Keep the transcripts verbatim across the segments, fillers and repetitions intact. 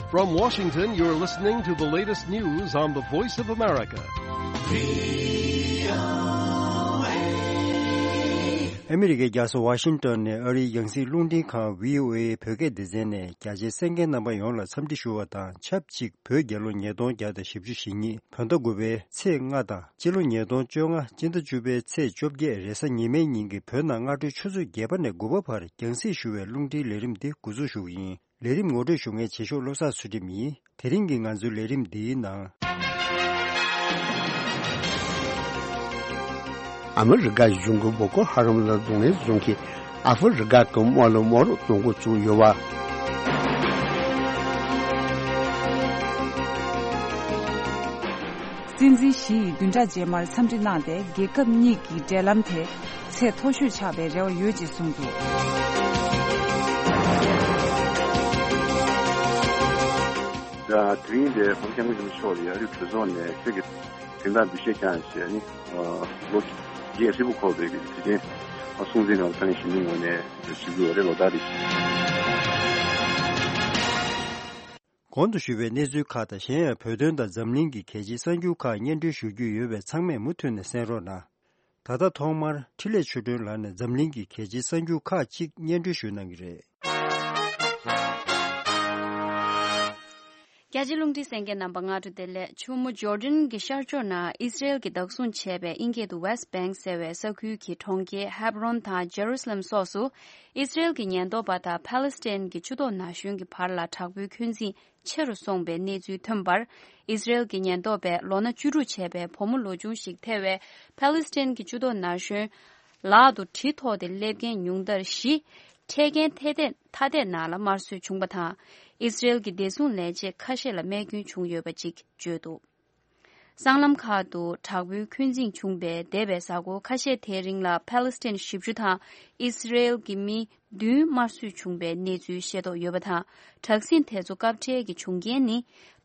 From Washington, you're listening to the latest news on the Voice of America. ཨ་མི་རི་ཀའི་རྒྱལ་ས་ཝ་ཤིང་ཏོན་ནས་ཨ་རིའི་རྒྱང་སྲིང་རླུང་འཕྲིན་ཁང་བྷི་ཨོ་ཨེ་བོད་སྐད་སྡེ་ཚན་ནས་རྒྱ་ཆེའི་གསན་མཁན་རྣམ་པ་ཡོངས་ལ་འཚམས་འདྲི་ཞུ་བ་དང་ཆབས་ཅིག་བོད་རྒྱལ་ལོ་ཉིས་སྟོང་བརྒྱ་དང་བཞི་བཅུ་ཞེ་གཉིས་བོད་ཟླ་དགུ་པའི་ཚེས་ལྔ་དང་སྤྱི་ལོ་ཉིས་སྟོང་བཅོ་ལྔ་སྤྱི་ཟླ་བཅུ་པའི་ཚེས་བཅོ་བརྒྱད་རེས་གཟའ་ཉི་མའི་ཉིན་གྱི་བོད་ནང་སྔ་དྲོའི་ཆུ་ཚོད་བརྒྱད་པ་ནས་དགུ་པ་བར་རྒྱང་སྲིང་ཞུ་བའི་རླུང་འཕྲིན་ལས་རིམ་འདི་འགོ་འཛུགས་ཞུ་གི་ཡིན། ལས་རིམ་ངོ་སྤྲོད་ཞུ་མཁན་བྱེད་ཤོག་བློ་བཟང་ཚུལ་ཁྲིམས་ཡིན། དེ་རིང་གི་ང་ཚོའི་ལས་རིམ་འདིའི་ནང་། ཨ་མི་རི་ཀ་གཞུང་གིས་བོ་ཀོ་ཧ་རམ་ལ་གདོང་ལེན་བཟུང་མཁན་ཨ་ཧྥེ་རི་ཀ་གི་དམག་ལུ་དམག་རོགས་གཏོང་འགོ་བཙུགས་ཡོད་པ། སྲིད་འཛིན་ཞི་ཡི་བདུན་ཕྲག་རྗེས་མར་འཚམས་འདྲི་གནང་སྟེ་རྒྱལ་ཁབ་གཉིས་ཀྱི་འབྲེལ་ལམ་དེ་ཚད་མཐོ་ཤོས་ཆགས་པའི་རེ་བ་ཡོད་ཅེས་གསུངས་འདུག་དེ་རིང་འདིར་༸གོང་ས་༸སྐྱབས་མགོན་ཆེན་པོ་མཆོག་ལ་ཡ་རི་བོད་ཚོགས་ནས་ཆེད་ཀྱི་དོན་དག་འདུ་ཤེས་བསྐྱངས་བྱས་ནས་ལོ་བརྒྱད་ཧྲིལ་པོ་འཁོར་བའི་དུས་ཆེན་སྲུང་བརྩི་ནང་ཐོན་ཞུ་མི་ངོས་ནས་ཞུ་རྒྱུ་རེད། ལོ་ཟླ་རེ་བཞིན། གོང་དུ་ཞུས་པའི་གནས་ཚུལ་ཁག་དང་གཞན་ཡང་བོད་དོན་དང་འཛམ་གླིང་གི་གལ་ཆེའི་གསར་འགྱུར་ཁག་སྙན་སྒྲོན་ཞུ་རྒྱུ་ཡོད་པས་ཚང་མས་མུ་མཐུད་ནས་གསན་རོགས་གནང་། ད་ལྟ་ཐོག་མར་འཕྲིན་ལས་ཆོས་སྒྲོན་ལགས་ནས་འཛམ་གླིང་གི་གལ་ཆེའི་གསར་འགྱུར་ཁག་ཅིག་སྙན་སྒྲོན་ཞུ་གནང་གི་རེད། རྒྱ་ཆེའི་རླུང་འཕྲིན་གསན་མཁན་རྣམ་པ་སྔ་དྲོ་བདེ་ལེགས། ཆུ་མོ་ཇོར་ཌན་གྱི་ཤར་ཕྱོགས་ན་ཨིས་ར་ཨེལ་གྱིས་བདག་བཟུང་བྱས་པའི་དབྱིན་སྐད་དུ་West Bank ཟེར་བའི་ས་ཁུལ་གྱི་གྲོང་ཁྱེར་ཧེབ་རོན་དང་ཇེ་རུ་སི་ལེམ་སོགས་སུ་ཨིས་ར་ཨེལ་གྱི་ཉེན་རྟོག་པ་དང་ཕ་ལེ་སི་ཐན་གྱི་ཆུ་ཐོག་ན་གཞོན་གྱི་བར་ལ་དྲག་པོའི་འཁོན་འཛིན་ཆེ་རུ་སོང་པའི་གནས་ཚུལ་ཐོན་པར། ཨིས་ར་ཨེལ་གྱི་ཉེན་རྟོག་པས་ལོ་ན་བཅུ་དྲུག་བྱས་པའི་བུ་མོ་ལོ་ཆུང་ཞིག་ཐེ་བའི་ཕ་ལེ་སི་ཐན་གྱི་ཆུ་ཐོག་ན་གཞོན་ལག་ཏུ་གྲི་ཐོགས་ཏེ་སླེབས་མཁན་ཉུང་མཐར་བཞི། འཕྲད་མཁན་ཐ་དད་ཐ་དད་ནང་ལ་དམར་གསོད་བྱུང་བ་དང་། ཨིས་ར་ཨེལ་གྱི་བདེ་སྲུང་ལས་བྱེད་ཁ་ཤས་ལ་རྨས་སྐྱོན་བྱུང་ཡོད་པ་ཅིག་བརྗོད་འདུག་སྲང་ལམ་ཁག་ཏུ་དྲག་པོའི་འཁོན་འཛིང་བྱུང་བའི་འདས་པའི་གཟའ་འཁོར་ཁ་ཤས་དེའི་རིང་ལ་ཕ་ལེ་སི་ཐན་བཞི་བཅུ་དང་ཨིས་ར་ཨེལ་གྱི་མི་བདུན་དམར་གསོད་བྱུང་བའི་གནས་ཚུལ་ཤེས་རྟོགས་ཡོད་པ་དང་། དྲག་ཟིང་དེ་ཚོ་སྐབས་འཕྲལ་གྱི་བྱུང་རྐྱེན་ནི་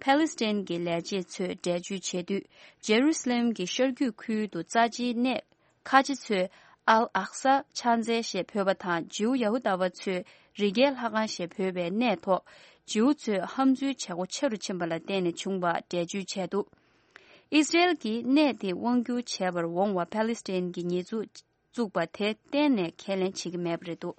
ཕ་ལེ་སི་ཐན་གྱི་ལས་བྱེད་ཚོས་འགྲེལ་བརྗོད་བྱེད་དུས། ཇེ་རུ་སི་ལེམ་གྱི་ཤར་རྒྱུད་ཁུལ་དུ་རྩ་ཆེའི་གནས་ཁ་ཆེ་ཚོས་ཨལ་ཨག་ས་ཕྱག་འཚལ་ཞེས་འབོད་པ་དང་། ཇིའུ་ཡ་ཧུ་དཱ་བ་ཚོས་རི་རྒྱལ་ལྷ་ཁང་ཞེས་འབོད་པའི་གནས་ཐོག་ཇིའུ་ཚོས་ཧམ་འཛུལ་བྱེད་སྒོ་ཆེ་རུ་ཕྱིན་པ་ལ་བརྟེན་ནས་བྱུང་བ་འགྲེལ་བརྗོད་བྱས་འདུག་ཨིས་ར་ཨེལ་གྱིས་གནས་དེ་དབང་བསྒྱུར་བྱས་པར་འོང་བ་ཕ་ལེ་སི་ཐན་གྱི་ཉེས་འཛུགས་བཙུགས་པ་དེ་གཏན་ནས་ཁས་ལེན་བྱེད་ཀྱི་མེད་པ་རེད་འདུག་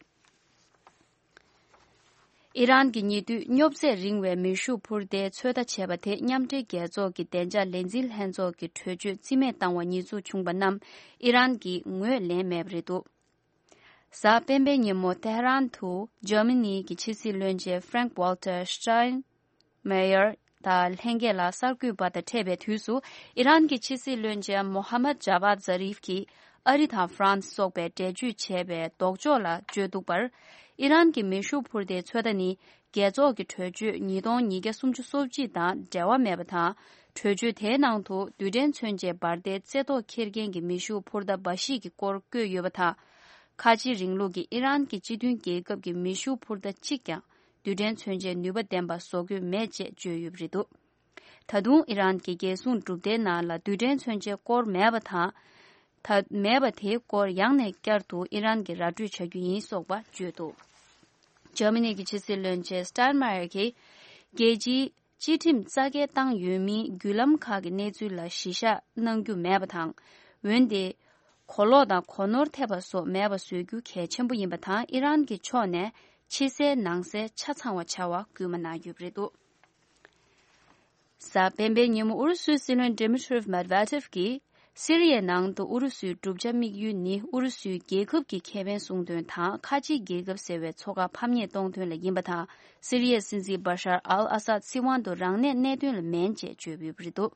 ཨི་རན་གྱིས་ཉེ་དུས་སྙོབ་ཚད་རིང་བའི་མེ་ཤུགས་འཕུར་མདེལ་ཚོད་ལྟ་བྱས་པ་དེ་མཉམ་འབྲེལ་རྒྱལ་ཚོགས་ཀྱི་བདེ་འཇགས་ལས་འཛིན་ལྷན་ཚོགས་ཀྱི་གྲོས་ཆོད་རྩིས་མེད་བཏང་བ་ཉེས་འཛུགས་བྱུང་བ་རྣམས་ཨི་རན་གྱིས་ངོས་ལེན་མེད་པ་རེད་འདུག་གཟའ་སྤེན་པའི་ཉིན་མོ་ཏེ་ཧ་རན་དུ་འཇར་མ་ནི་གི་ཕྱི་སྲིད་བློན་ཆེན་Frank Walter Steinmeier དང་ལྷན་རྒྱས་ལ་གསར་འགོད་པ་དང་འཕྲད་པའི་དུས་སུ། ཨི་རན་གྱི་ཕྱི་སྲིད་བློན་ཆེན་མོ་ཧ་མད་ཇ་བཱད་ཛ་རིབ་ཀྱིས་ཨ་རི་དང་ཧྥ་རན་སི་སོགས་པས་འགྲེལ་བརྗོད་བྱས་པའི་ལྡོག་ཕྱོགས་ལ་བརྗོད་འདུག་པར། ཨི་རན་གྱི་མེ་ཤུགས་འཕུར་མདེལ་ཚོད་ལྟ་ནི་རྒྱལ་ཚོགས་ཀྱི་གྲོས་ཆོད་ཉིས་སྟོང་ཉིས་བརྒྱ་སུམ་ཅུ་སོ་གཅིག་དང་འབྲེལ་བ་མེད་པ་དང་། གྲོས་ཆོད་དེའི་ནང་དུ་རྡུལ་ཕྲན་མཚོན་ཆའི་འབར་མདེལ་རྩེ་ཐོག་འཁྱེར་མཁན་གྱི་མེ་ཤུགས་འཕུར་མདའ་འབའ་ཞིག་གི་སྐོར་བཀོད་ཡོད་པ་དང་། ཁ་ཆེའི་རིང་ལུགས་ཀྱི་ཨི་རན་གྱི་སྤྱི་མཐུན་རྒྱལ་ཁབ་ཀྱི་མེ་ཤུགས་འཕུར་མདའ་གཅིག་ཀྱང་རྡུལ་ཕྲན་མཚོན་ཆའི་ནུས་པ་ལྡན་པ་བཟོ་དགོས་མེད་ཅེས་བརྗོད་ཡོད་པ་རེད་འདུག་ད་དུང་ཨི་རན་གྱི་རྒྱལ་སྲུང་གྲུབ་མཐའི་ནང་ལ་རྡུལ་ཕྲན་མཚོན་ཆའི་སྐོར་མེད་པ་དང་། ད་མེད་པ་དེའི་སྐོར་ཡང་ནས་བསྐྱར་དུ་ཨི་རན་གྱིས་ར་སྤྲོད་བྱ་རྒྱུ་ཡིན་སོགས་པ་བརྗོད་འདུག་འཇར་མ་ནི་གི་ཕྱི་སྲིད་བློན་ཆེན་སྟན་མ་ཡར་གྱིས། རྒྱལ་སྤྱིའི་སྤྱི་ཁྲིམས་རྩ་འགེངས་བཏང་ཡོད་མིན་བརྒྱུད་ལམ་ཁག་གི་གནས་ཚུལ་ལ་གཞི་བཞག་གནང་རྒྱུ་མེད་པ་དང་། འོན་ཏེ། གོ་ལོག་དང་གོ་ནོར་ཐེབས་པ་སོགས་མེད་པ་བཟོ་རྒྱུ་གལ་ཆེན་པོ་ཡིན་པ་དང་། ཨི་རན་གྱི་ཕྱོགས་ནས་ཕྱི་གསལ་ནང་གསལ་ཆ་ཚང་བ་བྱ་བར་སྐུལ་མ་གནང་ཡོད་པ་རེད་འདུག་གཟའ་སྤེན་པའི་ཉིན་མོ་ཨུ་རུ་སུའི་སྲིད་བློན་Dmitry Medvedev གྱིས། སི་རི་ཡའི་ནང་དུ་ཨུ་རུ་སུའི་གྲུབ་ཆ་དམིགས་ཡུལ་ནི་ཨུ་རུ་སུའི་རྒྱལ་ཁབ་ཀྱི་ཁེ་ཕན་སྲུང་དོན་དང་། ཁ་ཆེའི་རྒྱལ་ཁབ་ཟེར་བའི་མཚོ་ཁ་ཕམ་ཉེས་གཏོང་དོན་ལ་ཡིན་པ་དང་། སི་རི་ཡའི་སྲིད་འཛིན་Bashar al-Assad སྲིད་དབང་དུ་རང་གནས་གནད་དོན་ལ་མིན་ཅེས་བརྗོད་ཡོད་པ་རེད་འདུག་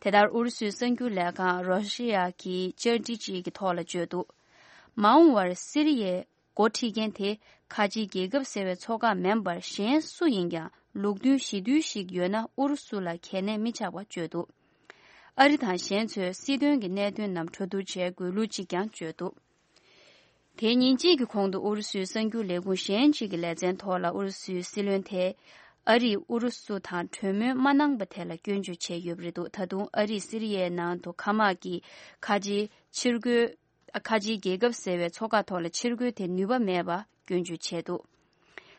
དེ་ལྟར་ཨུ་རུ་སུའི་གསར་འགྱུར་ལས་ཁང་Rossiya གིས་བཅར་འདྲི་ཅིག་གི་ཐོག་ལ་བརྗོད་འདུག་མ་འོངས་པར་སི་རི་ཡའི་འགོ་ཁྲིད་མཁན་དེ་ཁ་ཆེའི་རྒྱལ་ཁབ་ཟེར་བའི་མཚོ་ཁ་མིན་པར་གཞན་སུ་ཡིན་ཀྱང་ལུགས་མཐུན་ཞི་དུལ་ཞིག་ཡོད་ན་ཨུ་རུ་སུ་ལ་གལ་གནད་མི་ཆགས་པ་བརྗོད་འདུག་ཨ་རི་དང་གཞན་ཚོས་སྲིད་དོན་གྱི་གནད་དོན་རྣམས་གྲོས་བསྡུར་བྱེད་དགོས་ལུགས་གཅིག་ཀྱང་བརྗོད་འདུག་དེ་ཉིན་གཅིག་གི་གོང་དུ་ཨུ་རུ་སུའི་གསར་འགྱུར་ལས་ཁུངས་གཞན་གཅིག་གི་ལེ་ཚན་ཐོག་ལ་ཨུ་རུ་སུའི་སྲིད་བློན་དེས་ཨ་རིས་ཨུ་རུ་སུ་དང་གྲོས་མོལ་མ་གནང་པ་དེ་ལ་སྐྱོན་བརྗོད་བྱས་ཡོད་པ་རེད་འདུག་ད་དུང་ཨ་རིས་སི་རི་ཡའི་ནང་དུ་མཁའ་དམག་གི་ཁ་ཆེའི་ཕྱིར་རྒོལ། ཁ་ཆེའི་རྒྱལ་ཁབ་ཟེར་བའི་མཚོ་ཁ་ཐོག་ལ་ཕྱིར་རྒོལ་དེ་ནུས་པ་མེད་པ་སྐྱོན་བརྗོད་བྱས་འདུག་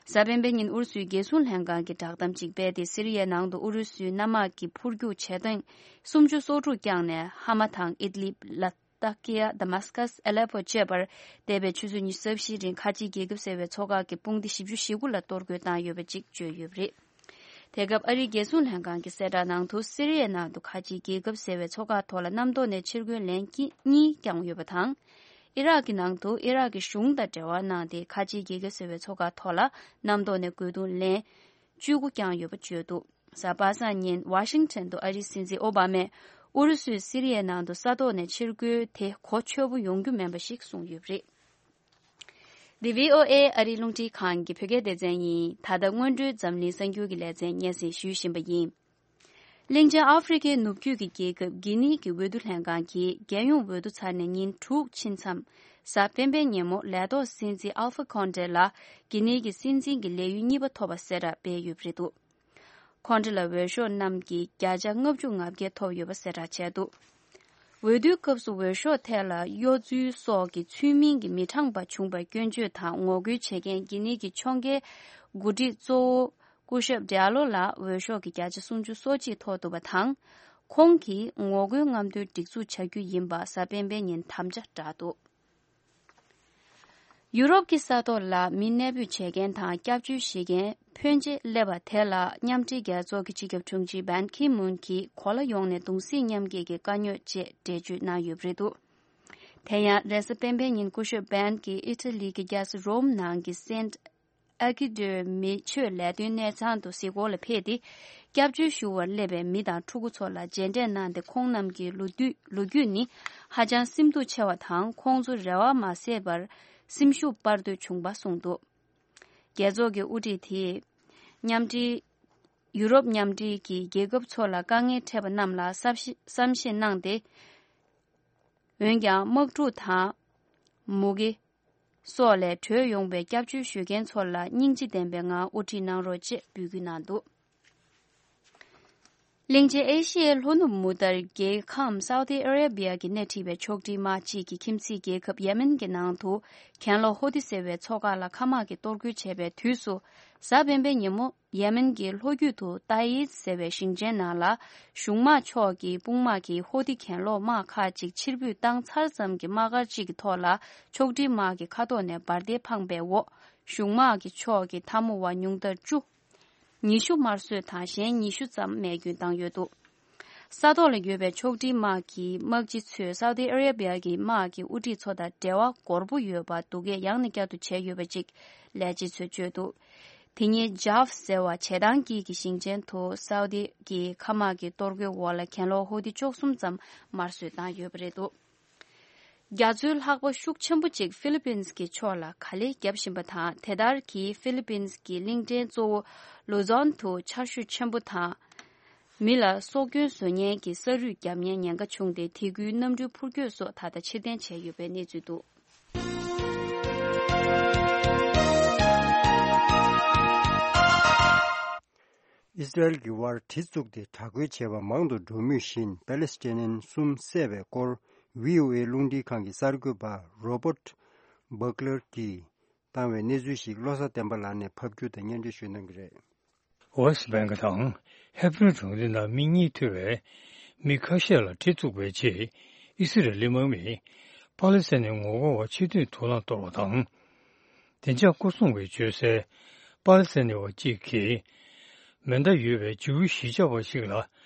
གཟའ་སྤེན་པའི་ཉིན་ཨུ་རུ་སུའི་རྒྱལ་སྲུང་ལྷན་ཁང་གིས་བསྒྲགས་གཏམ་གཅིག་སྤེལ་ཏེ། སི་རི་ཡའི་ནང་དུ་ཨུ་རུ་སུའི་གནམ་དམག་གི་འཕུར་རྒྱུག་བྱེད་སྟངས་སུམ་ཅུ་སོ་དྲུག་བརྐྱངས་ནས། ཧ་མ་དང་ཨིད་ལིབ། ལ་ཏཱ་ཀི་ཡ། དཱ་མཱ་སི་ཀཱས། ཨ་ལེ་པོ་བཅས་པར་འདས་པའི་ཆུ་ཚོད་ཉི་ཤུ་རྩ་བཞིའི་རིང་ཁ་ཆེའི་རྒྱལ་ཁབ་ཟེར་བའི་ཚོགས་ཁག་གི་དཔུང་སྡེ་བཞི་བཅུ་ཞེ་དགུ་ལ་གཏོར་རྒོལ་བཏང་ཡོད་པ་ཅིག་བརྗོད་ཡོད་པ་རེད། དེ་སྐབས་ཨ་རིའི་རྒྱལ་སྲུང་ལྷན་ཁང་གི་གསལ་བསྒྲགས་ནང་དུ། སི་རི་ཡའི་ནང་དུ་ཁ་ཆེའི་རྒྱལ་ཁབ་ཟེར་བའི་ཚོགས་ཁག་ཐོག་ལ་གནམ་ཐོག་ནས་ཕྱིར་རྒོལ་ལན་གཉིས་བརྐྱངས་ཡོད་པ་དང་། ཨི་རག་གི་ནང་དུ་ཨི་རག་གི་གཞུང་དང་འབྲེལ་བ་གནང་སྟེ། ཁ་ཆེའི་རྒྱལ་ཁབ་ཟེར་བའི་ཚོགས་ཁག་ཐོག་ལ་གནམ་ཐོག་ནས་རྒོལ་རྡུང་ལན་བཅུ་དགུ་བརྐྱངས་ཡོད་པ་བརྗོད་འདུག་གཟའ་པ་སངས་ཉིན་ཝ་ཤིང་ཊོན་དུ་ཨ་རིའི་སྲིད་འཛིན་ཨོ་བྷ་མས་ཨུ་རུ་སུས་སི་རི་ཡའི་ནང་དུ་ས་ཐོག་ནས་ཕྱིར་རྒོལ་དེ་གོ་ཆོད་པོ་ཡོང་རྒྱུ་མིན་པ་ཞིག་གསུངས་ཡོད་པ་རེད། འདི་བྷི་ཨོ་ཨེ་ཨ་རིའི་རླུང་འཕྲིན་ཁང་གི་བོད་སྐད་སྡེ་ཚན་ཡིན། ད་ལྟ་སྔོན་འགྲོའི་འཛམ་གླིང་གསར་འགྱུར་གྱི་ལེ་ཚན་སྙན་སེང་ཞུ་བཞིན་པ་ཡིན། གླིང་ཆེན་ཨ་ཧྥེ་རི་ཁའི་ནུབ་རྒྱུད་ཀྱི་རྒྱལ་ཁབ་གྷི་ནི་གི་འོས་བསྡུ་ལྷན་ཁང་གིས་རྒྱལ་ཡོངས་འོས་བསྡུ་ཚར་ནས་ཉིན་དྲུག་ཕྱིན་མཚམས། གཟའ་སྤེན་པའི་ཉིན་མོ་ལས་ཐོག་སྲིད་འཛིན་ཨལ་ཧྥ་ཁོན་ཏེ་ལ་གྷི་ནི་གི་སྲིད་འཛིན་གྱི་ལས་ཡུན་གཉིས་པ་ཐོབ་པ་གསལ་བསྒྲགས་སྤེལ་ཡོད་པ་རེད་འདུག་ཁོང་ཁྲོ་ལ་འོས་ཤོག་རྣམས་ཀྱི་བརྒྱ་ཆ་ལྔ་བཅུ་ང་བརྒྱད་ཐོབ་ཡོད་པ་གསལ་བསྒྲགས་བྱས་འདུག་འོས་བསྡུའི་སྐབས་སུ་འོས་ཤོག་ཐད་ལ་གཡོ་རྫུན་སོགས་ཀྱི་ཚུལ་མིན་གྱི་མི་དྲང་པ་བྱུང་བར་སྐྱོན་བརྗོད་དང་ངོ་རྒོལ་བྱེད་མཁན་གྷི་ནི་གི་ཕྱོགས་འགལ་འགོ་ཁྲིད་གཙོ་བོ་སྐུ་ཞབས་ཌི་ཨ་ལོ་ལ་འོས་ཤོག་གི་བརྒྱ་ཆ་སུམ་ཅུ་སོ་གཅིག་ཐོབ་འདུག་པ་དང་། ཁོང་གིས་ངོ་རྒོལ་རྔམ་སྟོན་སྒྲིག་འཛུགས་བྱ་རྒྱུ་ཡིན་པ་གཟའ་སྤེན་པའི་ཉིན་དམ་བཅའ་བསྒྲགས་འདུག་ཡུ་རོབ་ཀྱི་ས་ཐོག་ལ་མི་གནས་སྤོས་བྱེད་མཁན་དང་སྐྱབས་བཅོལ་ཞུ་མཁན་ཕོན་ཆེ་སླེབས་པ་དེ་ལ་མཉམ་འབྲེལ་རྒྱལ་ཚོགས་ཀྱི་སྤྱི་ཁྱབ་དྲུང་ཆེ་བན་ཁི་མུན་གྱིས་གོ་ལ་ཡོངས་ནས་གདུང་སེམས་མཉམ་སྐྱེད་ཀྱི་དཀའ་རྙོག་ཅེས་འགྲེལ་བརྗོད་གནང་ཡོད་པ་རེད་འདུག་དེ་ཡང་རེས་གཟའ་སྤེན་པའི་ཉིན་སྐུ་ཞབས་བན་གྱིས་ཨི་ཊ་ལི་གི་རྒྱལ་ས་རོམ་ནང་གི་སེན་ཨ་ཀི་ཏོའི་མི་ཆོས་ལས་དོན་གནས་ཚང་དུ་གཟིགས་སྐོར་ལ་ཕེབས་ཏེ། སྐྱབས་བཅོལ་ཞུ་བར་སླེབས་པའི་མི་དང་ཕྲུ་གུ་ཚོ་ལ་མཇལ་འཕྲད་གནང་སྟེ། ཁོང་རྣམས་ཀྱི་ལོ་རྒྱུས་ལོ་རྒྱུས་ནི་ཧ་ཅང་སེམས་སྡུག་ཆེ་བ་དང་། ཁོང་ཚོ་རེ་བ་མ་ཟད་པར་སེམས་ཤུགས་སྤར་འདོད་བྱུང་པ་གསུངས་འདུག་རྒྱལ་ཚོགས་ཀྱི་དབུ་ཁྲིད་དེས་མཉམ་འབྲེལ་ཡུ་རོབ་མཉམ་འབྲེལ་གྱི་རྒྱལ་ཁབ་ཚོ་ལ་དཀའ་ངལ་འཕྲད་པ་རྣམས་ལ་བསམ་ཤེས་བསམ་ཤེས་གནང་སྟེ། འོན་ཀྱང་དམག་འཁྲུག་དང་མུ་གེ་སོགས་ལས་གྲོལ་ཡོང་བའི་སྐྱབས་བཅོལ་ཞུ་མཁན་ཚོ་ལ་སྙིང་རྗེ་ལྡན་པའི་ངང་དབུ་ཁྲིད་གནང་རོགས་ཅེས་འབོད་སྐུལ་གནང་འདུག་གླིང་ཆེན་ཨེ་ཤི་ཡའི་ལྷོ་ནུབ་མུ་ཏར་རྒྱལ་ཁམས་སའུ་ཏི་ཨ་རེ་བི་ཡ་གིས་སྣེ་ཁྲིད་པའི་ཕྱོགས་སྒྲིག་དམག་ཅིག་གིས་ཁྱིམ་མཚེས་རྒྱལ་ཁབ་ཡེ་མེན་གྱི་ནང་དུ་གྱེན་ལོག་ཧོ་ཏི་ཟེར་བའི་ཚོགས་ཁག་ལ་མཁའ་དམག་གིས་གཏོར་རྒོལ་བྱས་པའི་དུས་སུ། གཟའ་སྤེན་པའི་ཉིན་མོ་ཡེ་མེན་གྱི་ལྷོ་རྒྱུད་དུ་ཏཱ་ཡིད་ཟེར་བའི་ཞིང་ཆེན་ནང་ལ་གཞུང་དམག་ཕྱོགས་ཀྱི་དཔུང་དམག་གིས་ཧོ་ཏི་གྱེན་ལོག་དམག་ཁག་ཅིག་ཕྱིར་འབུད་བཏང་ཚར་ཙམ་གྱི་དམག་སྒར་གཅིག་གི་ཐོག་ལ་ཕྱོགས་སྒྲིག་དམག་གི་ཁ་ཐོག་ནས་འབར་མདེལ་འཕངས་པའི་འོག་གཞུང་དམག་གི་ཕྱོགས་ཀྱི་འཐབ་མོ་བ་ཉུང་མཐར་བཅུ། ཉི་ཤུ་དམར་གསོད་དང་གཞན་ཉི་ཤུ་ཙམ་རྨས་སྐྱོན་བཏང་ཡོད་འདུག་ས་ཐོག་ལ་ཡོད་པའི་ཕྱོགས་སྒྲིག་དམག་གི་དམག་སྤྱི་ཚོས་སའུ་ཏི་ཨ་རེ་བི་ཡ་གི་དམག་གི་དབུ་ཁྲིད་ཚོ་དང་འབྲེལ་བ་འགོར་པོ་ཡོད་པ་སྡུག་སྐད་ཡང་ནས་བསྐྱར་དུ་བྱས་ཡོད་པ་ཅིག་ལས་བྱེད་ཚོས་བརྗོད་འདུག་དེ་ཉིན་ཇཱབ་ཟེར་བ་བྱེ་ཐང་དཀྱིལ་གྱི་ཞིང་ཆེན་དུ་སའུ་ཏི་གི་མཁའ་དམག་གི་གཏོར་རྒོལ་འོག་ལ་གྱེན་ལོག་ཧོ་ཏི་བཅུ་གསུམ་ཙམ་དམར་གསོད་བཏང་ཡོད་པ་རེད་འདུག་རྒྱ་མཚོའི་ལྷགས་པ་ཤུགས་ཆེན་པོ་གཅིག་ཧྥི་ལི་པིན་གྱི་ཕྱོགས་ལ་ག་ལེར་བརྒྱབ་བཞིན་པ་དང་། དེ་ལྟར་གྱིས་ཧྥི་ལི་པིན་གྱི་གླིང་ཕྲན་གཙོ་བོ་ལུ་ཛོན་དུ་ཆར་ཞོད་ཆེན་པོ་དང་། མི་ལ་སྲོག་སྐྱོན་བཟོ་ཉེན་གྱི་ས་རུད་བརྒྱབ་ཉེན་ཉེན་ཁ་བྱུང་སྟེ། དེ་ཁུལ་གནམ་གྲུའི་འཕུར་སྐྱོད་སོགས་ད་ལྟ་ཕྱིར་འཐེན་བྱས་ཡོད་པའི་གནས་ཚུལ་འདུག་ཨི་སི་རལ་གྱི་དབར་གྲི་བཙུགས་ཏེ་དྲག་རྒོལ་བྱས་པ་མང་དུ་འགྲོ་མུས་བཞིན། པ་ལེ་སི་ཐན་ནི་གསུམ་བསད་པའི་སྐོར་བྷི་ཨོ་ཨེ་རླུང་འཕྲིན་ཁང་གི་གསར་འགོད་པ་རོ་བྷར་ཊི་བྷག་ལར་གྱིས་བཏང་བའི་གནས་ཚུལ་ཞིག་བློ་བཟང་བསྟན་པ་ལགས་ནས་ཕབ་སྒྱུར་དང་སྙན་སྒྲོན་ཞུ་གནང་གི་རེད། ཝེ་སི་ཊི་བྷེང་ཀི་དང་ཧེ་བྷ་རོན་གྲོང་སྡེ་ནང་མི་གཉིས་ཐུག་པའི་མི་ཁ་ཤས་ལ་གྲི་བཙུགས་པའི་རྗེས། ཨི་སི་རལ་ལི་དམག་མིས་པ་ལེ་སི་ཐན་ནི་ངོ་རྒོལ་བ་ཕྱིར་འཐེན་དུག་རླངས་གཏོར་བ་དང་། བདེ་འཇགས་སྐོར་སྲུང་བས་བརྗོད་གསལ། པ་ལེ་སི་ཐན་ནི་བ་གཅིག་གིས་མེ་མདའ་ཡོད་པའི་ཇིའུ་གཞིས་ཆགས་པ་ཞིག་ལ་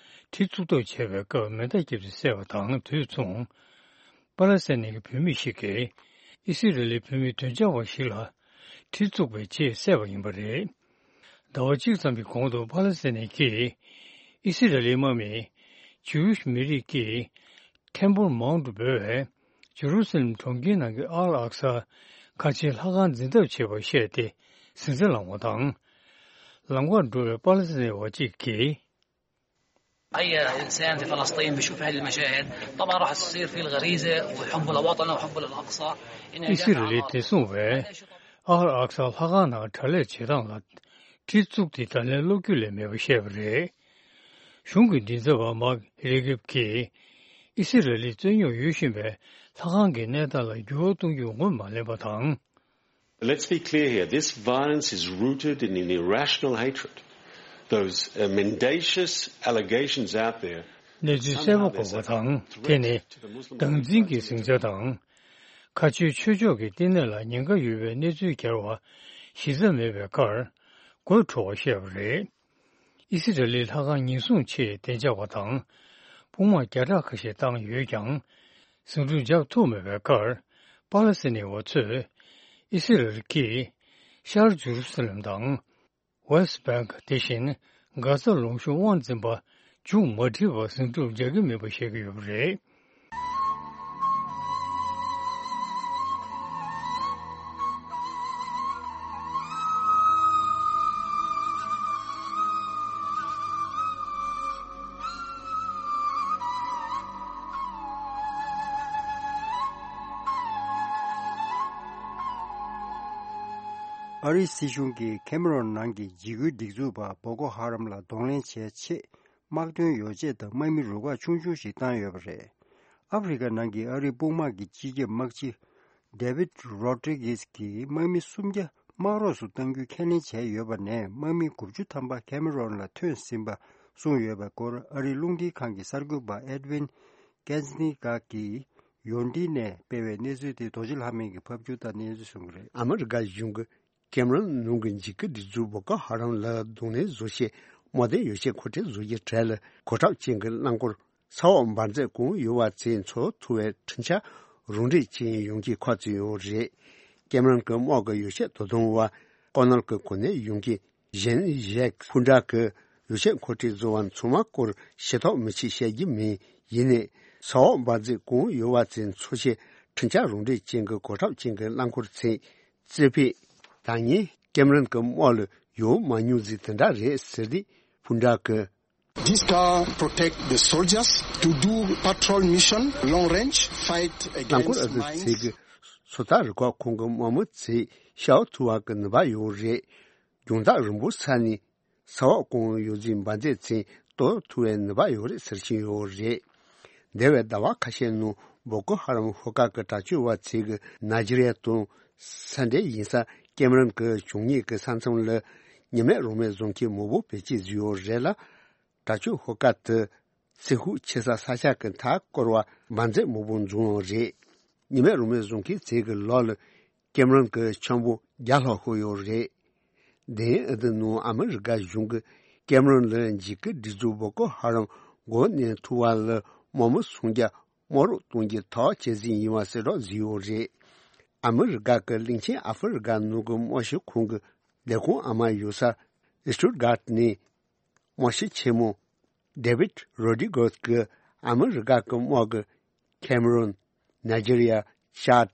གྲི་བཙུགས་ཐབས་བྱས་པའི་སྐབས་མེ་མདའ་བརྒྱབ་སྟེ་བསད་པ་དང་། དུས་མཚུངས། པ་ལེ་སི་ཐན་ནི་གི་བུད་མེད་ཞིག་གིས་ཨི་སི་རལ་ལི་བུད་མེད་གདོང་ཆགས་པ་ཞིག་ལ་གྲི་བཙུགས་པའི་རྗེས་བསད་པ་ཡིན་པ་རེད། ཟླ་བ་གཅིག་ཙམ་གྱི་གོང་དུ་པ་ལེ་སི་ཐན་ནི་གིས་ཨི་སི་རལ་ལིའི་དམག་མིས་ཇིའུ་ཤི་མི་རིགས་ཀྱི་ཐེམ་པོལ་མའུན་ཊི་འབོད་པའི་ཇེ་རུ་སི་ལེམ་གྲོང་ཁྱེར་ནང་གི་ཨལ་ཨག་ས་ཁ་ཆེའི་ལྷ་ཁང་འཛིན་ཐབས་བྱས་པར་བཤད་དེ་ཟིང་ཆ་ལངས་པ་དང་། ལམ་ཁར་འགྲོ་བའི་པ་ལེ་སི་ཐན་བ་གཅིག་གིས། أي إنسان في فلسطين بيشوف هذه المشاهد، طبعًا راح تصير فيه الغريزة وحبه لوطنه وحبه للأقصى. ཨི་སི་རལ་ལིའི་བདེ་སྲུང་བས་ཨལ་ཨག་ས་ལྷ་ཁང་ནང་དྲག་ལས་བྱེད་སྟངས་ལ་གྲི་བཙུགས་ཏེ་ད་ལན་བློ་འགྱོད་ལས་མེད་པ་བཤད་པ་རེད། གཞུང་གི་མགྲིན་ཚབ་པ་མཱག་རེ་གྷེབ་ཀྱིས་ཨི་སི་རལ་ལིས་རྩོད་རྙོག་ཡོད་བཞིན་པའི་ལྷ་ཁང་གི་གནས་སྟངས་ལ་འགྱུར་བ་གཏོང་རྒྱུར་ངོས་མ་ལེན་པ་དང་། Let's be clear here. This violence is rooted in an irrational hatred. Those uh, mendacious allegations out there གནས་ཚུལ་གསལ་པོ་དགོས་པ་དང་། དེ་ནི་སྡང་འཛིན་གྱི་ཟིང་ཆ་དང་། ཁ་ཆེའི་ཆོས་ཕྱོགས་ཀྱི་བསྟི་གནས་ལ་ཉེན་ཁ་ཡོད་པའི་གནས་ཚུལ་གྱར་བ་གཞི་རྩ་མེད་པའི་ཁར་དགོད་བྲོ་བ་བཤད་པ་རེད། ཨི་སི་རལ་ལིའི་ལྷ་ཁང་ཉེན་སྲུང་ཆེད་བདེ་འཇགས་པ་དང་དཔུང་དམག་བརྒྱ་ཕྲག་ཁ་ཤས་བཏང་ཡོད་ཀྱང་། ཟིང་འཁྲུག་འཇགས་ཐུབ་མེད་པའི་ཁར་པ་ལ་སི་ནི་བ་ཚོས་ཨི་སི་རལ་གྱིས་ཤར་ཇུ་རུ་སི་ལམ་དང་། West Bank དེ་བཞིན་གྷ་ས་ལུང་གཤོང་དབང་འཛིན་པ་མཇུག་མ་སྒྲིལ་བར་ཟིང་འཁྲུག་འཇགས་ཀྱི་མིན་པ་བཤད་ཀྱི་ཡོད་པ་རེད། ཨ་རིའི་སྲིད་གཞུང་གིས་ཁེ་མ་རོན་ནང་གི་འཇིགས་སྐུལ་སྒྲིག་འཛུགས་པ་བོ་ཀོ་ཧ་རམ་ལ་གདོང་ལེན་བྱེད་ཆེད། དམག་དོན་ཡོ་བྱད་དང་དམག་མི་རུ་ཁག་ཆུང་ཆུང་ཞིག་བཏང་ཡོད་པ་རེད། ཨ་ཧྥེ་རི་ཁ་ནང་གི་ཨ་རིའི་དཔུང་དམག་གི་སྤྱི་ཁྱབ་དམག་སྤྱི་David Rodriguez གྱིས་དམག་མི་སུམ་བརྒྱ་དམག་རོགས་སུ་གཏང་རྒྱུའི་ཁས་ལེན་བྱས་ཡོད་པ་ནས། དམག་མི་དགུ་བཅུ་ཐམ་པ་ཁེ་མ་རོན་ལ་ཐོན་ཟིན་པ་གསུངས་ཡོད་པའི་སྐོར། ཨ་རིའི་རླུང་འཕྲིན་ཁང་གི་གསར་འགོད་པ་Edwin Kensinga གིས་ཡོན་ཏི་ནས་སྤེལ་བའི་གནས་ཚུལ་དེ་རྡོ་རྗེ་ལྷ་མོ་གིས་ཕབ་སྒྱུར་དང་སྙན་སྒྲོན་ཞུ་གི་རེད། ཨ་མི་རི་ཀ་གཞུང་གིས་ཀེམ་རོན་ནང་གི་འཇིགས་སྐུལ་སྒྲིག་འཛུགས་བོ་ཀོ་ཧ་རམ་ལ་གདོང་ལེན་བཟོ་ཆེད་དམག་དོན་ཡོ་བྱད་མཁོ་སྤྲོད་བཟོ་རྒྱུའི་གྲས་ལ་གོ་ཁྲབ་ཅན་གྱི་རླངས་འཁོར་ས་འོག་འབར་མཛད་གང་ཡོད་པ་ཚོ་འཚོལ་ཐུབ་པའི་འཕྲིན་བཅར་རང་འགྲེལ་ཅན་ཡོང་རྒྱུའི་ཁ་གསལ་ཡོད་རེད། ཀེམ་རོན་གྱི་དམག་གི་ཡོ་བྱད་དོ་དམ་པ་ཀོ་ནལ་གྱི་གོ་གནས་ཡོད་མཁན་ཞན་ཞེག་ཕུ་འདྲ་གྱིས་ཡོ་བྱད་མཁོ་སྤྲོད་བཟོ་བ་ཚང་མ་སྐོར་ཞིབ་ཐག་མི་ཆོད་བཤད་རྒྱུ་མིན། ཡིན་ནའི་ས་འོག་འབར་མཛད་གང་ཡོད་པ་ཚོ་འཚོལ་ཆེད་འཕྲིན་བཅར་རང་འགྲེལ་ཅན་གྱི་གོ་ཁྲབ་ཅན་གྱི་རླངས་འཁོར་ཚོས་རྩེ་ཕུད་ད་ངས་ཀེམ་རོན་གྱི་དམག་ལ་ཡོང་མ་མྱོང་ཟིག་དེ་འདྲ་རེད་ཟེར་ཏེ་ཕུ་འདྲ་གྱིས། This car protect the soldiers to do patrol mission, long range, fight རླངས་འཁོར་against ཨ་ཙི་ཚེ་mines. གི་སོ་ཐར་རུ་ཁག་ཁོང་གི་དམག་མི་ཚོས་ཤར་ཐུབ་པ་གི་ནུས་པ་ཡོད་རེད། རྒྱང་ཐག་རིང་པོ་ས་ནས་ས་འོག་གང་ཡོད་ཚད་འབར་མཛད་ཚོས་གཏོར་ཐུབ་པའི་ནུས་པ་ཡོད་རེད་ཟེར་གྱིན་ཡོད་རེད། འདས་པའི་ཟླ་བ་ཁ་ཤས་ནང་བོ་ཀོ་ཧ་རམ་ཤོག་ཁག་གི་དྲག་སྤྱོད་པ་ཚོས་གི་ནཱི་ཇི་རི་ཡ་དང་ས་འབྲེལ་ཡིན་ས་ཀེམ་རོན་གྱི་བྱང་ཉེ་གི་ས་མཚམས་ལ་ཉི་མེད་རང་མོས་བཟོ་མཁན་མང་པོ་བེད་སྤྱོད་བཟོས་ཡོད་རེད་ལ། དྲག་སྤྱོད་ཤོག་ཁག་དེ་ཚེ་ཤུགས་ཆེ་ས་ས་ཆ་གི་མཐའ་བསྐོར་བ་འབར་མཛད་མང་པོ་འཛོམས་ཡོད་རེད། ཉི་མེད་རང་མོས་བཟོ་མཁན་ཚོས་གི་ལག་ལ་ཀེམ་རོན་གྱི་ཆེན་པོ་བརྒྱ་ལྷག་ཤོར་ཡོད་རེད། དེ་ཡང་ཨ་ཏི་ནང་ཨ་མི་རི་ཀ་གཞུང་གིས་ཀེམ་རོན་ལ་འཇིགས་སྐུལ་སྒྲིག་འཛུགས་བོ་ཀོ་ཧ་རམ་འགོ་ནས་ཐུག་པ་ལ་དམག་མི་སུམ་བརྒྱ་དམག་རོགས་གཏོང་རྒྱུ་ཐག་བཅད་ཟིན་ཡིན་པ་གསལ་བསྒྲགས་བཟོས་ཡོད་རེད། ཨ་མི་རི་ཀ་གི་གླིང་ཆེན་ཨ་ཧྥེ་རི་ཀ་ནང་གི་དམག་སྤྱི་ཁང་གི་ལས་ཁུངས་ཨ་མ་ཡོད་ས་སི་ཊུད་གྷར་ནས། དམག་སྤྱི་ཆེན་མོ་ཌེ་བིད་རོ་ཌི་གོས་ཀྱིས་ཨ་མི་རི་ཀ་གི་དམག་གིས་ཁེམ་རོན། ནཱི་ཇི་རི་ཡ། ཅཱད།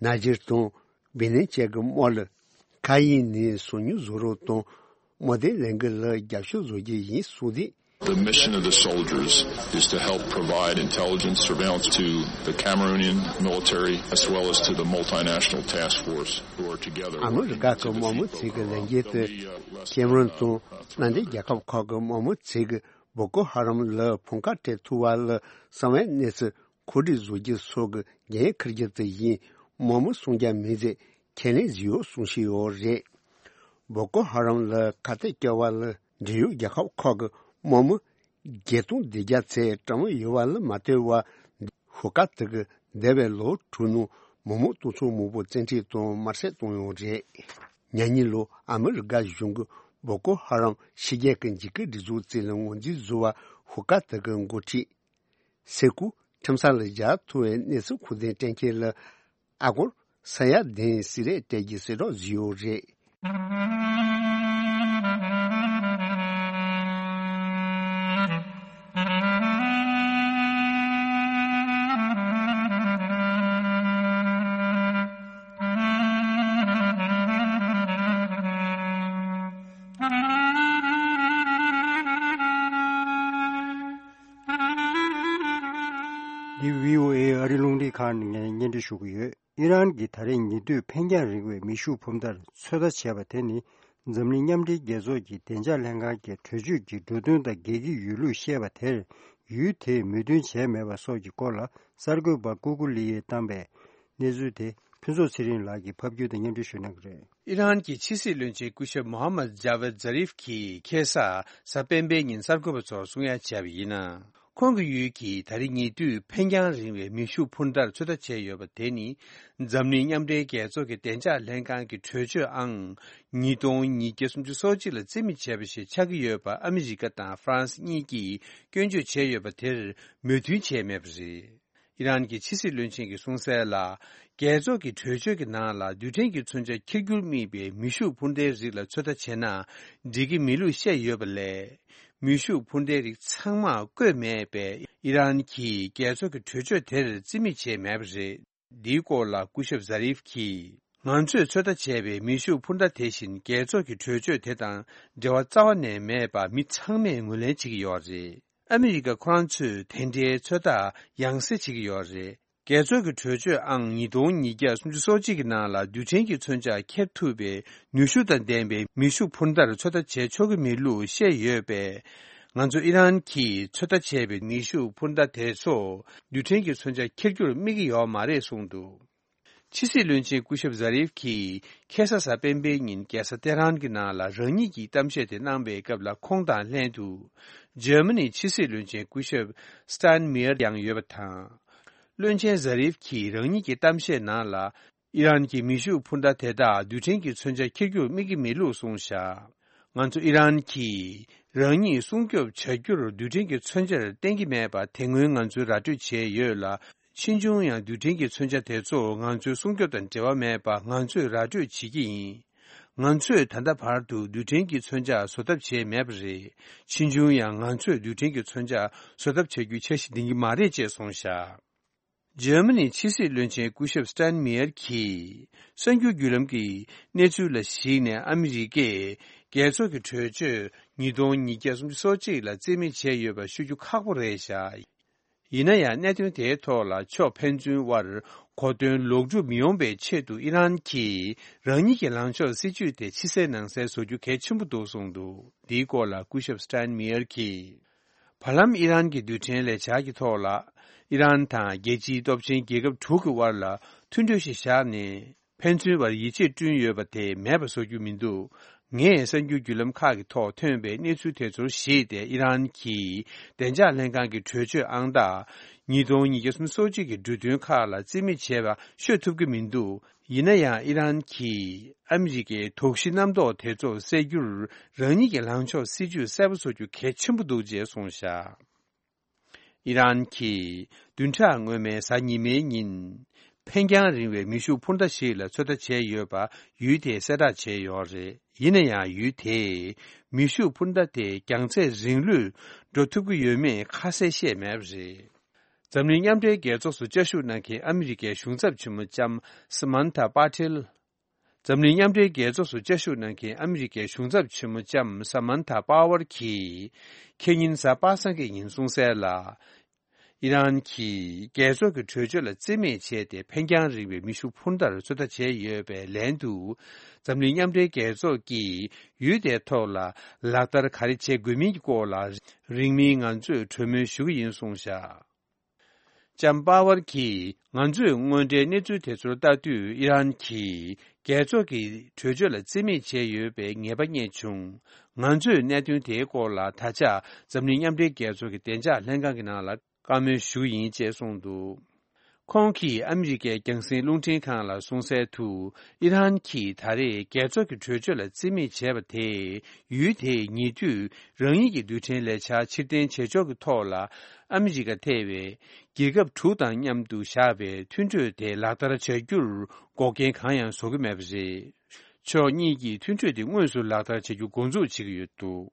ནཱི་ཇེར་དང་བི་ནན་བཅས་ཀྱི་དམག་ལ་མཁའ་དབྱིངས་ནས་སོ་ཉུལ་བཟོ་རོགས་དང་། དམག་དོན་ལས་འགུལ་ལ་རྒྱབ་སྐྱོར་བཟོ་རྒྱུ་ཡིན་གསུངས་ཏེ། The mission of the soldiers is to help provide intelligence surveillance to the Cameroonian military as well as to the multinational task force who are together ཨ་མི་རི་ཀ་གི་དམག་མི་ཚོས་ཀྱི་ལས་འགན་དེ་ཁེམ་རོན་དང་མནའ་འབྲེལ་རྒྱལ་ཁབ་ཁག་གི་དམག་མི་ཚོས་ཀྱི་བོ་ཀོ་ཧ་རམ་ལ་ཕམ་ཁ་སྤྲད་ཐུབ་པ་ལ་གསང་བའི་གནས་ཚུལ་མཁོ་སྒྲུབ་བཟོ་རྒྱུ་སོགས་ཀྱི་འགན་འཁུར་རྒྱུ་དེ་བཞིན་དམག་མི་སུམ་བརྒྱ་མིན་ཚད་ཁས་ལེན་བཟོས་ཡོད་གསུང་བཤད་ཡོད་རེད། བོ་ཀོ་ཧ་རམ་ལ་ཁ་གཏད་བཅག་པ་ལ་འབྲེལ་ཡོད་རྒྱལ་ཁབ་ཁག་གི་དམག་མི་བརྒྱད་སྟོང་བདུན་བརྒྱ་ཚོས་གྲངས་མི་ཡོད་པ་ལ་མ་ལྟོས་པར་ཤོག་ཁག་དེ་གིས་འདས་པའི་ལོ་དྲུག་ནང་མི་མང་སྟོང་ཚོ་མང་པོ་བཙན་ཁྲིད་དང་དམར་གསོད་བཏང་ཡོད་རེད། ཉེ་ལོ་ཨ་མི་རི་ཀ་གཞུང་གིས་བོ་ཀོ་ཧ་རམ་ཕྱི་རྒྱལ་གྱི་འཇིགས་སྐུལ་སྒྲིག་འཛུགས་ཚོ་ལ་ངོས་འཛིན་བཟོ་བར་ཤོག་ཁག་དེ་གི་འགོ་ཁྲིད་སེ་ཀུ་ཁྲིམས་ས་ལ་སྦྱར་ཐུབ་པའི་གནས་ཚུལ་ཁུངས་ལྡན་སྤྲད་མཁན་ལ་ཨ་སྒོར་ས་ཡ་བདུན་གསེར་རས་སྤྲད་རྒྱུའི་གསལ་བསྒྲགས་བཟོས་ཡོད་རེད། འདི་བྷི་ཨོ་ཨེ་ཨ་རི་རླུང་འཕྲིན་ཁང་ནས་སྙན་སྒྲོན་ཞུ་གི་ཡོད། ཨི་རན་གྱིས་ད་རེས་ཉེ་དུས་འཕེན་རྒྱང་རིང་བའི་མེ་ཤུགས་འཕུར་མདའ་ཚོད་ལྟ་བྱས་པ་དེ་ནི། འཛམ་གླིང་མཉམ་འབྲེལ་རྒྱལ་ཚོགས་ཀྱི་བདེ་འཇགས་ལྷན་ཁང་གི་གྲོས་ཆོད་ཀྱི་འབྲུ་དོན་དང་འགལ་གྱི་ཡོད་ལུགས་བཤད་པ་དེར། ཡུལ་དེས་མོས་མཐུན་བྱས་མེད་པ་སོགས་ཀྱི་སྐོར་ལ་གསར་འགོད་པ་ཀུ་ཀུ་ལི་ཡིས་བཏང་པའི་གནས་ཚུལ་དེ། ཕུན་ཚོགས་ཚེ་རིང་ལགས་ཀྱིས་ཕབ་སྒྱུར་དང་མཉམ་འབྲེལ་ཞུ་གནང་གི་རེད། ཨི་རན་གྱི་ཕྱི་སྲིད་བློན་ཆེན་སྐུ་ཞབས་མོ་ཧམ་མད་ཇཱ་ཝེད་ཛ་རིབ་ཀྱིས་ཁ་སང་གཟའ་སྤེན་པའི་ཉིན་གསར་འགོད་པ་ཚོར་གསུང་ཡ་བྱས་པ་ཡིན་ན། ཁོང་གི་ཡུལ་གྱིས་ད་རེས་ཉེ་དུས་འཕེན་རྒྱང་རིང་བའི་མེ་ཤུགས་འཕུར་མདའ་ཚོད་ལྟ་བྱས་ཡོད་པ་དེ་ནི། འཛམ་གླིང་མཉམ་འབྲེལ་རྒྱལ་ཚོགས་ཀྱི་བདེ་འཇགས་ལྷན་ཁང་གི་གྲོས་ཆོད་ཨང་ཉིས་སྟོང་ཉིས་བརྒྱ་སུམ་ཅུ་སོ་གཅིག་ལ་རྩིས་མེད་བྱས་པ་ཞིག་ཆགས་ཀྱི་ཡོད་པ་ཨ་མི་རི་ཀ་དང་ཧྥ་རན་སི་གཉིས་ཀྱིས་སྐྱོན་བརྗོད་བྱས་ཡོད་པ་དེར་མོས་མཐུན་བྱས་མེད་པ་རེད། ཨི་རན་གྱི་ཕྱི་སྲིད་བློན་ཆེན་གྱིས་གསུངས་གསལ་ལ། རྒྱལ་ཚོགས་ཀྱི་གྲོས་ཆོད་ཀྱི་ནང་ལ་རྡུལ་ཕྲན་གྱི་མཚོན་ཆ་འཁྱེར་རྒྱུར་དམིགས་པའི་མེ་ཤུགས་འཕུར་མདའི་རིགས་ལ་ཚོད་ལྟ་བྱས་ན་འགྲིག་གི་མེད་ལུགས་བཤད་ཡོད་པ་ལས། མེ་ཤུགས་འཕུར་མདའི་རིགས་ཚང་མ་བཀོད་མེད་པས་ཨི་རན་གྱིས་རྒྱལ་ཚོགས་ཀྱི་གྲོས་ཆོད་དེར་རྩིས་མེད་བྱས་མེད་པ་རེད། འདིའི་སྐོར་ལ་སྐུ་ཞབས་ཟ་རིབ་ཀྱིས། ང་ཚོས་ཚོད་ལྟ་བྱས་པའི་མེ་ཤུགས་འཕུར་མདའ་དེ་བཞིན་རྒྱལ་ཚོགས་ཀྱི་གྲོས་ཆོད་དེ་དང་འབྲེལ་བ་རྩ་བ་ནས་མེད་པ་མི་ཚང་མས་ངོས་ལེན་བྱེད་ཀྱི་ཡོད་རེད། ཨ་མི་རི་ཀ་ཁོ་རང་ཚོས་དེ་འདྲའི་ཚོད་ལྟ་ཡང་སེ་བྱེད་ཀྱི་ཡོད་རེད། རྒྱལ་ཚོགས་ཀྱི་གྲོས་ཆོད་ཨང་ཉིས་སྟོང་ཉིས་བརྒྱ་སུམ་ཅུ་སོ་གཅིག་གི་ནང་ལ་རྡུལ་ཕྲན་གྱི་མཚོན་ཆ་འཁྱེར་ཐུབ་པའི་ནུས་ཤུགས་དང་ལྡན་པའི་མེ་ཤུགས་འཕུར་མདའ་ཚོད་ལྟ་བྱེད་ཆོག་གི་མེད་ལུགས་བཤད་ཡོད་པས། ང་ཚོ་ཨི་རན་གྱིས་ཚོད་ལྟ་བྱས་པའི་མེ་ཤུགས་འཕུར་མདའ་དེ་ཚོ་རྡུལ་ཕྲན་གྱི་མཚོན་ཆ་འཁྱེར་རྒྱུར་དམིགས་ཀྱི་ཡོད་མ་རེད་གསུངས་འདུག་ཕྱི་སྲིད་བློན་ཆེན་སྐུ་ཞབས་ཟ་རིབ་ཀྱིས་ཁ་སང་གཟའ་སྤེན་པའི་ཉིན་རྒྱལ་ས་ཏེ་ཧྲན་གྱི་ནང་ལ་རང་ཉིད་ཀྱི་གཏམ་བཤད་དེ་གནང་བའི་སྐབས་ལ་ཁོང་དང་ལྷན་དུ་འཇར་མ་ནིའི་ཕྱི་སྲིད་བློན་ཆེན་སྐུ་ཞབས་སི་ཏན་མེ་ཡར་ཡང་ཡོད་པ་དང་། བློན་ཆེན་ཟ་རིབ་ཀྱིས་རང་ཉིད་ཀྱི་གཏམ་བཤད་ནང་ལ། ཨི་རན་གྱི་མེ་ཤུགས་འཕུར་མདའ་དེ་དག་རྡུལ་ཕྲན་གྱི་མཚོན་ཆ་འཁྱེར་རྒྱུར་དམིགས་ཀྱི་མེད་ལུགས་གསུངས་བཞག་ང་ཚོ་ཨི་རན་གྱིས་རང་ཉིད་སྲུང་སྐྱོབ་བྱ་རྒྱུར་རྡུལ་ཕྲན་གྱི་མཚོན་ཆར་བརྟེན་གྱི་མེད་པ་དེ་སྔོན་ང་ཚོས་ར་སྤྲོད་བྱས་ཡོད་ལ། ཕྱིས་འབྱུང་ཡང་རྡུལ་ཕྲན་གྱི་མཚོན་ཆ་དེ་ཚོ་ང་ཚོའི་སྲུང་སྐྱོབ་དང་འབྲེལ་བ་མེད་པ་ང་ཚོས་ར་སྤྲོད་བྱེད་ཀྱི་ཡིན། ང་ཚོས་ད་ལྟ་བར་དུ་རྡུལ་ཕྲན་གྱི་མཚོན་ཆ་བཟོ་ཐབས་བྱས་མེད་པ་རེད། ཕྱིས་འབྱུང་ཡང་ང་ཚོས་རྡུལ་ཕྲན་གྱི་མཚོན་ཆ་བཟོ་ཐབས་བྱ་རྒྱུའི་འཆར་གཞི་འདིང་གི་མ་རེད་ཅེས་གསུངས་བཞག་འཇར་མ་ནིའི་ཕྱི་སྲིད་བློན་ཆེན་སྐུ་ཞབས་སི་ཏན་མེ་ཡར་གྱིས། གསར་འགྱུར་བརྒྱུད་ལམ་གྱི་གནས་ཚུལ་ལ་གཞིགས་ནས་ཨ་མི་རི་ཀས་རྒྱལ་ཚོགས་ཀྱི་གྲོས་ཆོད་ཉིས་སྟོང་ཉིས་བརྒྱ་སུམ་ཅུ་སོ་གཅིག་ལ་རྩིས་མེད་བྱས་ཡོད་པ་ཤོད་རྒྱུ་ཁག་པོ་རེད་བཞག་ཡིན་ན་ཡང་གནད་དོན་དེའི་ཐོག་ལ་ཕྱོགས་ཕན་ཚུན་དབར་གོ་དོན་ལོག་སྒྲུབ་མི་ཡོང་བའི་ཆེད་དུ་ཨི་རན་གྱིས་རང་ཉིད་ཀྱི་ལངས་ཕྱོགས་སྲིད་ཇུས་དེ་ཕྱི་གསལ་ནང་གསལ་བཟོ་རྒྱུ་གལ་ཆེན་པོ་འདུག་གསུངས་འདུག་འདིའི་སྐོར་ལ་སྐུ་ཞབས་སི་ཏན་མེ་ཡར་གྱིས། བར་ལམ་ཨི་རན་གྱི་རྡུལ་ཕྲན་ལས་འཆར་གྱི་ཐོག་ལ། ཨི་རན་དང་རྒྱལ་སྤྱིའི་སྟོབས་ཆེན་རྒྱལ་ཁབ་དྲུག་གི་དབར་ལ་མཐུན་གྲོས་ཤིག་བཞག་ནས། ཕན་ཚུན་བར་ཡིད་ཆེས་བསྐྲུན་ཡོད་པ་དེ་མེད་པ་བཟོ་རྒྱུ་མི་འདུག་ངས་གསར་འགྱུར་བརྒྱུད་ལམ་ཁག་གི་ཐོག་ཐོན་པའི་གནས་ཚུལ་དེ་ཚོར་གཞིགས་ཏེ་ཨི་རན་གྱིས་བདེ་འཇགས་ལྷན་ཁང་གི་གྲོས་ཆོད་ཨང་རྟགས་ཉིས་སྟོང་ཉིས་བརྒྱ་སུམ་ཅུ་སོ་གཅིག་གི་འབྲུ་དོན་ཁག་ལ་རྩིས་མེད་བྱས་པ་ཤོད་ཐུབ་ཀྱི་མི་འདུག་ཡིན་ན་ཡང་ཨི་རན་གྱིས་ཨ་མི་རི་ཀའི་དོགས་གཞི་རྣམ་རྟོག་དེ་ཚོ་སེལ་རྒྱུར་རང་ཉིད་ཀྱི་ལངས་ཕྱོགས་སྲིད་ཇུས་གསལ་པོ་བཟོ་རྒྱུ་གལ་ཆེན་པོ་འདུག་ཅེས་གསུངས་བཞག་ཨི་རན་གྱིས་བདུན་ཕྲག་སྔོན་མའི་གཟའ་ཉི་མའི་ཉིན། འཕེན་རྒྱང་རིང་བའི་མེ་ཤུགས་འཕུར་མདའ་ཞིག་ལ་ཚོད་ལྟ་བྱས་ཡོད་པ་ཡུལ་དེས་གསལ་བསྒྲགས་བྱས་ཡོད་རེད། ཡིན་ན་ཡང་ཡུལ་དེས་མེ་ཤུགས་འཕུར་མདའ་དེ་རྒྱང་ཚད་རིང་ལོས་འགྲོ་ཐུབ་ཀྱི་ཡོད་མེད་ཁ་གསལ་བཤད་མེད་པ་རེད། འཛམ་གླིང་མཉམ་འབྲེལ་རྒྱལ་ཚོགས་སུ་བཅའ་བཞུགས་གནང་མཁན་ཨ་མི་རི་ཀའི་གཞུང་ཚབ་ཆེན་མོ་ལྕམ་Samantha Power Hill། འཛམ་གླིང་མཉམ་འབྲེལ་རྒྱལ་ཚོགས་སུ་བཅའ་བཞུགས་གནང་མཁན་ཨ་མི་རི་ཀའི་གཞུང་ཚབ་ཆེན་མོ་ལྕམ་Samantha Power་གྱིས། ཁེ་ཉིན་གཟའ་པ་སངས་ཀྱི་ཉིན་གསུངས་གསལ་ལ། ཨི་རན་གྱིས་རྒྱལ་ཚོགས་ཀྱི་གྲོས་ཆོད་ལ་རྩིས་མེད་བྱས་ཏེ་འཕེན་རྒྱང་རིང་བའི་མེ་ཤུགས་འཕུར་མདའ་ཚོད་ལྟ་བྱས་ཡོད་པའི་ལན་དུ། འཛམ་གླིང་མཉམ་འབྲེལ་རྒྱལ་ཚོགས་ཀྱིས་ཡུལ་དེའི་ཐོག་ལ་ལག་བསྟར་ག་རེ་བྱེད་དགོས་མིན་གྱི་སྐོར་ལ་རིང་མིན་ང་ཚོས་གྲོས་མོལ་ཞུ་གི་ཡིན་གསུངས་བཞག་ལྕམ་པ་ཝར་གྱིས། ང་ཚོས་དངོས་འབྲེལ་གནས་ཚུལ་དེ་ཚོར་ལྟ་དུས་ཨི་རན་གྱིས་རྒྱལ་ཚོགས་ཀྱི་གྲོས་ཆོད་ལ་རྩིས་མེད་བྱས་ཡོད་པའི་ངེས་པ་རྙེད་བྱུང་། ང་ཚོས་གནད་དོན་དེའི་སྐོར་ལ་ད་ཆ་འཛམ་གླིང་མཉམ་འབྲེལ་རྒྱལ་ཚོགས་ཀྱི་བདེ་འཇགས་ལྷན་ཁང་གི་ནང་ལ་བཀའ་མོལ་ཞུ་གི་ཡིན་ཅེས་གསུངས་འདུག་ཁོང་གིས་ཨ་མི་རི་ཀའི་རྒྱང་སྲིང་རླུང་འཕྲིན་ཁང་ལ་གསུངས་གསལ་དུ། ཨི་རན་གྱིས་ད་རེས་རྒྱལ་ཚོགས་ཀྱི་གྲོས་ཆོད་ལ་རྩིས་མེད་བྱས་པ་དེས། ཡུལ་དེས་ཉེ་དུས་རང་ཉིད་ཀྱི་རྡུལ་ཕྲན་ལས་འཆར་ཕྱིར་འཐེན་བྱེད་ཕྱོགས་ཀྱི་ཐོག་ལ་ཨ་མི་རི་ཀ་ཐེ་བའི་རྒྱལ་ཁབ་དྲུག་དང་མཉམ་དུ་བཞག་པའི་མཐུན་གྲོས་དེ་ལག་བསྟར་བྱ་རྒྱུར་འགོག་རྐྱེན་གང་ཡང་བཟོ་གི་མེད་པ་རེད། ཕྱོགས་གཉིས་ཀྱིས་མཐུན་གྲོས་དེ་དངོས་སུ་ལག་བསྟར་བྱ་རྒྱུ་འགོ་འཛུགས་བྱེད་ཀྱི་ཡོད་འདུག་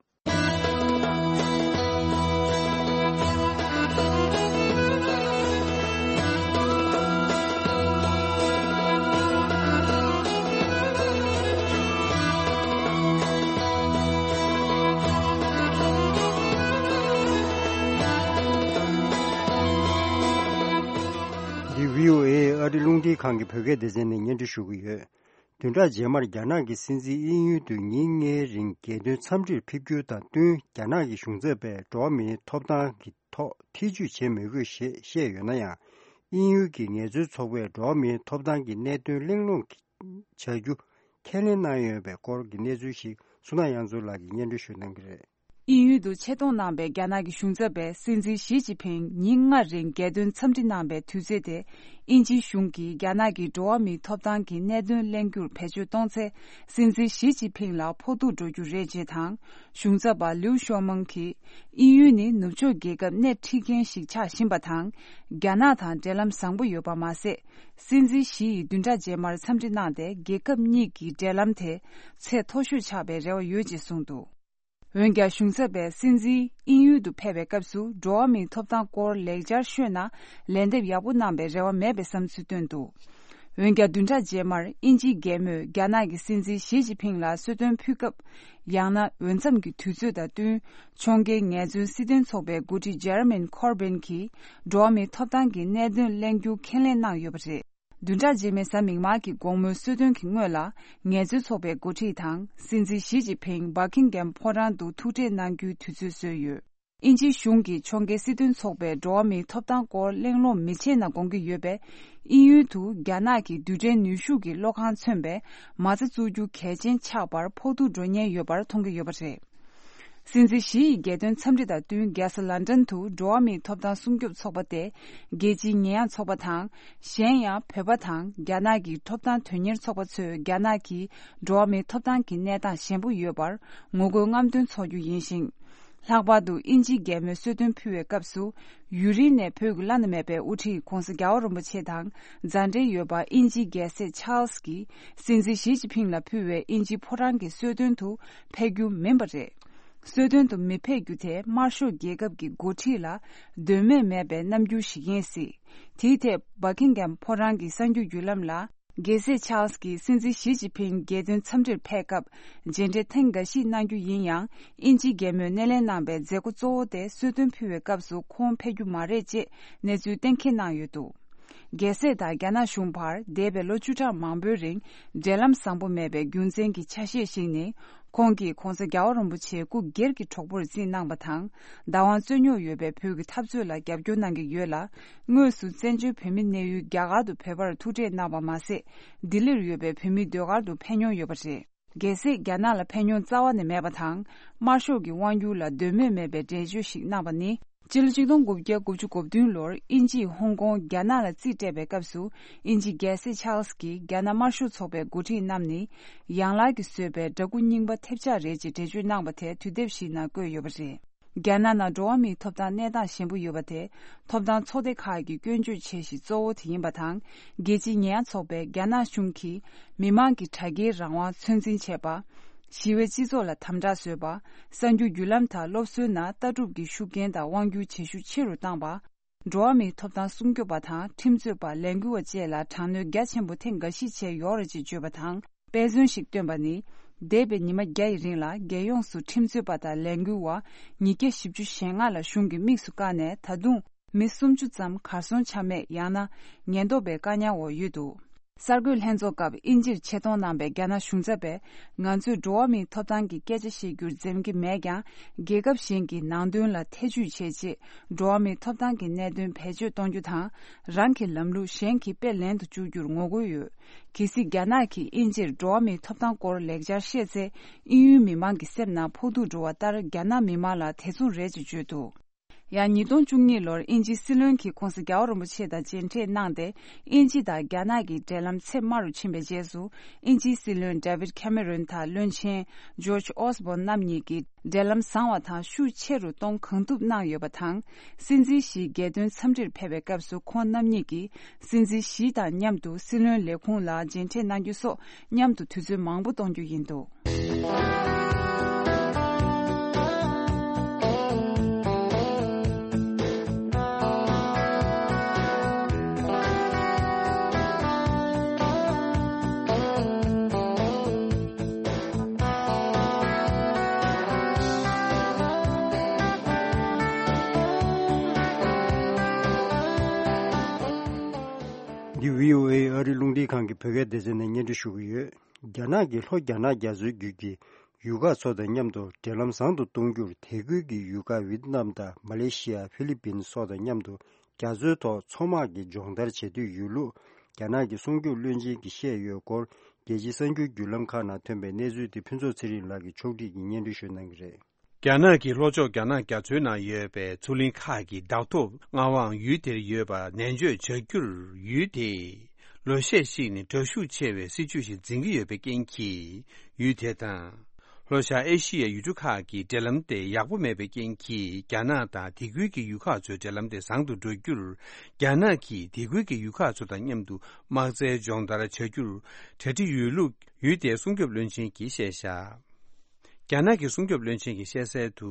འདི་བྷི་ཨོ་ཨེ་ཨ་རི་རླུང་འཕྲིན་ཁང་གི་བོད་སྐད་སྡེ་ཚན་ནས་སྙན་སྒྲོན་ཞུ་གི་ཡོད། བདུན་ཕྲག་རྗེས་མར་རྒྱ་ནག་གི་སྲིད་འཛིན་དབྱིན་ཡུལ་དུ་ཉིན་ལྔའི་རིང་རྒྱལ་དོན་འཚམས་འདྲིར་ཕེབས་རྒྱུ་དང་བསྟུན། རྒྱ་ནག་གི་གཞུང་ཚབ་པས་འགྲོ་བ་མིའི་ཐོབ་ཐང་གི་ཐོག་ཐེ་ཇུས་བྱེད་མི་དགོས་ཞེས་བཤད་ཡོད་ན་ཡང་། དབྱིན་ཡུལ་གྱི་ངལ་རྩོལ་ཚོགས་པས་འགྲོ་བ་མིའི་ཐོབ་ཐང་གི་གནད་དོན་གླེང་སློང་བྱ་རྒྱུ་ཁས་ལེན་གནང་ཡོད་པའི་སྐོར་གྱི་གནས་ཚུལ་ཞིག་སུ་ན་ཡང་ཚུལ་ལགས་ཀྱིས་སྙན་སྒྲོན་ཞུ་གནང་གི་རེད། དབྱིན་ཡུལ་དུ་ཆེད་གཏོང་གནང་པའི་རྒྱ་ནག་གི་གཞུང་ཚབ་པས་སྲིད་འཛིན་ཞི་ཅིན་ཕིང་ཉིན་ལྔ་རིང་རྒྱལ་དོན་འཚམས་འདྲི་གནང་པའི་དུས་ཚོད་དེ། དབྱིན་ཇིའི་གཞུང་གིས་རྒྱ་ནག་གི་འགྲོ་བ་མིའི་ཐོབ་ཐང་གི་གནད་དོན་གླེང་རྒྱུར་བེད་སྤྱོད་གཏོང་ཚེ། སྲིད་འཛིན་ཞི་ཅིན་ཕིང་ལ་ཕོག་ཐུག་འགྲོ་རྒྱུ་རེད་ཅེས་དང་། གཞུང་ཚབ་པ་ལིའུ་ཤོ་མང་གིས། དབྱིན་ཡུལ་ནི་ནུབ་ཕྱོགས་རྒྱལ་ཁབ་སྣེ་ཁྲིད་མཁན་ཞིག་ཆགས་བཞིན་པ་དང་། རྒྱ་ནག་དང་འབྲེལ་ལམ་བཟང་པོ་ཡོད་པ་མ་ཟད། སྲིད་འཛིན་ཞི་ཡིས་བདུན་ཕྲག་རྗེས་མར་འཚམས་འདྲི་གནང་སྟེ། རྒྱལ་ཁབ་གཉིས་ཀྱི་འབྲེལ་ལམ་དེ་ཚད་མཐོ་ཤོས་ཆགས་པའི་རེ་བ་ཡོད་ཅེས་གསུངས་འདུག་འོན་ཀྱང་། གཞུང་ཚབ་པས་སྲིད་འཛིན་དབྱིན་ཡུལ་དུ་ཕེབས་པའི་སྐབས་སུ། འགྲོ་བ་མིའི་ཐོབ་ཐང་སྐོར་ལེགས་སྦྱར་ཤོད་ན། ལན་འདེབས་ཡག་པོ་གནང་པའི་རེ་བ་མེད་པའི་བསམ་ཚུལ་བཏོན་འདུག་འོན་ཀྱང་། བདུན་ཕྲག་རྗེས་མར་དབྱིན་ཇིའི་རྒྱལ་མོས་རྒྱ་ནག་གི་སྲིད་འཛིན་ཞི་ཅིན་ཕིང་ལ་གསོལ་སྟོན་ཕུལ་སྐབས། ཡང་ན། འོས་འཚམས་ཀྱི་དུས་ཚོད་དང་བསྟུན། ཕྱོགས་འགལ་ངལ་རྩོལ་སྲིད་དོན་ཚོགས་པའི་འགོ་ཁྲིད་ཇེ་རེ་མི་ཁོར་བིན་གྱིས། འགྲོ་བ་མིའི་ཐོབ་ཐང་གི་གནད་དོན་གླེང་རྒྱུ་ཁས་ལེན་གནང་ཡོད་པ་རེད། བདུན་ཕྲག་རྗེས་མའི་གཟའ་མིག་དམར་གྱི་དགོང་མོའི་གསོལ་སྟོན་གྱི་སྔོན་ལ། ངལ་རྩོལ་ཚོགས་པའི་འགོ་ཁྲིད་དང་། སྲིད་འཛིན་ཞི་ཅིན་ཕིང་བྷ་ཁིང་གྷམ་ཕོ་བྲང་དུ་ཐུག་འཕྲད་གནང་རྒྱུའི་དུས་ཚོད་བཟོས་ཡོད། དབྱིན་ཇིའི་གཞུང་གིས་ཕྱོགས་འགལ་སྲིད་དོན་ཚོགས་པས་འགྲོ་བ་མིའི་ཐོབ་ཐང་སྐོར་གླེང་སློང་མི་བྱེད་ན་དགོངས་ཀྱི་ཡོད་པས། དབྱིན་ཡུལ་དུ་རྒྱ་ནག་གི་རྡུལ་ཕྲན་ནུས་ཤུགས་ཀྱི་གློག་ཁང་མཚོན་པའི་མ་རྩ་བཙུགས་རྒྱུ་གལ་ཆེན་ཆགས་པར་ཕོག་ཐུག་འགྲོ་ཉེན་ཡོད་པར་མཐོང་གི་ཡོད་པ་རེད། སྲིད་འཛིན་ཞི་ཡི་རྒྱལ་དོན་འཚམས་འདྲི་དང་བསྟུན། རྒྱལ་ས་ལན་ཀྲན་དུ་འགྲོ་བ་མིའི་ཐོབ་ཐང་སྲུང་སྐྱོབ་ཚོགས་པ་སྟེ། རྒྱལ་སྤྱིའི་ཉེས་ཡངས་ཚོགས་པ་དང་། གཞན་ཡང་། བོད་པ་དང་རྒྱ་ནག་གི་ཐོབ་ཐང་དོན་གཉེར་ཚོགས་པ་ཚོས་རྒྱ་ནག་གི་འགྲོ་བ་མིའི་ཐོབ་ཐང་གི་གནས་སྟངས་ཞན་པོ་ཡོད་པར་ངོ་རྒོལ་རྔམ་སྟོན་འཚོགས་རྒྱུ་ཡིན་ཞིང་། ལྷག་པར་དུ་དབྱིན་ཇིའི་རྒྱལ་མོས་གསོལ་སྟོན་ཕུལ་བའི་སྐབས་སུ། ཡུན་རིང་ནས་བོད་ཀྱི་བླ་ན་མེད་པའི་དབུ་ཁྲིད་༧གོང་ས་༧རྒྱལ་བ་རིན་པོ་ཆེ་དང་མཛའ་འབྲེལ་ཡོད་པ་དབྱིན་ཇིའི་རྒྱལ་སྲས་ཆཱལ་སི་ཀྱིས་སྲིད་འཛིན་ཞི་ཅིན་ཕིང་ལ་ཕུལ་བའི་དབྱིན་ཇིའི་ཕོ་བྲང་གི་གསོལ་སྟོན་དུ་ཕེབས་རྒྱུ་མིན་པ་རེད། གསོལ་སྟོན་དུ་མི་ཕེབས་རྒྱུ་དེ་དམར་ཤོག་རྒྱལ་ཁབ་ཀྱི་འགོ་ཁྲིད་ལ་དོན་སྨོན་མེད་པའི་རྣམ་འགྱུར་ཞིག་ཡིན་སྲིད། དེའི་ཐད་བྷ་ཁིང་གྷམ་ཕོ་བྲང་གི་གསར་འགྱུར་བརྒྱུད་ལམ་ལ། རྒྱལ་སྲས་ཆཱལ་སི་ཀྱིས་སྲིད་འཛིན་ཞི་ཅིན་ཕིང་རྒྱལ་དོན་འཚམས་འདྲིར་ཕེབས་སྐབས། མཇལ་འཕྲད་ཐེངས་འགའ་ཞིག་གནང་རྒྱུ་ཡིན་ཡང་། དབྱིན་ཇིའི་རྒྱལ་མོས་སྣེ་ལེན་གནང་པའི་མཛད་སྒོ་གཙོ་བོ་དེ་གསོལ་སྟོན་ཕུལ་བའི་སྐབས་སུ་ཁོང་ཕེབས་རྒྱུ་མ་རེད་ཅེས་གནས་ཚུལ་གཏན་འཁེལ་གནང་ཡོད་འདུག་རྒྱལ་སྲས་དང་རྒྱ་ནག་གཞུང་བར་འདས་པའི་ལོ་བཅུ་ཕྲག་མང་པོའི་རིང་འབྲེལ་ལམ་བཟང་པོ་མེད་པའི་རྒྱུ་མཚན་གྱི་ཆ་ཤས་ཤིག་ནི། ཁོང་གིས་༧གོང་ས་༧རྒྱལ་བ་རིན་པོ་ཆེ་སྐུ་སྒེར་གྱི་གྲོགས་པོར་བརྩིས་གནང་པ་དང་། བདག་དབང་རྩོད་རྙོག་ཡོད་པའི་བོད་ཀྱི་འཐབ་རྩོད་ལ་རྒྱབ་སྐྱོར་གནང་གི་ཡོད་ལ། དངོས་སུ་བཙན་བྱོལ་བོད་མིའི་གནས་ཡུལ་རྒྱ་གར་དུ་བོད་པར་ཐུག་འཕྲད་གནང་བ་མ་ཟད། ལྡི་ལིར་ཡོད་པའི་བོད་མིའི་ཟློས་གར་དུ་ཕེབས་མྱོང་ཡོད་པ་རེད། གལ་སྲིད་རྒྱ་ནག་ལ་ཕེབས་མྱོང་རྩ་བ་ནས་མེད་པ་དང་། དམར་ཤོག་གི་དབང་སྒྱུར་ལ་འདོད་མོས་མེད་པའི་འགྲེལ་བརྗོད་ཞིག་གནང་བ་ནི། སྤྱི་ལོ་ཆིག་སྟོང་དགུ་བརྒྱ་དགུ་བཅུ་གོ་བདུན་ལོར་དབྱིན་ཇིས་ཧོང་ཀོང་རྒྱ་ནག་ལ་རྩིས་སྤྲད་པའི་སྐབས་སུ། དབྱིན་ཇིའི་རྒྱལ་སྲས་ཆཱལ་སི་ཀྱིས་རྒྱ་ནག་དམར་ཤོག་ཚོགས་པའི་འགོ་ཁྲིད་རྣམས་ནི། ཡན་ལག་གིས་བཟོས་པའི་འདྲ་སྐུ་རྙིང་པ་ཐེབས་ཆག་རེད་ཅེས་འགྲེལ་བརྗོད་གནང་བ་དེ་དུས་དེབ་ཞིག་ནང་བཀོད་ཡོད་པ་རེད། རྒྱ་ནག་ནང་འགྲོ་བ་མིའི་ཐོབ་ཐང་གནས་སྟངས་ཞན་པོ་ཡོད་པ་དེ། ཐོབ་ཐང་ཚོགས་སྡེ་ཁག་གིས་སྐྱོན་བརྗོད་བྱེད་གཞི་གཙོ་བོ་དེ་ཡིན་པ་དང་། རྒྱལ་སྤྱིའི་ཉེས་ཡངས་ཚོགས་པས་རྒྱ་ནག་གཞུང་གིས་མི་མང་གི་དྲ་རྒྱའི་རང་དབང་ཚོད་འཛིན་བྱས་པ། ཞི་བའི་སྤྱི་ཚོགས་ལ་དམ་དྲག་བཟོས་པ། གསར་འགྱུར་བརྒྱུད་ལམ་དང་སློབ་གསོའི་ནང་ལྟ་གྲུབ་ཀྱི་ཤུགས་རྐྱེན་དང་དབང་སྒྱུར་བྱེད་ཤུགས་ཆེ་རུ་བཏང་པ། འགྲོ་བ་མིའི་ཐོབ་ཐང་སྲུང་སྐྱོབ་པ་དང་ཁྲིམས་རྩོད་པ། ལས་འགུལ་བ་བཅས་ལ་དྲག་གནོན་རྒྱ་ཆེན་པོ་ཐེངས་འགའ་ཞིག་བྱས་ཡོད་རེད་ཅེས་བརྗོད་པ་དང་། དཔེ་མཚོན་ཞིག་བཏོན་པ་ནི། འདས་པའི་ཉི་མ་བརྒྱ་ཡི་རིང་ལ་རྒྱལ་ཡོངས་སུ་ཁྲིམས་རྩོད་པ་དང་ལས་འགུལ་བ་ཉིས་བརྒྱ་བཞི་བཅུ་ཞེ་ལྔ་ལ་གཞུང་གིས་དམིགས་སུ་བཀར་ནས། ད་དུང་མི་སུམ་ཅུ་ཙམ་གར་སོང་ཆ་མེད། ཡང་ན་ཉེན་རྟོག་པའི་བཀག་ཉར་འོག་ཡོད་འདུག་གསར་འགོད་ལྷན་ཚོགས་སྐབས་དབྱིན་ཇིར་ཆེད་གཏོང་གནང་པའི་རྒྱ་ནག་གཞུང་ཚབ་པས། ང་ཚོས་འགྲོ་བ་མིའི་ཐོབ་ཐང་གི་སྐད་ཆ་བཤད་རྒྱུར་འཛེམ་གྱི་མེད་ཀྱང་། རྒྱལ་ཁབ་གཞན་གྱི་ནང་དོན་ལ་ཐེ་ཇུས་བྱས་རྗེས། འགྲོ་བ་མིའི་ཐོབ་ཐང་གི་གནད་དོན་བེད་སྤྱོད་གཏོང་རྒྱུ་དང་། རང་གི་ལམ་ལུགས་གཞན་གྱིས་དཔེ་ལེན་དུ་བཅུག་རྒྱུར་ངོ་རྒོལ་ཡོད། གལ་སྲིད་རྒྱ་ནག་གིས་དབྱིན་ཇིར་འགྲོ་བ་མིའི་ཐོབ་ཐང་སྐོར་ལེགས་སྦྱར་བཤད་ཚེ། དབྱིན་ཡུལ་མི་མང་གི་སེམས་ནང་ཕོག་ཐུག་འགྲོ་བ་ལྟར། རྒྱ་ནག་མི་མང་ལ་དེ་མཚུངས་རེད་ཅེས་བརྗོད་འདུག་ཡང་ཉིས་སྟོང་བཅུ་གཉིས་ལོར་དབྱིན་ཇིའི་སྲིད་བློན་གྱིས་༧གོང་ས་༧རྒྱལ་བ་རིན་པོ་ཆེ་དང་མཇལ་འཕྲད་གནང་སྟེ། དབྱིན་ཇི་དང་རྒྱ་ནག་གི་འབྲེལ་ལམ་ཚད་དམའ་རུ་ཕྱིན་པའི་རྗེས་སུ། དབྱིན་ཇིའི་སྲིད་བློན་David Cameron དང་བློན་ཆེན་George Osborne རྣམ་གཉིས་ཀྱིས་འབྲེལ་ལམ་བཟང་བ་དང་ཤུགས་ཆེ་རུ་གཏོང་གང་ཐུབ་གནང་ཡོད་པ་དང་། སྲིད་འཛིན་ཞིའི་རྒྱལ་དོན་འཚམས་འདྲིར་ཕེབས་པའི་སྐབས་སུ། ཁོང་རྣམ་གཉིས་ཀྱིས་སྲིད་འཛིན་ཞི་དང་མཉམ་དུ་སྲིད་བློན་ལས་ཁུངས་ལ་མཇལ་འཕྲད་གནང་རྒྱུ་སོགས། མཉམ་དུ་དུས་ཚོད་མང་པོ་གཏོང་རྒྱུ་ཡིན་འདུག་འདི་བྷི་ཨོ་ཨེ་ཨ་རི་རླུང་འཕྲིན་ཁང་གི་བོད་སྐད་སྡེ་ཚན་ནས་སྙན་སྒྲོན་ཞུ་གི་ཡོད། རྒྱ་ནག་གིས་ལྷོ་རྒྱ་ནག་རྒྱ་མཚོའི་རྒྱུད་ཀྱི་ཡུལ་ཁག་ཚོ་དང་མཉམ་དུ་འབྲེལ་ལམ་བཟང་དུ་གཏོང་རྒྱུར། དེ་ཁུལ་གྱི་ཡུལ་ཁག་ཝི་ཏི་ནམ་དང་མ་ལེ་ཤི་ཡ། ཧྥི་ལི་པིན་སོགས་དང་མཉམ་དུ་ རྒྱ་མཚོའི་ཐོག་མཚོ་དམག་གི་སྦྱོང་བརྡར་བྱེད་འདོད་ཡོད་ལུགས། རྒྱ་ནག་གི་སྲུང་སྐྱོབ་བློན་ཆེན་གྱིས་བཤད་ཡོད་སྐོར། རྒྱལ་སྤྱིའི་གསར་འགྱུར་བརྒྱུད་ལམ་ཁག་ནང་ཐོན་པའི་གནས་ཚུལ་དེ་ཕུན་ཚོགས་ཚེ་རིང་ལགས་ཀྱིས་ཕྱོགས་སྒྲིག་གིས་སྙན་སྒྲོན་ཞུ་གནང་གི་རེད། རྒྱ་ནག་གི་ལྷོ་ཕྱོགས་རྒྱ་ནག་རྒྱ་མཚོའི་ནང་ཡོད་པའི་མཚོ་གླིང་ཁག་གི་བདག་ཐོབ་མངའ་དབང་ཡུལ་དེར་ཡོད་པ་ནན་བརྗོད་བྱ་རྒྱུར། ཡུལ་དེས་ལོ་ཤས་ཤིག་ནས་དྲག་ཤུགས་ཆེ་བའི་སྲིད་བྱུས་ཤིག་འཛིན་གྱི་ཡོད་པའི་རྐྱེན་གྱིས། ཡུལ་དེ་དང་། ལྷོ་ཤར་ཨེ་ཤི་ཡའི་ཡུལ་གྲུ་ཁག་གི་འབྲེལ་ལམ་དེ་ཡག་པོ་མེད་པའི་རྐྱེན་གྱིས། རྒྱ་ནག་དང་དེ་ཁུལ་གྱི་ཡུལ་ཁག་ཚོའི་འབྲེལ་ལམ་དེ་བཟང་དུ་འགྲོ་རྒྱུར། རྒྱ་ནག་གིས་དེ་ཁུལ་གྱི་ཡུལ་ཁག་ཚོ་དང་མཉམ་དུ་དམག་རྩལ་སྦྱོང་བརྡར་བྱ་རྒྱུར་གྲ་སྒྲིག་ཡོད་ལུགས་ཡུལ་དེའི་སྲུང་སྐྱོབ་བློན་ཆེན་གྱིས་བཤད་བཞག་རྒྱ་ནག་གི་སྲུང་སྐྱོབ་བློན་ཆེན་གྱིས་བཤད་གསལ་དུ།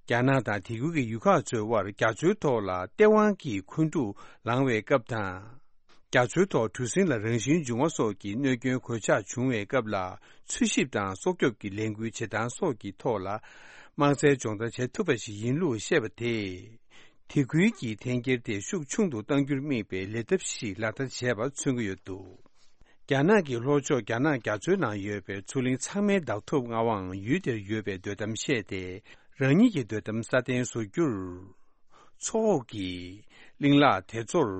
རྒྱ་ནག་དང་དེ་ཁུལ་གྱི་ཡུལ་ཁག་ཚོའི་དབར་རྒྱ་མཚོའི་ཐོག་ལ་ལྟེ་དབང་གི་འཁོན་འཁྲུག་ལངས་པའི་སྐབས་དང་། རྒྱ་མཚོའི་ཐོག་གྲུ་གཟིངས་ལ་རང་བཞིན་འབྱུང་བ་སོགས་ཀྱི་གནོད་སྐྱོན་གོད་ཆག་བྱུང་བའི་སྐབས་ལ། འཚོལ་ཞིབ་དང་སྲོག་སྐྱོབ་ཀྱི་ལས་འགུལ་བྱེད་སྟངས་སོགས་ཀྱི་ཐོག་ལ། དམག་རྩལ་སྦྱོང་བརྡར་བྱེད་ཐུབ་པ་ཞིག་ཡིན་ལུགས་བཤད་པ་དེས། དེ་ཁུལ་གྱི་འཐེན་འཁྱེར་དེ་ཤུགས་ཆུང་དུ་གཏང་རྒྱུར་དམིགས་པའི་ལས་ཐབས་ཤིག་ལག་བསྟར་བྱས་པ་མཚོན་གྱི་ཡོད་འདུག་རྒྱ་ནག་གི་ལྷོ་ཕྱོགས་རྒྱ་ནག་རྒྱ་མཚོའི་ནང་ཡོད་པའི་མཚོ་གླིང་ཚང་མའི་བདག་ཐོབ་མངའ་དབང་ཡུལ་དེར་ཡོད་པའི་འདོད་གཏམ་བཤད་དེ། རང་ཉིད་ཀྱི་འདོད་གཏམ་སྲ་བརྟན་བཟོ་རྒྱུར། མཚོ་འོག་གི་གླིང་ལག་དེ་ཚོར་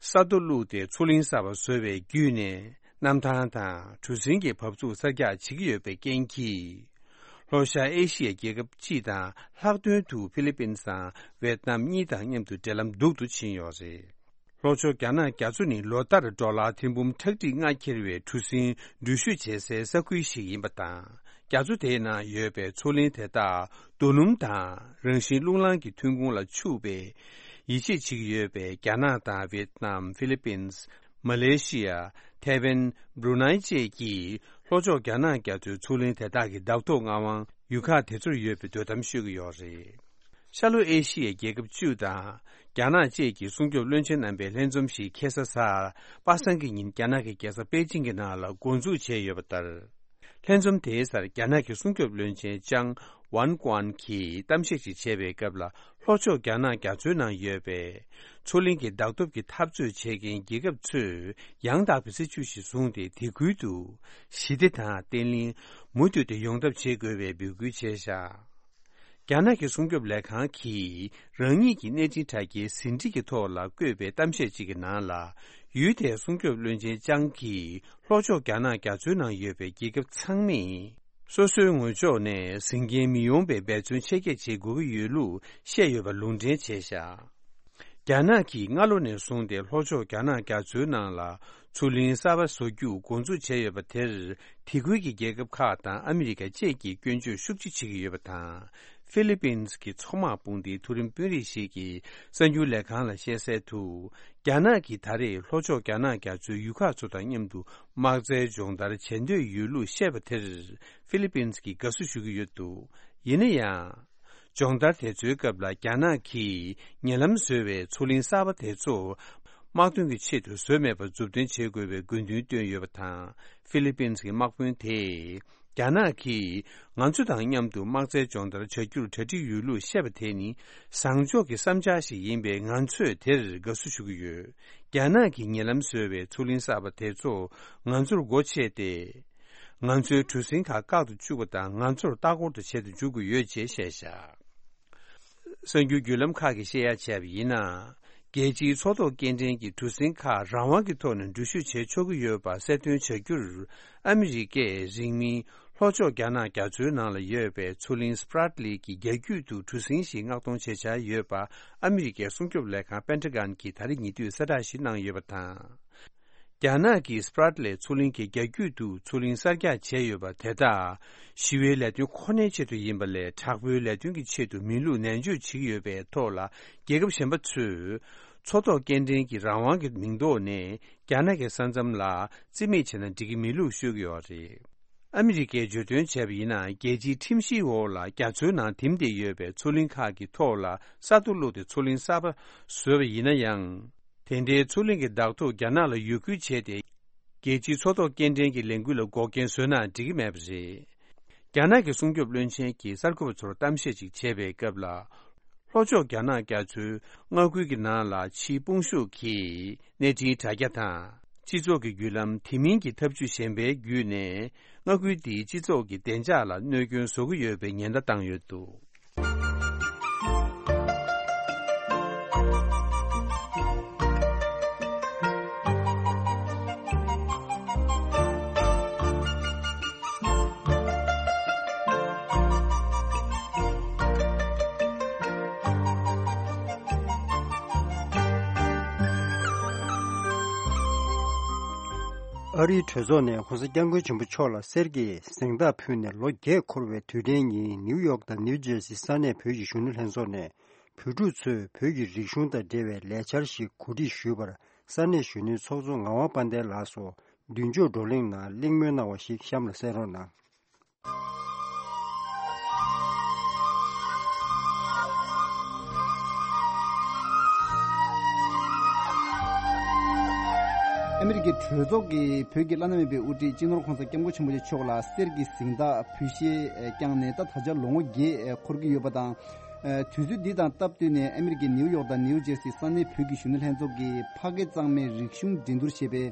ས་རྡོ་བླུགས་ཏེ་མཚོ་གླིང་གསར་པ་བཟོ་བའི་བརྒྱུད་ནས། གནམ་ཐང་དང་གྲུ་གཟིངས་ཀྱི་བབས་ཚུགས་གསར་རྒྱག་བྱེད་ཀྱི་ཡོད་པའི་རྐྱེན་གྱིས། ལྷོ་ཤར་ཨེ་ཤི་ཡའི་རྒྱལ་ཁབ་སྤྱི་དང་ལྷག་དོན་དུ་ཧྥི་ལི་པིན་དང་ཝེད་ནམ་གཉིས་དང་མཉམ་དུ་འབྲེལ་ལམ་སྡུག་ཏུ་ཕྱིན་ཡོད་རེད། ལྷོ་ཕྱོགས་རྒྱ་ནག་རྒྱ་མཚོ་ནི་ལོ་ལྟར་ཌོ་ལར་ཐེར་འབུམ་ཁྲག་ཁྲིག་ལྔ་འཁྱེར་བའི་གྲུ་གཟིངས་འགྲུལ་བཞུད་བྱེད་སའི་ས་ཁུལ་ཞིག་ཡིན་པ་དང་། རྒྱ་མཚོ་དེའི་ནང་ཡོད་པའི་མཚོ་གླིང་དེ་དག་རྡོ་སྣུམ་དང་རང་བཞིན་རླུང་ལངས་ཀྱི་ཐོན་ཁུངས་ལ་ཕྱུག་པས། ཡིད་ཆེས་བྱེད་ཀྱི་ཡོད་པའི་རྒྱ་ནག་དང་ཝེད་ནམ། ཧྥི་ལི་པིན། མ་ལེ་ཤི་ཡ། ཐའེ་ཝན། བྷྲུ་ནའི་བཅས་ཀྱིས་ལྷོ་ཕྱོགས་རྒྱ་ནག་རྒྱ་མཚོའི་མཚོ་གླིང་དེ་དག་གི་བདག་ཐོབ་མངའ་དབང་ཡུལ་ཁག་དེ་ཚོར་ཡོད་པའི་འདོད་གཏམ་ཤོད་ཀྱི་ཡོད་རེད། ཤར་ལྷོ་ཨེ་ཤི་ཡའི་རྒྱལ་ཁབ་བཅུ་དང་རྒྱ་ནག་བཅས་ཀྱི་སྲུང་སྐྱོབ་བློན་ཆེན་རྣམ་པའི་ལྷན་འཛོམས་ཤིག་ཁ་སང་གཟའ་པ་སངས་ཀྱི་ཉིན་རྒྱ་ནག་གི་རྒྱལ་ས་པེ་ཅིང་གི་ནང་ལ་འགོ་འཛུགས་བྱས་ཡོད་པ་ལྟར། ལྷན་འཛོམས་དེའི་སར་རྒྱ་ནག་གི་སྲུང་སྐྱོབ་བློན་ཆེན་ཅང་ཝན་ཀོན་གྱིས་གཏམ་བཤད་ཅིག་བྱས་པའི་སྐབས་ལ། ལྷོ་ཕྱོགས་རྒྱ་ནག་རྒྱ་མཚོའི་ནང་ཡོད་པའི་མཚོ་གླིང་གི་བདག་སྟོབས་ཀྱི་འཐབ་རྩོད་བྱེད་མཁན་རྒྱལ་ཁབ་ཚོས་ཡང་དག་པའི་སྲིད་བྱུས་ཤིག་བཟུང་སྟེ། དེ་ཁུལ་དུ་ཞི་བདེ་དང་བརྟན་ལྷིང་མུ་མཐུད་དུ་ཡོང་ཐབས་བྱེད་དགོས་པའི་འབོད་སྐུལ་བྱས་བཞག་རྒྱ་ནག་གི་སྲུང་སྐྱོབ་ལས་ཁང་གིས་རང་ཉིད་ཀྱི་གནས་འཕྲིན་དྲ་རྒྱའི་ཟིན་བྲིས་ཀྱི་ཐོག་ལ་བཀོད་པའི་གཏམ་བཤད་ཅིག་གི་ནང་ལ། ཡུལ་དེའི་སྲུང་སྐྱོབ་བློན་ཆེན་ཅང་གིས་ལྷོ་ཕྱོགས་རྒྱ་ནག་རྒྱ་མཚོའི་ནང་ཡོད་པའི་རྒྱལ་ཁབ་ཚང་མས་སོ་སོའི་ངོས་ཕྱོགས་ནས་ཟིན་མཁན་མི་ཡོང་པའི་འབད་བརྩོན་ཆེ་བསྐྱེད་བྱེད་དགོས་ཀྱི་ཡོད་ལུགས་བཤད་ཡོད་པ་ལུང་འདྲེན་བྱས་བཞག་རྒྱ་ནག་གིས་སྔ་ལོ་ནས་བཟུང་སྟེ་ལྷོ་ཕྱོགས་རྒྱ་ནག་རྒྱ་མཚོའི་ནང་ལ་མཚོ་གླིང་གསར་པ་བཟོ་རྒྱུ་འགོ་འཛུགས་བྱས་ཡོད་པ་དེར། དེ་ཁུལ་གྱི་རྒྱལ་ཁབ་ཁག་དང་ཨ་མི་རི་ཀ་བཅས་ཀྱིས་སྐྱོན་བརྗོད་ཤུགས་ཆེ་བྱེད་ཀྱི་ཡོད་པ་དང་། ཧྥི་ལི་པིན་གྱི་མཚོ་དམག་དཔུང་སྡེའི་མཐོ་རིམ་དཔོན་རིགས་ཤིག་གིས་གསར་འགྱུར་ལས་ཁང་ལ་བཤད་གསལ་དུ། རྒྱ་ནག་གིས་ད་རེས་ལྷོ་ཕྱོགས་རྒྱ་ནག་རྒྱ་མཚོའི་ཡུལ་ཁག་ཚོ་དང་མཉམ་དུ་དམག་རྩལ་སྦྱོང་བརྡར་བྱེད་འདོད་ཡོད་ལུགས་བཤད་པ་དེར་ཧྥི་ལི་པིན་གྱིས་དགའ་བསུ་ཞུ་གི་ཡོད་འདུག་ཡིན་ན་ཡང་། སྦྱོང་བརྡར་དེ་ཚོའི་སྐབས་ལ་རྒྱ་ནག་གིས་ཉེ་ལམ་བཟོས་པའི་མཚོ་གླིང་གསར་པ་དེ་ཚོ་དམག་དོན་གྱི་ཆེད་དུ་བཟོས་མེད་པར་མཛུབ་སྟོན་བྱེད་དགོས་པའི་དགོས་འདུན་བཏོན་ཡོད་པ་དང་། ཧྥི་ལི་པིན་གྱི་དམག་དཔོན་དེས། རྒྱ་ནག་གིས་ང་ཚོ་དང་མཉམ་དུ་དམག་རྩལ་སྦྱོང་བརྡར་བྱ་རྒྱུར་གྲ་སྒྲིག་ཡོད་ལུགས་བཤད་པ་དེ་ནི་བཟང་ཕྱོགས་ཀྱི་བསམ་འཆར་ཞིག་ཡིན་པས། ང་ཚོས་དེར་དགའ་བསུ་ཞུ་གི་ཡོད། རྒྱ་ནག་གིས་ཉེ་ལམ་བཟོས་པའི་མཚོ་གླིང་གསར་པ་དེ་ཚོ་ང་ཚོར་སྒོ་ཕྱེ་སྟེ། ང་ཚོའི་གྲུ་གཟིངས་ཁག་བཀག་ཏུ་བཅུག་པ་དང་། ང་ཚོར་ལྟ་སྐོར་དུ་བྱེད་དུ་འཇུག་གི་ཡོད་ཅེས་བཤད་བཞག་གསར་འགྱུར་བརྒྱུད་ལམ་ཁག་གིས་བཤད་ཡ་བྱས་པ་ཡིན་ན། རྒྱལ་སྤྱིའི་མཚོ་ཐོག་སྐྱེལ་འདྲེན་གྱི་གྲུ་གཟིངས་ཁག་རང་དབང་གི་ཐོག་ནས་འགྲུལ་བཞུད་བྱེད་ཆོག་གི་ཡོད་པ་གསལ་སྟོན་བྱ་རྒྱུར། ཨ་མི་རི་ཀས་རིང་མིན་ལྷོ་ཕྱོགས་རྒྱ་ནག་རྒྱ་མཚོའི་ནང་ལ་ཡོད་པའི་མཚོ་གླིང་སི་པྲ་ཏི་ལི་གི་རྒྱ་རྒྱུད་དུ་གྲུ་གཟིངས་ཤིག་མངགས་གཏོང་བྱེད་འཆར་ཡོད་པ་ཨ་མི་རི་ཀའི་སྲུང་སྐྱོབ་ལས་ཁང་པེན་ཊ་གན་གྱིས་ད་རེས་ཉེ་དུས་གསལ་བསྒྲགས་ཤིག་གནང་ཡོད་པ་དང་། རྒྱ་ནག་གིས་སི་པྲ་ཏི་ལི་མཚོ་གླིང་གི་རྒྱ་རྒྱུད་དུ་མཚོ་གླིང་གསར་རྒྱག་བྱས་ཡོད་པ་དེ་དག་ཞི་བའི་ལས་དོན་ཁོ་ནའི་ཆེད་དུ་ཡིན་པ་ལས། དྲག་པོའི་ལས་དོན་གྱི་ཆེད་དུ་མིན་ལུགས་ནན་བརྗོད་བྱེད་ཀྱི་ཡོད་པའི་ཐོག་ལ། རྒྱལ་ཁབ་གཞན་པ་ཚོས་མཚོ་ཐོག་སྐྱེལ་འདྲེན་གྱི་རང་དབང་གི་མིང་ཐོག་ནས་རྒྱ་ནག་གི་ས་མཚམས་ལ་རྩིས་མེད་བྱས་ན་འགྲིག་གི་མིན་ལུགས་ཤོད་ཀྱི་ཡོད་རེད། ཨ་མི་རི་ཀས་བརྗོད་དོན་བྱས་པ་ཡིན་ན། རྒྱལ་སྤྱིའི་ཁྲིམས་གཞིའི་འོག་ལ་རྒྱ་མཚོའི་ནང་ཐིམ་བསྡད་ཡོད་པའི་མཚོ་གླིང་ཁག་གི་ཐོག་ལ་ས་རྡོ་བླུགས་ཏེ་མཚོ་གླིང་གསར་པ་བཟོས་པ་ཡིན་ན་ཡང་། དེ་འདྲའི་མཚོ་གླིང་གི་བདག་ཐོབ་རྒྱ་ནག་ལ་ཡོད་ཁུལ་བྱས་ཏེ། རྒྱལ་སྤྱིའི་མཚོ་ཐོག་སྐྱེལ་འདྲེན་གྱི་ལས་འགུལ་ལ་འགོག་རྐྱེན་བཟོས་ན་འགྲིག་གི་མེད་པ་རེད། རྒྱ་ནག་གི་སྲུང་སྐྱོབ་བློན་ཆེན་གྱིས་གསར་འགོད་པ་ཚོར་གཏམ་བཤད་ཅིག་བྱས་པའི་སྐབས་ལ། ལྷོ་ཕྱོགས་རྒྱ་ནག་རྒྱ་མཚོའི་མངའ་ཁུལ་གྱི་ནང་ལ་ཕྱིའི་དཔུང་ཤུགས་ཀྱི་གནས་འཕྲིན་དྲ་རྒྱ་དང་། སྤྱི་ཚོགས་ཀྱི་བརྒྱུད་ལམ། དེ་མིན་གྱི་ཐབས་ཇུས་གཞན་པའི་བརྒྱུད་ནས། མངའ་ཁུལ་དེའི་སྤྱི་ཚོགས་ཀྱི་བདེ་འཇགས་ལ་གནོད་སྐྱོན་བཟོ་གི་ཡོད་པའི་ཉེན་བརྡ་བཏང་ཡོད་འདུག་ཨ་རིའི་གྲོས་ཚོགས་ནས་༸གོང་ས་༸སྐྱབས་མགོན་ཆེན་པོ་མཆོག་ལ་གསེར་གྱི་གཟེངས་རྟགས་ཕུལ་ནས་ལོ་བརྒྱད་འཁོར་བའི་དུས་དྲན་ཉིན། ནིའུ་ཡོག་དང་ནིའུ་ཇེར་སི་ས་གནས་བོད་ཀྱི་གཞོན་ནུ་ལྷན་ཚོགས་ནས་བོད་ཕྲུག་ཚོས་བོད་ཀྱི་རིག་གཞུང་དང་འབྲེལ་བའི་ལས་འཆར་ཞིག་གོ་སྒྲིག་ཞུས་པར། ས་གནས་གཞོན་ནུའི་ཚོགས་གཙོ་ངག་དབང་དཔལ་ལྡན་ལགས་སུ་མདུན་ལྕོག་བགྲོ་གླེང་ནང་གླེང་མོལ་གནང་བ་ཞིག་གཤམ་ལ་གསན་རོགས་གནང་། ཨ་མི་རི་ཀའི་གྲོས་ཚོགས་ཀྱིས་བོད་ཀྱི་བླ་ན་མེད་པའི་དབུ་ཁྲིད་སྤྱི་ནོར་༸གོང་ས་༸སྐྱབས་མགོན་ཆེན་པོ་མཆོག་ལ་གསེར་གྱི་གཟེངས་རྟགས་ཕུལ་བཞེས་བསྐྱངས་ནས་ད་ད་ཆ་ལོ་ངོ་བརྒྱད་འཁོར་གྱི་ཡོད་པ་དང་། དུས་ཚོད་འདི་དང་སྟབས་བསྟུན་ནས་ཨ་མི་རི་ཀའི་ནིའུ་ཡོག་དང་ནིའུ་ཇེར་སི་ས་གནས་བོད་ཀྱི་གཞོན་ནུ་ལྷན་ཚོགས་ཀྱིས་ཕ་སྐད་གཙང་མའི་རིག་གཞུང་འགྲན་བསྡུར་ཞེས་པའི་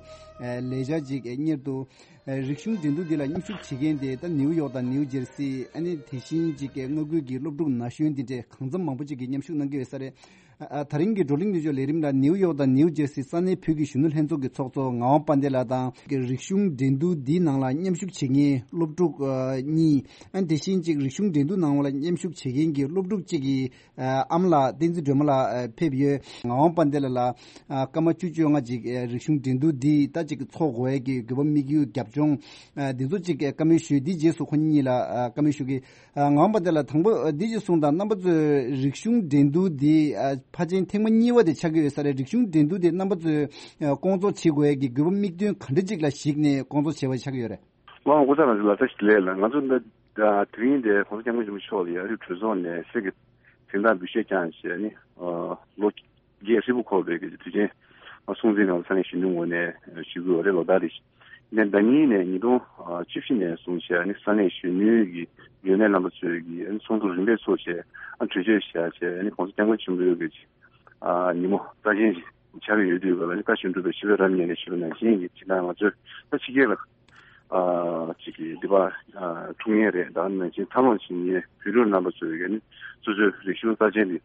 ལས་འཆར་ཅིག་གཉེར་འདུག་རིག་གཞུང་འགྲན་བསྡུར་འདི་ལ་མཉམ་ཞུགས་བྱེད་མཁན་དེ་ད་ནིའུ་ཡོག་དང་ནིའུ་ཇེར་སི། ཨ་ནི་དེ་བཞིན་ཅིག་མངའ་ཁུལ་གྱི་སློབ་ཕྲུག་ན་གཞོན་འདི་འདྲའི་གང་འཚམ་མང་པོ་ཅིག་གིས་མཉམ་ཞུགས་གནང་གི་ཡོད་ས་རེད། ཨ་ཨ་ད་རིང་གི་བགྲོ་གླེང་མདུན་ལྕོག་ལས་རིམ་ལ་ནིའུ་ཡོག་དང་ནིའུ་ཇེར་སི་ས་གནས་བོད་ཀྱི་གཞོན་ནུ་ལྷན་ཚོགས་ཀྱི་ཚོགས་གཙོ་ངག་དབང་དཔལ་ལྡན་ལགས་དང་། རིག་གཞུང་འགྲན་བསྡུར་འདིའི་ནང་ལ་མཉམ་ཞུགས་བྱེད་མཁན་སློབ་ཕྲུག་ཨ་གཉིས། ཨ་ནི་དེ་བཞིན་ཅིག་རིག་གཞུང་འགྲན་བསྡུར་ནང་ལ་མཉམ་ཞུགས་བྱེད་མཁན་གྱི་སློབ་ཕྲུག་ཅིག་གི་ཨ་ཨ་མ་ལགས་བསྟན་འཛིན་སྒྲོལ་མ་ལགས་ཨ་ཕེབས་ཡོད། ངག་དབང་དཔལ་ལྡན་ལགས་ལ་ཨ་སྐར་མ་བཅུ་བཅོ་ལྔ་ཅིག་ཨ་རིག་གཞུང་འགྲན་བསྡུར་འདི་ད་ཅིག་ཚོགས་དགོས་ཡས་ཀྱི་དགོས་པ་དམིགས་ཡུལ་རྒྱབ་ལྗོངས་ཨ་འདི་ཚོ་ཅིག་ཨ་བཀའ་མོལ་ཞུས། འདིའི་རྗེས་སུ་ཁོ་གཉིས་ལ་ཨ་བཀའ་མོལ་ཞུ་གི། ཨ་ངག་དབང་དཔལ་ལྡན་ལགས་དང་པོ་ཨ་འདི་ཅིག་གསུངས་དང་། རྣམ་པ་ཚོས་རིག་གཞུང་འགྲན་བསྡུར་འདི་ཨ་ཕལ་ཆེར་ཐེངས་མ་གཉིས་པ་དེ་ཆགས་ཀྱི་ཡོད་ས་རེད། རིག་གཞུང་འགྲན་བསྡུར་འདི་རྣམ་པ་ཚོས་ཨ་སྐོང་ཚོགས་བྱེད་དགོས་ཡས་ཀྱི་དགོས་པ་དམིགས་དོན་ག་འདྲ་ཅིག་ལ་གཞིགས་ནས་སྐོང་ཚོགས་བྱས་པ་ཆགས་ཀྱི་ཡོད་རེད། ལགས་སོ། སྐུ་ཚེ་རིང་ལགས་བཀྲ་ཤིས་བདེ་ལེགས་ལགས། ང་ཚོ་འདི་ཨ་དེ་རིང་འདིར་༸གོང་ས་༸སྐྱབས་མགོན་ཆེན་པོ་མཆོག་ལ་ཡ་ཨ་རིའི་གྲོས་ཚོགས་ནས་གསེར་གྱི་གཟེངས་རྟགས་འབུལ་བཞེས་བསྐྱངས་བྱས་ནས་ཨ་ལོ་བརྒྱད་ཧྲིལ་པོ་འཁོར་བའི་གི་དུས་ཆེན་སྲུང་བརྩི་གནང་བ་ས་གནས་གཞོན་ནུའི་ངོས་ནས་ཞུ་གི་ཡོད་རེད། ལོ་ཟླ་རེ་བཞིན། ནས་ཟླ་གཉིས་ནས་ཉིས་སྟོང་བཅུ་བཞི་ནས་བཟུང་བྱས་ནས་ས་གནས་གཞོན་ནུའི་གི་ལས་སྣེ་རྣམ་པ་ཚོས་གི་ཚོགས་འདུ་རིམ་པས་ཚོགས་བྱས་ཨ་གྲོས་ཆོད་བཞག་བྱས་ནས་༸གོང་ས་༸སྐྱབས་མགོན་ཆེན་པོའི་གི་ཉིན་མོ་རྩ་ཆེན་ཞིག་ཆགས་ཀྱི་ཡོད་དུས་ག་ལ་ནི་བཀའ་བཞིན་སྒྲུབ་པའི་ཆོས་པའི་རབ་ཉིད་ནས་ཞུས་པ་ནང་བཞིན་གྱི་ཇི་ལྟར་ང་ཚོས་ད་ཕྱི་རྒྱལ་ལ་ཨ་ཅིག་གི་འདི་པ་ཨ་འཁྲུངས་མཁན་རེད། ད་ནང་བཞིན་འཚར་ལོངས་བྱེད་མཁན་བོད་ཕྲུག་རྣམ་པ་ཚོས་གི་ནི་སོ་སོའི་རིག་གཞུང་རྩ་ཆེན་འདི་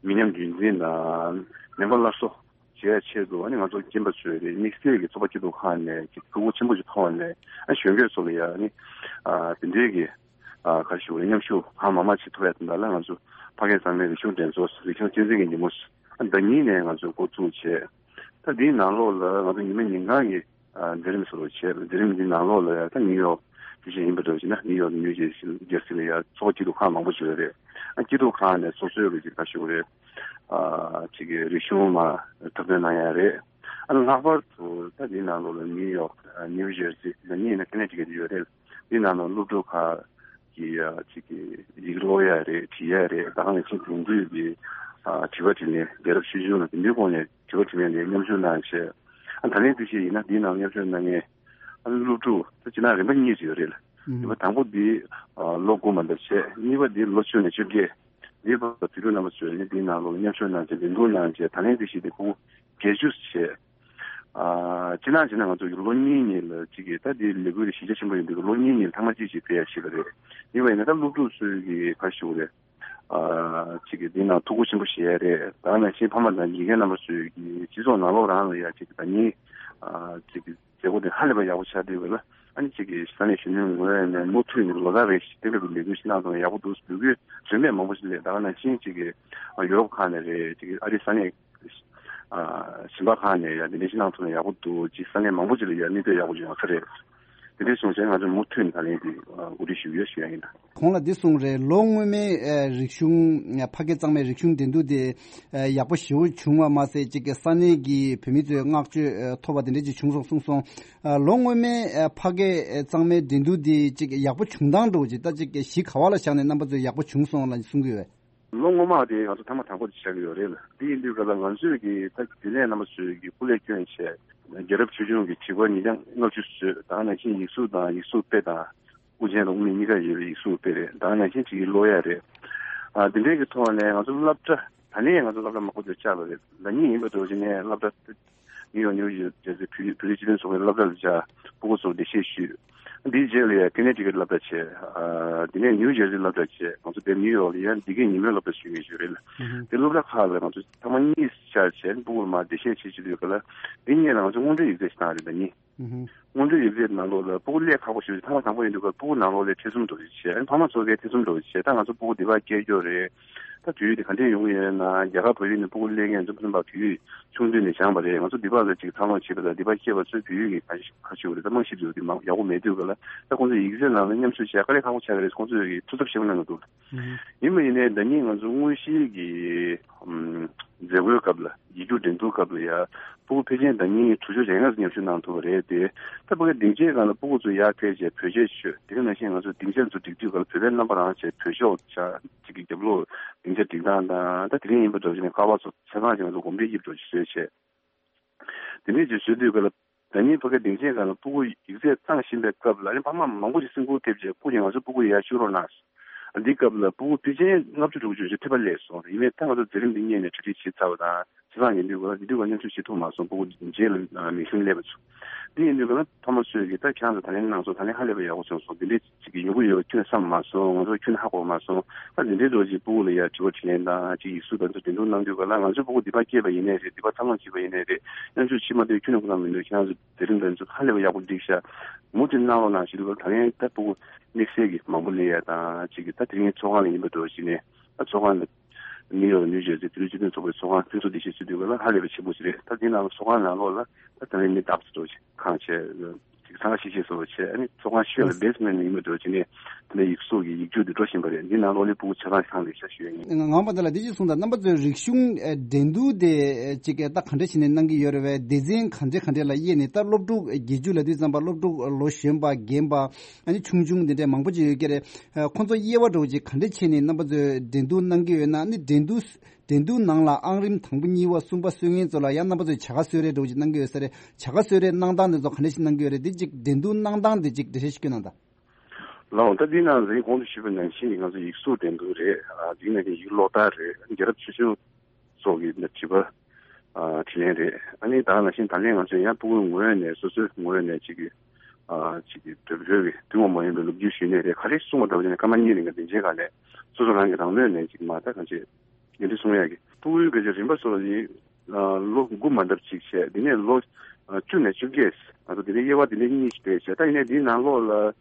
མི་ཉམས་རྒྱུན་འཛིན་དང་མེ་འབར་སླར་གསོ་བྱེད་ཡ་ཆེད་དུ་ཨ་ནི་ང་ཚོ་སྐྱེས་པ་ཚོས་རེད། དམིགས་བསལ་གྱི་ཚོགས་པ་སྐྱིད་སྡུག་ཁང་ནས་ཀྱི་ཐུགས་ཁུར་ཆེན་པོ་ཞིག་ཐོག་ནས་ཨ་གཞོན་སྐྱེས་ཚོ་ལ་ཡ་ཨ་ནི་ཨ་དེ་འདྲའི་གི་ཨ་ག་རེ་ཞུ་དགོས་རེད། མཉམ་ཞུགས་གང་མང་མང་ཞིག་ཐུབ་ཡ་དེ་འདྲ་ལ་ང་ཚོ་ཕ་སྐད་གཙང་མའི་རིག་གཞུང་འགྲན་ཚོགས་རིག་གཞུང་གཅེས་འཛིན་གྱི་ཉིན་མོ་ཨ་ཟླ་གཉིས་ནས་ང་ཚོས་འགོ་བཙུགས་བྱས། ད་འདིའི་ནང་ལོགས་ལ་ང་ཚོ་ཉི་མ་ཉིན་གང་གི་ཨ་མཛད་རིམ་བཟོ་འདྲ་བྱས། མཛད་རིམ་འདིའི་ནང་ལོགས་ལ་ཡ་ད་ནིའུ་ཡོག་དེ་བཞིན་ཡིན་པ་འདྲ་བྱས་ན་ནིའུ་ཡོག་ནིའུ་ཇེར་སི་ཇེར་སི་ལ་ཡ་ཚོགས་པ་སྐྱིད་སྡུག་ཁང་མང་པོ་ཞིག་ཡོད་རེད། ཨ་སྐྱིད་སྡུག་ཁང་ནས་སོ་སོའི་རུ་ཅིག་ག་ཞུ་རེད། ཨ་ཅིག་གི་རིག་གཞུང་མ་འཁྲབ་སྟོན་གནང་ཡ་རེད། ཨ་ལྷག་པར་དུ་ད་འདིའི་ནང་ལོགས་ལ་ནིའུ་ཡོག་ཨ་ནིའུ་ཇེར་སི་ད་གཉིས་ནས་ཀ་ནེ་ཊི་ཀེ་ཊི་ཡོད་རེད། འདིའི་ནང་ལོགས་སློབ་ཕྲུག་ཁག་གི་ཨ་ཅིག་གི་ཡི་གེ་ཀློག་ཡ་རེད། བྲིས་ཡ་རེད། ད་ག་ནང་བཞིན་དེང་དུས་ཀྱི་ཨ་དྲི་བ་དྲིས་ལན་རྒྱལ་རབས་ཆོས་འབྱུང་ལ་དེ་འདྲའི་སྐོར་ནས་དྲི་བ་དྲིས་ལན་ལ་མཉམ་ཞུགས་གནང་བྱས། ཨ་ད་ལན་དེ་བཞིན་ཡིན་ན་འདིའི་ནང་མཉམ་ཞུགས་གནང་མཁན་ཨ་ནི་སློབ་ཕྲུག་ད་སྤྱིར་བཏང་རིམ་པ་གཉིས་ཅིག་ཡོད་རེད་ལ། རིམ་པ་དང་པོ་འདི་ཨ་ལོ་དགུ་མ་འདབ་བྱས། གཉིས་པ་འདི་ལོ་བཅུ་ནས་བཅོ་བརྒྱད། འདིའི་བར་དུ་དུས་དྲུག་རྣམ་པ་ཚོས་ནི་འདིའི་ནང་ལོགས་ལ་མཉམ་ཞུགས་གནང་བྱས་འགན་འཁུར་གནང་བྱས། ད་ལན་དེ་བཞིན་དུ་ཁོ་བོ་བརྒྱད་ཅུ་བྱས། ཨ་སྤྱིར་བཏང་བྱས་ན་ང་ཚོ་ལོ་གཉིས་གཉིས་ལ་གཅིག་གིས་ད་འདི་ལས་འགུལ་གྱི་གཞི་རྒྱ་ཆེན་པོ་ཡིན་དུས་ལོ་གཉིས་གཉིས་ལ་ཐེངས་མ་གཅིག་ཅིག་ཕེབས་ཡ་བྱེད་པ་རེད། ཡིན་པ་ཡིན་ན་ད་སློབ་ཕྲུག་ཚོས་ཀྱི་ག་ཞུ་དགོས་རེད། ཨ་གཅིག་གིས་འདི་ནང་ཐུགས་ཁུར་ཆེན་པོ་བཞེས་ཡ་རེད། ད་ག་ནང་བཞིན་ཕ་མ་དང་དགེ་རྒན་རྣམ་པ་ཚོས་ཀྱི་སྤྱི་ཚོགས་ནང་ལོགས་རང་ལ་ཡ་གཅིག་གིས་ད་ནི་ཨ་གཅིག་གིས་མཛད་སྒོ་དེ་ཧ་ལས་པ་ཡག་པོ་ཆགས་བསྡད་ཡོད་ལ། ཨ་ནི་གཅིག་གིས་ས་གནས་གཞོན་ནུའི་ངོས་ནས་མུ་མཐུད་ནས་ལོ་ལྟར་རེ་བཞིན་དེ་འདྲ་གི་ལས་འགུལ་ཞིག་གནང་ཐུབ་ན་ཡག་པོ་འདུག་འབོད་སྐུལ་ལྗོན་པ་མང་པོ་ཞིག་སླེབས། ད་ག་ནང་བཞིན་གཅིག་གིས་ཡུ་རོབ་ཁག་ནས་རེད། གཅིག་གིས་ཨ་རི་ས་གནས་ཨ་གཞན་པ་ཁག་ནས་ཡ་དེ་འདྲ་ཞིག་གནང་ཐུབ་ན་ཡག་པོ་འདུག་ཅིག་ས་གནས་མང་པོ་ཅིག་ལ་ཡ་གནས་སྡོད་ཡག་པོ་ཡོང་ས་རེད། དེ་འདྲ་སོང་ཙང་ང་ཚོ་མུ་མཐུད་ནས་ད་ལན་དེ་འགོ་ཁྲིད་ཞུ་གི་ཡོད་ཞུ་ཡ་ཡིན། གོང་ལ་འདི་གསུངས་རེད། ལོ་སྔོན་མའི་ཨ་རིག་གཞུང་ཕ་སྐད་གཙང་མའི་རིག་གཞུང་འགྲན་བསྡུར་དེ་ཨ་ཡག་པོ་ཞེ་པོ་བྱུང་བ་མ་ཟད་ཅིག་གི་ས་གནས་ཀྱི་བོད་མི་ཚོས་བསྔགས་བརྗོད་ཨ་ཐོབ་པ་དེ་འདྲ་ཅིག་བྱུང་སོང་གསུངས་སོང་། ཨ་ལོ་སྔོན་མའི་ཨ་ཕ་སྐད་གཙང་མའི་འགྲན་བསྡུར་དེ་ཅིག་ཡག་པོ་བྱུང་སྟངས་འདྲ་བོ་ཅིག་ད་ཅིག་གི་གཞི་ག་བ་ལ་བཞག་ནས་རྣམ་པ་ཚོས་ཡག་པོ་བྱུང་སོང་ལ་གསུང་གི་ཡོད། ལོ་སྔོན་མ་དེ་ང་ཚོ་ཐེངས་མ་དང་པོ་དེ་ཆགས་ཀྱི་ཡོད་རེད་ལ། དེ་ཡིན་དུས་ག་ལ་ང་ཚོས་ཀྱི་ད་དེ་ནས་རྣམ་པ་ཚོས་ཀྱི་སྐུ་ལས་བསྐྱོན་བྱས་རྒྱལ་རབས་ཆོས་འབྱུང་གི་བྲིས་སྐོར་ཉིས་བརྒྱ་ལྔ་བཅུ་བཟོས། ད་ག་ནང་བཞིན་ཡིག་གཟུགས་དང་ཡིག་གཟུགས་དཔེ་དང་དབུ་ཅན་དང་དབུ་མེད་གཉིས་ཀ་ཡོད་པའི་ཡིག་གཟུགས་དཔེ་རེད། ད་ག་ནང་བཞིན་ཅིག་གི་ཀློག་ཡ་རེད། ཨ་དེ་འདྲའི་གི་ཐོག་ནས་ང་ཚོ་སློབ་གྲྭ་ད་ནས་ང་ཚོ་སློབ་གྲྭ་མང་པོ་ཅིག་བཅར་བ་རེད། ཟླ་གཉིས་ཡིན་པ་འདྲ་བོ་ཅིག་ནས་སློབ་གྲྭ་ནིའུ་ཡོག་ནིའུ་ཇེར་སི་བོད་རིགས་སྤྱི་མཐུན་ཚོགས་པའི་སློབ་གྲྭ་ལ་བཅར། སྤུ་གུ་ཚོར་འགྲེལ་བཤད་ཞུས། འདིའི་རྗེས་ལ་ཡང་ཀེ་ནེ་ཊི་ཀེཊ་སློབ་གྲྭ་བྱས། ཨ་དེ་ནས་ནིའུ་ཇེར་སི་སློབ་གྲྭ་བྱས། ང་ཚོ་དེ་ནིའུ་ཡོག་ལ་ཡང་འདི་གའི་ཉིན་མོའི་སློབ་གྲྭ་ཞུ་གི་ཞུ་རེད་ལ། དེ་སློབ་གྲྭ་ཁག་ལ་ང་ཚོ་ཐེངས་མ་གཉིས་བཅར་བྱས་སྤུ་གུར་མར་འགྲེལ་བཤད་བྱེད་ཀྱི་ཡོད་ག་ལ། འདི་གཉིས་ལ་ང་ཚོ་དངོས་འབྲེལ་ཡིག་ཚད་ཞིག་བཏང་རེད། ད་གཉིས། དངོས་འབྲེལ་ཡིག་ཚད་ནང་ལོགས་ལ་སྤུ་གུ་སླད་ཁག་པོ་ཞིག་ཐེངས་མ་དང་པོ་ཡིན་དུས་སྐབས་སྤུ་གུ་ནང་ལོགས་ལ་ཐེ་ཚོམ་འདྲ་བོ་ཞིག་བྱས། ཕ་མ་ཚོ་གའི་ཐེ་ཚོམ་འདྲ་བོ་ཞིག་བྱས། ད་ང་ཚོ་སྤུ་གུ་འདི་བར་སྐྱེལ་རྒྱུ་རེད། ད་དུས་ཡུན་དེ་ག་འདྲས་ཡོང་གི་ཡོད་ན། རྒྱ་གར་བལ་ཡུལ་ནས་སྤུ་གུ་སླེབས་མཁན་ཚོ་ཕན་པ་དུས་ཡུན་ཆུང་དུས་ནས་སྦྱངས་པ་རེད། ང་ཚོ་འདི་བར་ལ་ཅིག་འཚར་ལོངས་བྱེད་པ་དང་འདི་བར་སྐྱེས་པ་ཚོའི་བོད་ཡིག་གི་ག་ཁ་ཤས་ཡོད་རེད། ད་རྨང་གཞི་འདི་ཡོད་དེ་མང་ཡག་པོ་མེད་དུས་ག་ལ། ད་ཁོང་ཚོ་ཡིག་ཚད་ནང་ལ་མཉམ་ཞུགས་བྱས་དཀའ་ལས་ཁག་པོ་ཆགས་ཀྱི་རེད། ཁོང་ཚོས་ཀྱི་ཐུགས་འཚབ་ཆེན་པོ་གནང་གི་འདུག་ཡིན་པ་ཡིན་ནའི་ཟླ་ཉིན་ང་ཚོ་དངོས་གཞིའི་གི་ཨམ་མཛད་སྒོའི་སྐབས་ལ། ཡིག་རྒྱུགས་འགྲན་བསྡུར་སྐབས་ལ་ཡ་སྤུ་གུ་ཕལ་ཆེར་ཟླ་ཉིན་དྲུག་ཅུ་རེ་ལྔ་ཙམ་མཉམ་ཞུགས་གནང་ཐུབ་པ་རེད་དེ། ད་ཕ་གི་སྡིངས་ཆའི་སྒང་ལ་སྤུ་གུ་ཚོ་ཡར་ཕེབས་བྱས་བོད་ཆས་མཆོད། དེ་ག་ནང་བཞིན་ང་ཚོ་སྡིངས་ཆ་ཚོ་སྒྲིག་དུས་སྐབས་ལ་བོད་པའི་རྣམ་པ་རང་བྱས་བོད་ཤོག་བྱ་གཅིག་གི་རྒྱབ་ལོགས་སྡིངས་ཆ་སྒྲིག་སྟངས་དང་། ད་དེ་རིང་ཡིན་པ་འདྲ་བྱས་ནས་ཁ་པར་ཚོ་ཆ་ཚང་ཅིག་ང་ཚོ་གོམ་བགྲོད་དབྱིབས་འདྲ་ཅིག་བཟོས་བྱས། དེ་འདྲས་ཅིག་བཟོས་དུས་སྐབས་ལ་ཟླ་ཉིན་ཕ་གི་སྡིངས་ཆའི་སྒང་ལ་སྤུ་གུ་ཡིག་ཚད་བཏང་བཞིན་པའི་སྐབས་ལ་ཨ་ནི་ཕ་མ་མང་པོ་ཅིག་སེམས་ཁུར་ཐེབས་བྱས་སྤུ་གུ་ང་ཚོ་སྤུ་གུ་ཡར་བཅུག་རོགས་གནང་། འདི་སྐབས་ལ་སྤུ་གུ་ཕལ་ཆེར་ལྔ་བཅུ་དྲུག་ཅུ་ཞིག་ཐེབས་པ་སླེབས་སོང་། ཡིན་ནའི་ད་ང་ཚོ་མཛད་རིམ་འདི་སྔོན་ནས་གྲ་སྒྲིག་བྱས་ཚར་བ་དང་། བྱས་ཙང་ཡིན་དུས་སྐབས་ལ་འདི་དུས་ང་མཉམ་ཞུགས་བྱེད་ཐུབ་མ་སོང་། སྤུ་གུ་རྗེས་ལ་མིག་ཤུན་སླེབས་པ་ཚོ། འདི་ཡིན་དུས་སྐབས་ལ་ཕ་མ་ཚོས་ཀྱིས་ད་ཁྱེད་རང་ཚོ་ད་ལན་གནང་སོང་། ད་ལན་ཧ་ལས་པའི་ཡག་པོ་བྱུང་སོང་། འདི་འདྲའི་ཅིག་གི་ཡོང་གི་ཡོད་པ་ཁྱོན་ནས་བསམ་མ་སོང་། ང་ཚོ་ཁྱོན་ནས་ཧ་གོ་མ་སོང་། ད་འདི་འདྲའི་འདྲ་ཅིག་སྤུ་གུ་ལ་ཡ་དྲི་བ་དྲིས་ལན་དང་ཅིག་ཡིག་གཟུགས་དང་ཚོ་འགྲན་བསྡུར་གནང་དུས་སྐབས་ལ། ང་ཚོའི་སྤུ་གུ་འདི་པར་སྐྱེས་པ་ཡིན་ནའི་རེད། འདི་པར་འཚར་ལོངས་བྱས་པ་ཡིན་ནའི་རེད། མཉམ་ཞུགས་བྱེད་མ་ཐུབ་ཁྱོན་ནས་ཁོ་ན་མི་འདུག་ཁྱེད་རང་ཚོ་མཛད་རིམ་དང་ཚོ་ཧ་ལས་པ་ཡག་པོ་སྒྲིག་ཤག་མུ་མཐུད་གནང་རོགས་གནང་ཞུ་དུས་སྐབས་ད་ལན་ད་སྤུ་གུ་དམིགས་བསལ་གྱི་མང་པོ་སླེབས་ཡ་དང་ཅིག་གི་ད་དེ་རིང་ཚོགས་ཁང་ལ་ཡིན་པ་འདྲ་བྱས་ནས། ད་ཚོགས་ཁང་ལ་ནིའུ་ཡོག་ནིའུ་ཇར་སི་བོད་རིགས་སྤྱི་མཐུན་ཚོགས་པའི་ཚོགས་ཁང་ཕུན་ཚོགས་བདེ་ཆེན་ཟེར་དུས་སྐབས་ལ་ཧ་ལས་པ་ཆེན་པོ་ཞིག་རེད། ད་འདི་ནང་ལ་ཚོགས་ཁང་ནང་ལོགས་ལ་ད་ད་ལན་མི་ལྡབ་ཙམ་འདྲ་བྱས་ཁང་བྱས། ཅིག་ཚང་ཤེས་ཤེས་བཟོ་བྱས། ཨ་ནི་ཚོགས་ཁང་ཤོད་ལ་བེ་སི་མེན་ཊི་ཡིན་པ་འདྲ་བྱས་ནས་དེ་ནས་ཡིག་གཟུགས་ཀྱི་ཡིག་རྒྱུགས་འདི་འགྲོ་བཞིན་པ་རེད། འདི་ནང་ལོགས་ལ་སྤུ་གུ་ཆ་ཚང་ཚང་ལས་ཤ་ཞུ་ཡ་ཡིན། ང་ངང་པ་འདི་ལ་འདི་ཅིག་གསུངས་དང་། རྣམ་པ་ཚོའི་རིག་གཞུང་ཨ་འགྲན་བསྡུར་དེ་ཨ་ཅིག་ད་ག་འདྲ་བྱས་ནས་གནང་གི་ཡོད་རེད་བས། སྡེ་ཚན་ག་འདྲ་ག་འདྲ་ལ་དབྱེ་ནས། ད་སློབ་ཕྲུག་བརྒྱད་ཅུ་ལབ་དུས་ཙམ་པ་སློབ་ཕྲུག་ལོ་གཞོན་པ་རྒན་པ་ཨ་ནི་ཆུང་ཆུང་འདི་འདྲའི་མང་པོ་ཅིག་ཡོད་ཀྱི་རེད། ཨ་ཁོང་ཚོ་དབྱེ་བ་འདྲ་བོ་ཅིག་ག་འདྲ་བྱས་ནས་རྣམ་པ་ཚོས་འགྲན་བསྡུར་གནང་གི་ཡོད་ན། ཨ་ནི་འགྲན་བསྡུར་འགྲན་བསྡུར་ནང་ལ་ཨང་རིམ་དང་པོ་གཉིས་པ་གསུམ་པ་སོན་མཁན་ཚོ་ལ་ཡང་རྣམ་པ་ཚོས་བྱ་དགའ་གསོལ་རས་འདྲ་བོ་ཅིག་གནང་གི་ཡོད་ས་རེད། བྱ་དགའ་གསོལ་རས་གནང་སྟངས་དེ་ཚོ་ག་འདྲ་ཞིག་གནང་གི་ཡོད་རེད། འདི་ཅིག་འགྲན་བསྡུར་གནང་སྟངས་དེ་ཅིག་འགྲེལ་བཤད་ཞིག་སྐྱོན་གནང་དང་། ལགས་འོང་། ད་འདི་ནང་ལ་གོང་དུ་ཞུས་པ་ནང་བཞིན་གྱི་ང་ཚོ་ཡིག་གཟུགས་འགྲན་བསྡུར་རེད། ཨ་འདི་ནང་བཞིན་གྱི་ཀློག་རྟགས་རེད། རྒྱལ་རབས་ཆོས་འབྱུང་སོགས་ཀྱི་དྲི་བ་ཨ་དྲིས་ལན་རེད། ཨ་ནི་ད་ག་ནང་བཞིན་ད་ལན་ང་ཚོས་ཡང་སྤུ་གུའི་ངོས་ནས་སོ་སོའི་ངོས་ནས་ཅིག་གི་ཨ་ཅིག་གི་བོད་བོད་ཀྱི་ཐུན་མོང་མ་ཡིན་པའི་ལོ་རྒྱུས་ཞུས་ནའི་རེད། ག་རེ་གསུངས་པ་འདྲ་བ་ཡིན་ན་སྐར་མ་གཉིས་རིང་གི་སྡིངས་ཆའི་སྒང་ནས་སོ་སོ་རང་གི་རང་མོས་ནས་ཅིག་མ་ད་གང་ཅི་ཡིན་དུས་གསུང་ཡག་གི། ཕྲུ་གུའི་སྐད་ཆ་རིམ་པ་སོགས་ལ་ཡིན། ལོ་དགུ་མ་འདབ་གཅིག་བྱས། དེ་ནས་ལོ་བཅུ་ནས་བཅོ་བརྒྱད། ང་ཚོ་དེ་ནས་དབྱེ་བ་དེ་འདྲའི་གཉིས་ཤིག་སྤྲད་བྱས། ད་ཡིན་ནའི་འདིའི་ནང་ལོགས་ལ་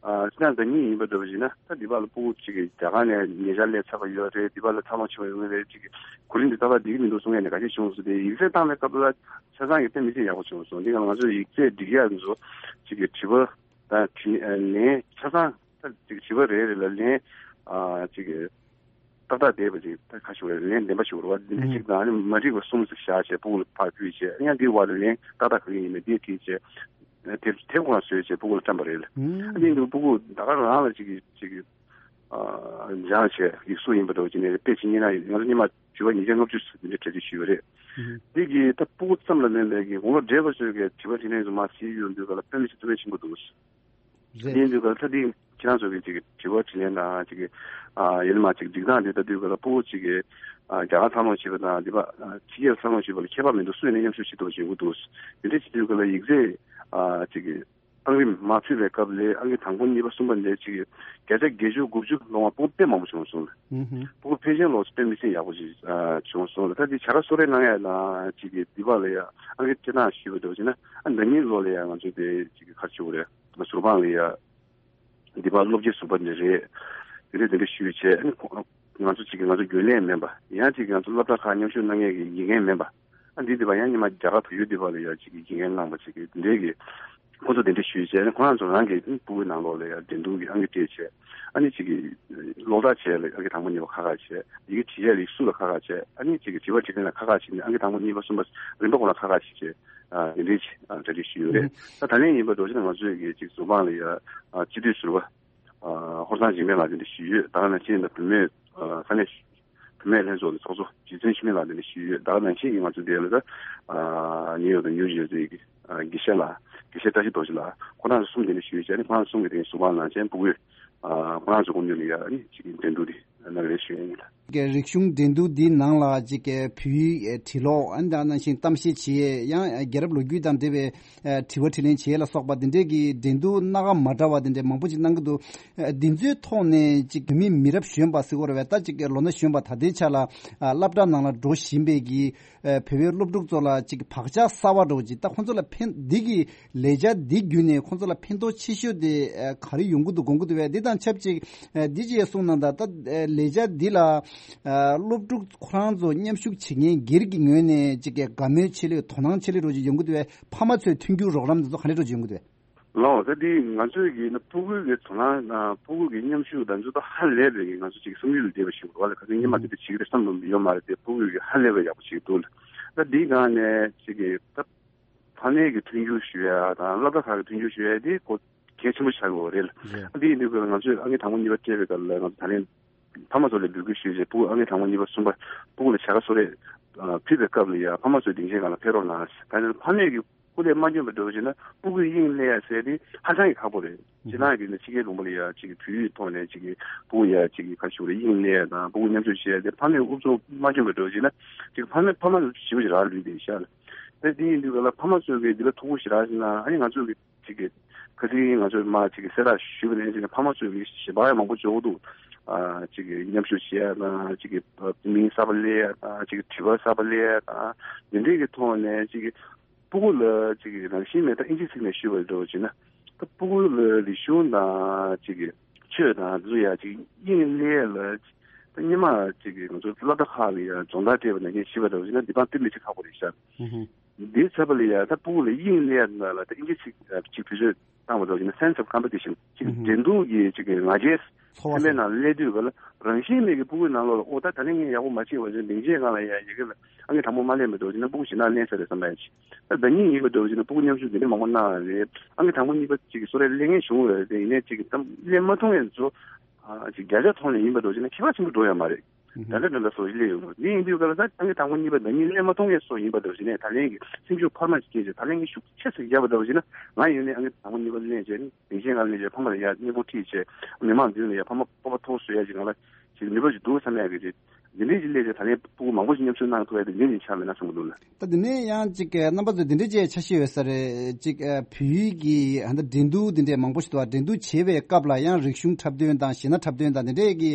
སྤྱིར་བཏང་ཟླ་གཉིས་ཡིན་པ་འདྲ་བ་ཞིག་ན། ད་འདི་བར་ལ་ཕྲུ་གུ་གཅིག་གིས་རྒྱ་གར་ནས་ཉེ་ཆར་སླེབས་ཚར་བ་ཡོད་རེད། འདི་བར་ལ་འཚར་ལོངས་བྱུང་བ་ཡོད་རེད། གཅིག་གིས་གོ་རིམ་འདི་ཏག་ཏག་འགྲིག་གི་མི་འདུག་གསུང་མཁན་ནས་འགའ་ཤས་བྱུང་སོང་སྟེ། ཡིག་ཚད་བཏང་བའི་སྐབས་ལ་ཆ་ཚང་གི་དཔེ་མི་སྲིད་ཡག་པོ་བྱུང་སོང་། འདི་ག་ང་ཚོས་ཡིག་ཚད་སྒྲིག་ཡག་འདི་ཚོ་གཅིག་གིས་དྲི་བ་དང་དྲི་ལན་ཆ་ཚང་། ད་ཅིག་བྱིས་པ་རེ་རེ་ལ་ལན་ཨ་ཅིག་ཏག་ཏག་བསྡད་པ་ཅིག་ད་ཁ་ཤོར་བའི་ལན་བདེན་པ་ཞིག་རེད་བ། འདི་འདྲ་ཅིག་དང་། ཨ་ནི་མ་འགྲིག་པ་གསུམ་ཙམ་བཞག་བྱས་ཕྲུ་གུ་ལ་ཕར་ཕུལ་བྱས། ཡང་འདིའི་བར་དུ་ལན་ཏག་ཏག་ག་གི་ཡིན་མིན་འདི་དྲིས་བྱས། དེབ་དེབ་ཁོ་ན་བཟོས་བྱས་ཕྲུ་གུ་ལ་བཀྲམ་པ་རེད་ལ། ཨ་ནི་འདི་ཕྲུ་གུ་ད་ག་རང་ལ་ཅིག་ཅིག་ཨ་སྦྱངས་བྱས་ཡིག་གཟུགས་ཡིན་པ་འདྲ་བོ་ཅིག་ནས་དཔེ་ཅིག་རྙེད་ན། ང་ཚོ་སྔོན་མ་དྲི་བ་ཉིས་བརྒྱ་ལྔ་བཅུ་ཙམ་འདི་འདྲ་གྲ་སྒྲིག་ཞུས་པ་རེད། འདི་གི་ད་ཕྲུ་གུ་ཙམ་ལ་ལན་པའི་གི་དགུང་ལོ་བགྲེས་པ་ཚོའི་གི་དྲི་བ་དྲིས་ལན་ཚོ་མར་གཟིགས་ཡོང་དུས་ག་ལ་དཔེ་མི་སྲིད་ཐུགས་ཕན་ཆེན་པོ་འདུག་རེད། ཡིན་དུས་ག་ལ་ད་འདི་ཁྱེད་རང་ཚོ་གི་ཅིག་དྲི་བ་དྲིས་ལན་དང་ཅིག་གི་ཨ་ཡིན་ན་མ་ཅིག་སྒྲིག་སྟངས་འདི་ལྟ་དུས་ག་ལ་ཕྲུ་གུ་ཅིག་གི་ཨ་རྒྱ་གར་འཚར་ལོངས་བྱས་པ་དང་འདི་པ་ཨ་ཕྱི་རྒྱལ་འཚར་ལོངས་བྱས་པ་ལ་ཁྱད་པར་མི་འདུག་སུ་ཡིན་ན་མཉམ་ཞུགས་བྱེད་ཐུབ་པ་ཞིག་ཡོང་གི་འདུག་འདི་འདྲ་བྱེད་དུས་ག་ལ་ཡིག་ཚད་ཨ་ཅིག་གི་ཨང་རིམ་མར་ཕུལ་བའི་སྐབས་ལ་ཨང་ཀི་དང་པོ་གཉིས་པ་གསུམ་པ་འདི་ཅིག་གི་བརྒྱ་ཆ་བརྒྱད་ཅུ་དགུ་བཅུ་ལོངས་པ་ཕྲུ་གུ་དཔེ་མང་པོ་བྱུང་སོང་། ཨུ་ཧུ། ཕྲུ་གུ་ཕལ་ཆེར་ལོངས་དཔེ་མི་སྲིད་ཡག་པོ་ཞིག་ཨ་བྱུང་སོང་ལ། ད་འདི་བྱ་དགའ་གསོལ་རས་གནང་ཡ་ལ་ཅིག་གི་འདི་པ་ལ་ཡ་ཨང་ཀི་སྤྲད་སྟངས་ཞུས་པ་འདྲ་བོ་ཅིག་ན། ཨ་ཟླ་ཉིན་ལོ་ལ་ཡ་ང་ཚོ་དེ་ཅིག་གི་ག་རེ་ཞུ་དགོས་རེད། ཟུར་དཔང་ལ་ཡ་འདི་པ་སློབ་སྤྱི་ཟུར་པ་འདི་རེད། དེ་འདྲ་དེ་འདྲ་ཞུས་བྱས། ཨ་ནི་ཁོ་ང་ཚོ་ཅིག་གི་ང་ཚོ་རྒྱུན་ལས་མིན་པ། ཡང་ཅིག་གི་ང་ཚོ་སློབ་གྲྭ་ཁག་མཉམ་ཞུགས་གནང་མཁན་གྱི་དགེ་རྒན་མིན་པ། ཨ་འདི་འདི་པ་ཡང་སྔོན་མ་རྒྱ་གར་བལ་ཡུལ་འདི་པ་ལ་ཡ་ཅིག་གི་དགེ་རྒན་གནང་པ་ཅིག་གི་འདི་འདྲའི་གི་ཁོ་ཚོ་དེ་འདྲ་ཞུས་བྱས། ཨ་ནི་ཁོ་རང་ཚོ་རང་གི་ཕྲུ་གུའི་ནང་ལོགས་ལ་ཡ་འགྲན་བསྡུར་གྱི་ཨང་ཀི་སྤྲད་བྱས། ཨ་ནི་ཅིག་གི་ཀློག་རྟགས་བྱས་ལ་ཨང་ཀི་དང་པོ་གཉིས་པ་ཁག་ཁག་བྱས། ཡི་གེ་བྲིས་ཡས་ལ་ཡིག་གཟུགས་ལ་ཁག་ཁག་བྱས། ཨ་ནི་ཅིག་གི་དྲི་བ་དྲིས་ལན་ལ་ཁག་ཁག་བྱས་ནས་ཨང་ཀི་དང་པོ་གཉིས་པ་གསུམ་པ་རིམ་པ་ཁོ་ན་ཁག་ཁག་བྱས་བྱས། ཨ་དེ་འདྲའི་ཅིག་ཨ་གྲ་སྒྲིག་ཞུས་ཡོད་རེད། ཨུ། ད་ད་ལན་ཡིན་པ་འདྲ་བོ་ཅིག་ན་ང་ཚོས་གི་ཅིག་ཟུར་དཔང་ལ་ཡ་ཨ་སྤྱི་འཐུས་ཟུར་པ་ཨ་ཧོར་ཚང་འཇིགས་མེད་ལགས་དེ་འདྲ་ཞུས་ཡོད། ད་ག་ནང་བཞིན་ད་བུད་མེད་ཨ་ས་གནས་བུད་མེད་ལྷན་ཚོགས་ཀྱི་ཚོགས་གཙོ་རྗེ་བཙུན་འཆི་མེད་ལགས་དེ་འདྲ་ཞུས་ཡོད། ད་ག་ནང་བཞིན་གྱི་ང་ཚོ་འདི་ལ་ད་ཨ་ནིའུ་ཡོག་དང་ནིའུ་ཇར་སི་གི་ཨ་དགེ་བཤེས་ལགས། དགེ་བཤེས་བཀྲ་ཤིས་རྡོ་རྗེ་ལགས། ཁོ་རང་ཚོ་གསུམ་དེ་འདྲ་ཞུས་བྱས་ནས། ཁོ་རང་གསུམ་གྱི་དེ་ཟུར་དཔང་གནང་བྱས་ཕྲུ་གུས་ཨ་ཁོ་རང་ཚོ་དགོངས་དོན་ལ་ཡ་ཨ་ནི་ཅིག་འགྲན་བསྡུར་དེ་གནང་རེད་ཞུ་ཡ་ཡིན་ལ། རིག་གཞུང་འགྲན་བསྡུར་འདིའི་ནང་ལ་ཅིག་བོད་ཡིག་བྲིས་ཀློག་ཨ་ནི་ད་ནང་བཞིན་གཏམ་བཤད་བྱེད་ཡས། ཡང་རྒྱལ་རབས་ལོ་རྒྱུས་དང་འབྲེལ་བའི་དྲི་བ་དྲིས་ལན་བྱེད་ཡས་ལ་སོགས་པ་འདི་འདྲའི་གི་འགྲན་བསྡུར་སྣ་ཁ་མ་འདྲ་བ་འདི་འདྲའི་མང་པོ་ཅིག་གནང་གི་འདུག་འདི་ཚོའི་ཐོག་ནས་ཅིག་བོད་མི་མི་རབས་གཞོན་པ་ཟེར་དགོས་རེད་བས། ད་ཅིག་ལོ་ན་གཞོན་པ་ད་ལྟའི་ཆ་ལ་སློབ་གྲྭ་ནང་ལ་འགྲོ་བཞིན་པའི་གི་བོད་པའི་སློབ་ཕྲུག་ཚོ་ལ་ཅིག་བག་ཆགས་གསར་བ་འདྲ་བོ་ཅིག་ད་ཁོང་ཚོ་ལ་ཕན། འདི་གི་ལས་འཆར་འདི་བརྒྱུད་ནས་ཁོང་ཚོ་ལ་ཕན་ཐོགས་ཆེ་ཤོས་དེ་ག་རེ་ཡོང་གི་འདུག་དགོངས་ཀྱི་འདུག་བས། འདི་དང་ཆབས་ཅིག་འདི་ཅིག་གསུངས་གནང་དང་། ད་ལས་འཆར་འདི་ལ་ ཨ་སློབ་ཕྲུག་ཁོ་རང་ཚོ་མཉམ་ཞུགས་བྱེད་མཁན་སྒེར་གྱི་ངོས་ནས་ཅིག་གི་དགའ་མོས་ཆེ་ལོས་དོ་སྣང་ཆེ་ལོས་འགྲོ་ཅིག་ཡོང་གི་འདུག་བས། ཕ་མ་ཚོའི་མཐུན་འགྱུར་རོགས་རམ་དེ་ཚོ་ག་འདྲ་འགྲོ་ཅིག་ཡོང་གི་འདུག་བས། ལགས་ད་འདི་ང་ཚོས་ཀྱི་ན་ཕྲུ་གུའི་གི་དོ་སྣང་དང་ཕྲུ་གུ་གི་མཉམ་ཞུགས་དང་འདི་ཚོ་ཧ་ལས་པའི་གི་ང་ཚོ་ཅིག་བསམ་ཡུལ་ལས་འདས་པ་ཞིག་རེད་བ། ལ་ཁ་སང་སྔོན་མ་དེ་འདྲ་བྱེད་ཀྱི་རེད་བསམ་བློ་ཡོད་མ་རེད་དེ། ཕྲུ་གུ་གི་ཧ་ལས་པའི་ཡག་པོ་བྱེད་ཀྱི་འདུག་ལ། ད་འདིའི་སྒང་ནས་ཅིག་གི་ད་ཕ་མའི་གི་མཐུན་འགྱུར་ཞུ་ཡ་དང་སློབ་གྲྭ་ཁག་གི་མཐུན་འགྱུར་ཞུ་ཡ་དེ་གོ་གལ་ཆེན་པོ་ཆགས་ཡོད་རེད་ལ། རེད། ད་འདི་ཡིན་དུས་ཀྱི་ང་ཚོས་ཨང་ཀི་དང་པོ་གཉིས་པ་སྤྲད་པའི་སྐབས་ལ་ང་ཚོ་ད་ལན་ཕ་མ་ཚོ་ལ་འབོད་སྐུལ་ཞུས་རྗེས་ཕྲུ་གུ་ཨང་ཀི་དང་པོ་གཉིས་པ་གསུམ་པ་ཕྲུ་གུ་ལ་བྱ་དགའ་གསོལ་རས་ཕུལ་བའི་སྐབས་ལ་ཡ་ཕ་མ་ཚོས་སྡིངས་ཆའི་སྒང་ལ་ཕེབས་རོགས་གནང་ཟེར། ད་ནི་ཕ་མས་ཀྱི་སྐུ་ལས་མ་འཁྱོལ་བ་འདྲ་བོ་བྱས་ན་ཕྲུ་གུས་དབྱིངས་སླེབས་ཡ་ཟེར་དེ་ཧ་ཅང་གི་ཁག་པོ་རེད། ཕྱི་ནང་གི་ནི་ཕྱི་རྒྱལ་ལུང་པ་ལ་ཡ་ཅིག་བོད་ཡིག་ཐོག་ནས་ཅིག་ཕྲུ་གུ་ཡ་ཅིག་ག་ཞུ་རེད་དབྱིངས་སླེབས་ཡ་དང་ཕྲུ་གུ་མཉམ་ཞུགས་བྱེད་ཡ་དེ་ཕ་མས་ཨུ་ཚུགས་མ་འཁྱོལ་བ་འདྲ་བོ་བྱས་ན་ཅིག་ཕ་མས་ཕ་མ་ཞེ་པོ་ཅིག་རག་ལུས་བསྡད་ཤག་ལ། ད་དེ་ཡིན་དུས་ག་ལ་ཕ་མ་ཚོས་གི་འདི་ལ་ཐུགས་ཁུར་ཞེ་དྲག་བཞེས་ན་ཨ་ནི་ང་ཚོས་གི་ཅིག་གི་ཁ་སང་ང་ཚོས་མ་ཅིག་གི་གསལ་བསྒྲགས་ཞུས་པ་ནས་ཅིག་གི་ཕ་མ་ཚོས་གི་ཞལ་པར་ཡང་མང་པོ་འབྱོར་གི་འདུག་ཨ་ཅིག་གི་མཉམ་ཞུགས་བྱེད་ཡ་དང་ཅིག་གི་མིང་གསར་པ་སླེབས་ཡ་དང་ཅིག་གི་དྲི་བ་གསར་པ་སླེབས་ཡ་དང་འདི་འདྲའི་གི་ཐོག་ནས་ཅིག་གི་ཕྲུ་གུ་ལ་ཅིག་གི་རང་བཞིན་མེད་ད་ཨིན་ཇི་ཚིག་ནས་ཞུས་པ་འདྲ་བོ་བྱས་ན་ད་ཕྲུ་གུ་ལ་རིག་གཞུང་དང་ཅིག་གི་ཆོས་དང་འདི་ཚོ་ཡ་ཅིག་དབྱིངས་སླེབས་ལ་ད་སྔོན་མ་ཅིག་གི་ང་ཚོ་སློབ་གྲྭ་ཁག་ལ་ཡ་སྦྱོང་བརྡར་སྤྲད་པ་ནང་བཞིན་ཞུས་པ་འདྲ་བོ་བྱས་ན་འདི་པང་སྟེང་ལ་ཅིག་ཁག་པོ་རེད་ཤག་འདི་ཚབ་པ་ལ་ཡ་ད་ཕྲུ་གུ་ལ་དབྱིངས་སླེབས་ལ་ད་ཨིན་ཇི་ཚིག་ཅིག་བེད་སྤྱོད་བཏང་བ་འདྲ་བོ་བྱས་ན་sense of competition ཅིག་འགྲན་བསྡུར་གྱི་ཅིག་གི་ང་རྒྱལ་ཚོར་བ་སེམས་པའི་ནང་སླེབས་དུས་ག་ལ་རང་བཞིན་མེད་ཀྱི་ཕྲུ་གུའི་ནང་ལོགས་ལ་ཨོ་ད་ད་ནི་ངས་ཡག་པོ་མ་བྱས་པ་བཞིན་སྡིངས་ཆའི་སྒང་ལ་ཡ་ཡི་གེ་ལ་ཨང་ཀི་དང་པོ་མ་སླེབས་པ་འདྲ་བོ་བྱས་ན་ཕྲུ་གུ་ཞེད་སྣང་སླེབས་ས་རེད་བསམ་པ་ཡ་ཅིག་ད་ཟླ་ཉིན་ཡིན་པ་འདྲ་བོ་བྱས་ན་ཕྲུ་གུ་མཉམ་ཞུགས་དེ་འདྲ་མང་པོ་གནང་བ་རེད། ཨང་ཀི་དང་པོ་གཉིས་པ་ཅིག་གི་གསོལ་རས་སླེབས་མཁན་བྱུང་བ་རེད་དེ་ཡིན་ནའི་ཅིག་གི་ད་སླེབས་མ་ཐུབ་མཁན་ཚོ་ཨ་ཅིག་བརྒྱ་ཆ་ཐོག་ནས་ཡིན་པ་འདྲ་བོ་བྱས་ན་ཁྱད་པར་ཆེན་པོ་འགྲོ་ཡོད་མ་རེད། ད་ལྟ་འདྲ་འདྲ་སོགས་སླེབས་ཡོང་གི་འདི་ཡིན་དུས་ག་ལ་ད་ཨང་ཀི་དང་པོ་གཉིས་པ་ཟླ་ཉིན་སླེབས་མ་ཐུབ་མཁན་སོགས་ཡིན་པ་འདྲ་བོ་བྱས་ནས་ད་ལན་གྱི་སེམས་ཤུགས་འཕར་མ་ཞིག་སྐྱེས་བྱས་ད་ལན་གྱི་ཤུགས་ཆེ་ཙམ་བརྒྱབ་པ་འདྲ་བོ་བྱས་ན་ང་ཡིན་ནའི་ཨང་ཀི་དང་པོ་གཉིས་པ་སླེབས་བྱས་ནས། དེ་བཞིན་ང་ལས་བྱས་ཕ་མ་ལ་ཡ་སྙིང་པོ་ཁྲིད་བྱས་མི་མང་མདུན་ལ་ཡ་ཕ་མ་སྤོབས་པ་མཐོ་བཟོ་ཡ་ཞིག་ང་ལ་ཞིག་ནུས་པ་ཞིག་འདུག་བསམ་ཡ་གི་རེད། འདི་འདྲའི་ཞིག་སླེབས་བྱས་ད་ལན་ཕྲུ་གུ་མང་པོ་ཞིག་མཉམ་ཞུགས་གནང་ཐུབ་ཡ་དེ་འདི་ནས་ཆགས་མེད་ན་བསམ་གི་འདུག་ལ། ད་དེ་ནས་ཡང་ཅིག་རྣམ་པ་ཚོས་འདི་འདྲའི་ཅིག་འཆར་གཞི་ཡོད་ས་རེད། ཅིག་བོད་ཡིག་གི་ཧ་ད་འགྲན་བསྡུར་འདི་འདྲའི་མང་པོ་ཞིག་འདུག་འགྲན་བསྡུར་བྱེད་པའི་སྐབས་ལ་ཡང་རིག་གཞུང་འཁྲབ་སྟོན་དང་གཞས་སྣ་འཁྲབ་སྟོན་དང་འདི་འདྲའི་གི་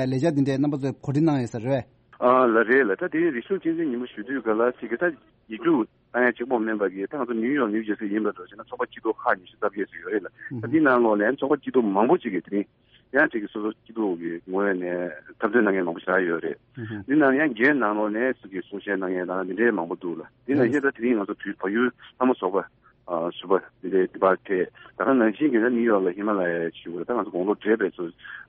ལས་འཆར་འདི་འདྲའི་རྣམ་པ་ཚོས་གོ་སྒྲིག་གནང་ཡོད་ས་རེད། ཨ་ལ་རེད་ལ། ད་དེ་རིག་གཞུང་གཅེས་འཛིན་ཉིན་མོ་ཞུ་དུས་ག་ལ་ཅིག་གི་ད་ཡིག་རྒྱུགས་ད་ཡང་གཅིག་པོ་མིན་པ་གི་ད་ང་ཚོ་ནིའུ་ཡོག་ནིའུ་ཇར་སི་ཡིན་པ་འདྲ་བྱས་ན་ཚོགས་པ་སྐྱིད་སྡུག་ཁག་ཉི་ཤུ་རྩ་བརྒྱད་ཙམ་ཡོད་རེད་ལ། ད་འདི་ནང་ལོགས་ནས་ཚོགས་པ་སྐྱིད་སྡུག་མང་པོ་ཅིག་གིས་དེ་རིང་ཡང་ཅིག་གི་སོ་སོ་སྐྱིད་སྡུག་གི་ངོས་ནས་འཁྲབ་སྟོན་གནང་མཁན་མང་པོ་ཞེ་དྲག་ཡོད་རེད། འདི་ནང་ཡང་རྒན་ནང་ལོགས་ནས་ཅིག་གི་གསུང་བཤད་གནང་མཁན་དང་འདི་འདྲའི་མང་པོ་འདུག་ལ། འདི་ནང་བཞིན་ད་དེ་རིང་ང་ཚོ་བོད་བལ་ཡུལ་ལྷ་མོ་ཚོགས་པ་ཨ་ཟུར་པ་འདི་འདྲའི་འདི་པར་ཕེབས། ད་ག་ནང་བཞིན་གྱི་ད་ནིའུ་ཡོག་ལ་ཧི་མ་ལ་ཡའི་ཞུ་དགོས་རེད། ད་ང་ཚོ་དགུང་ལོ་བགྲེས་པའི་ཚོ་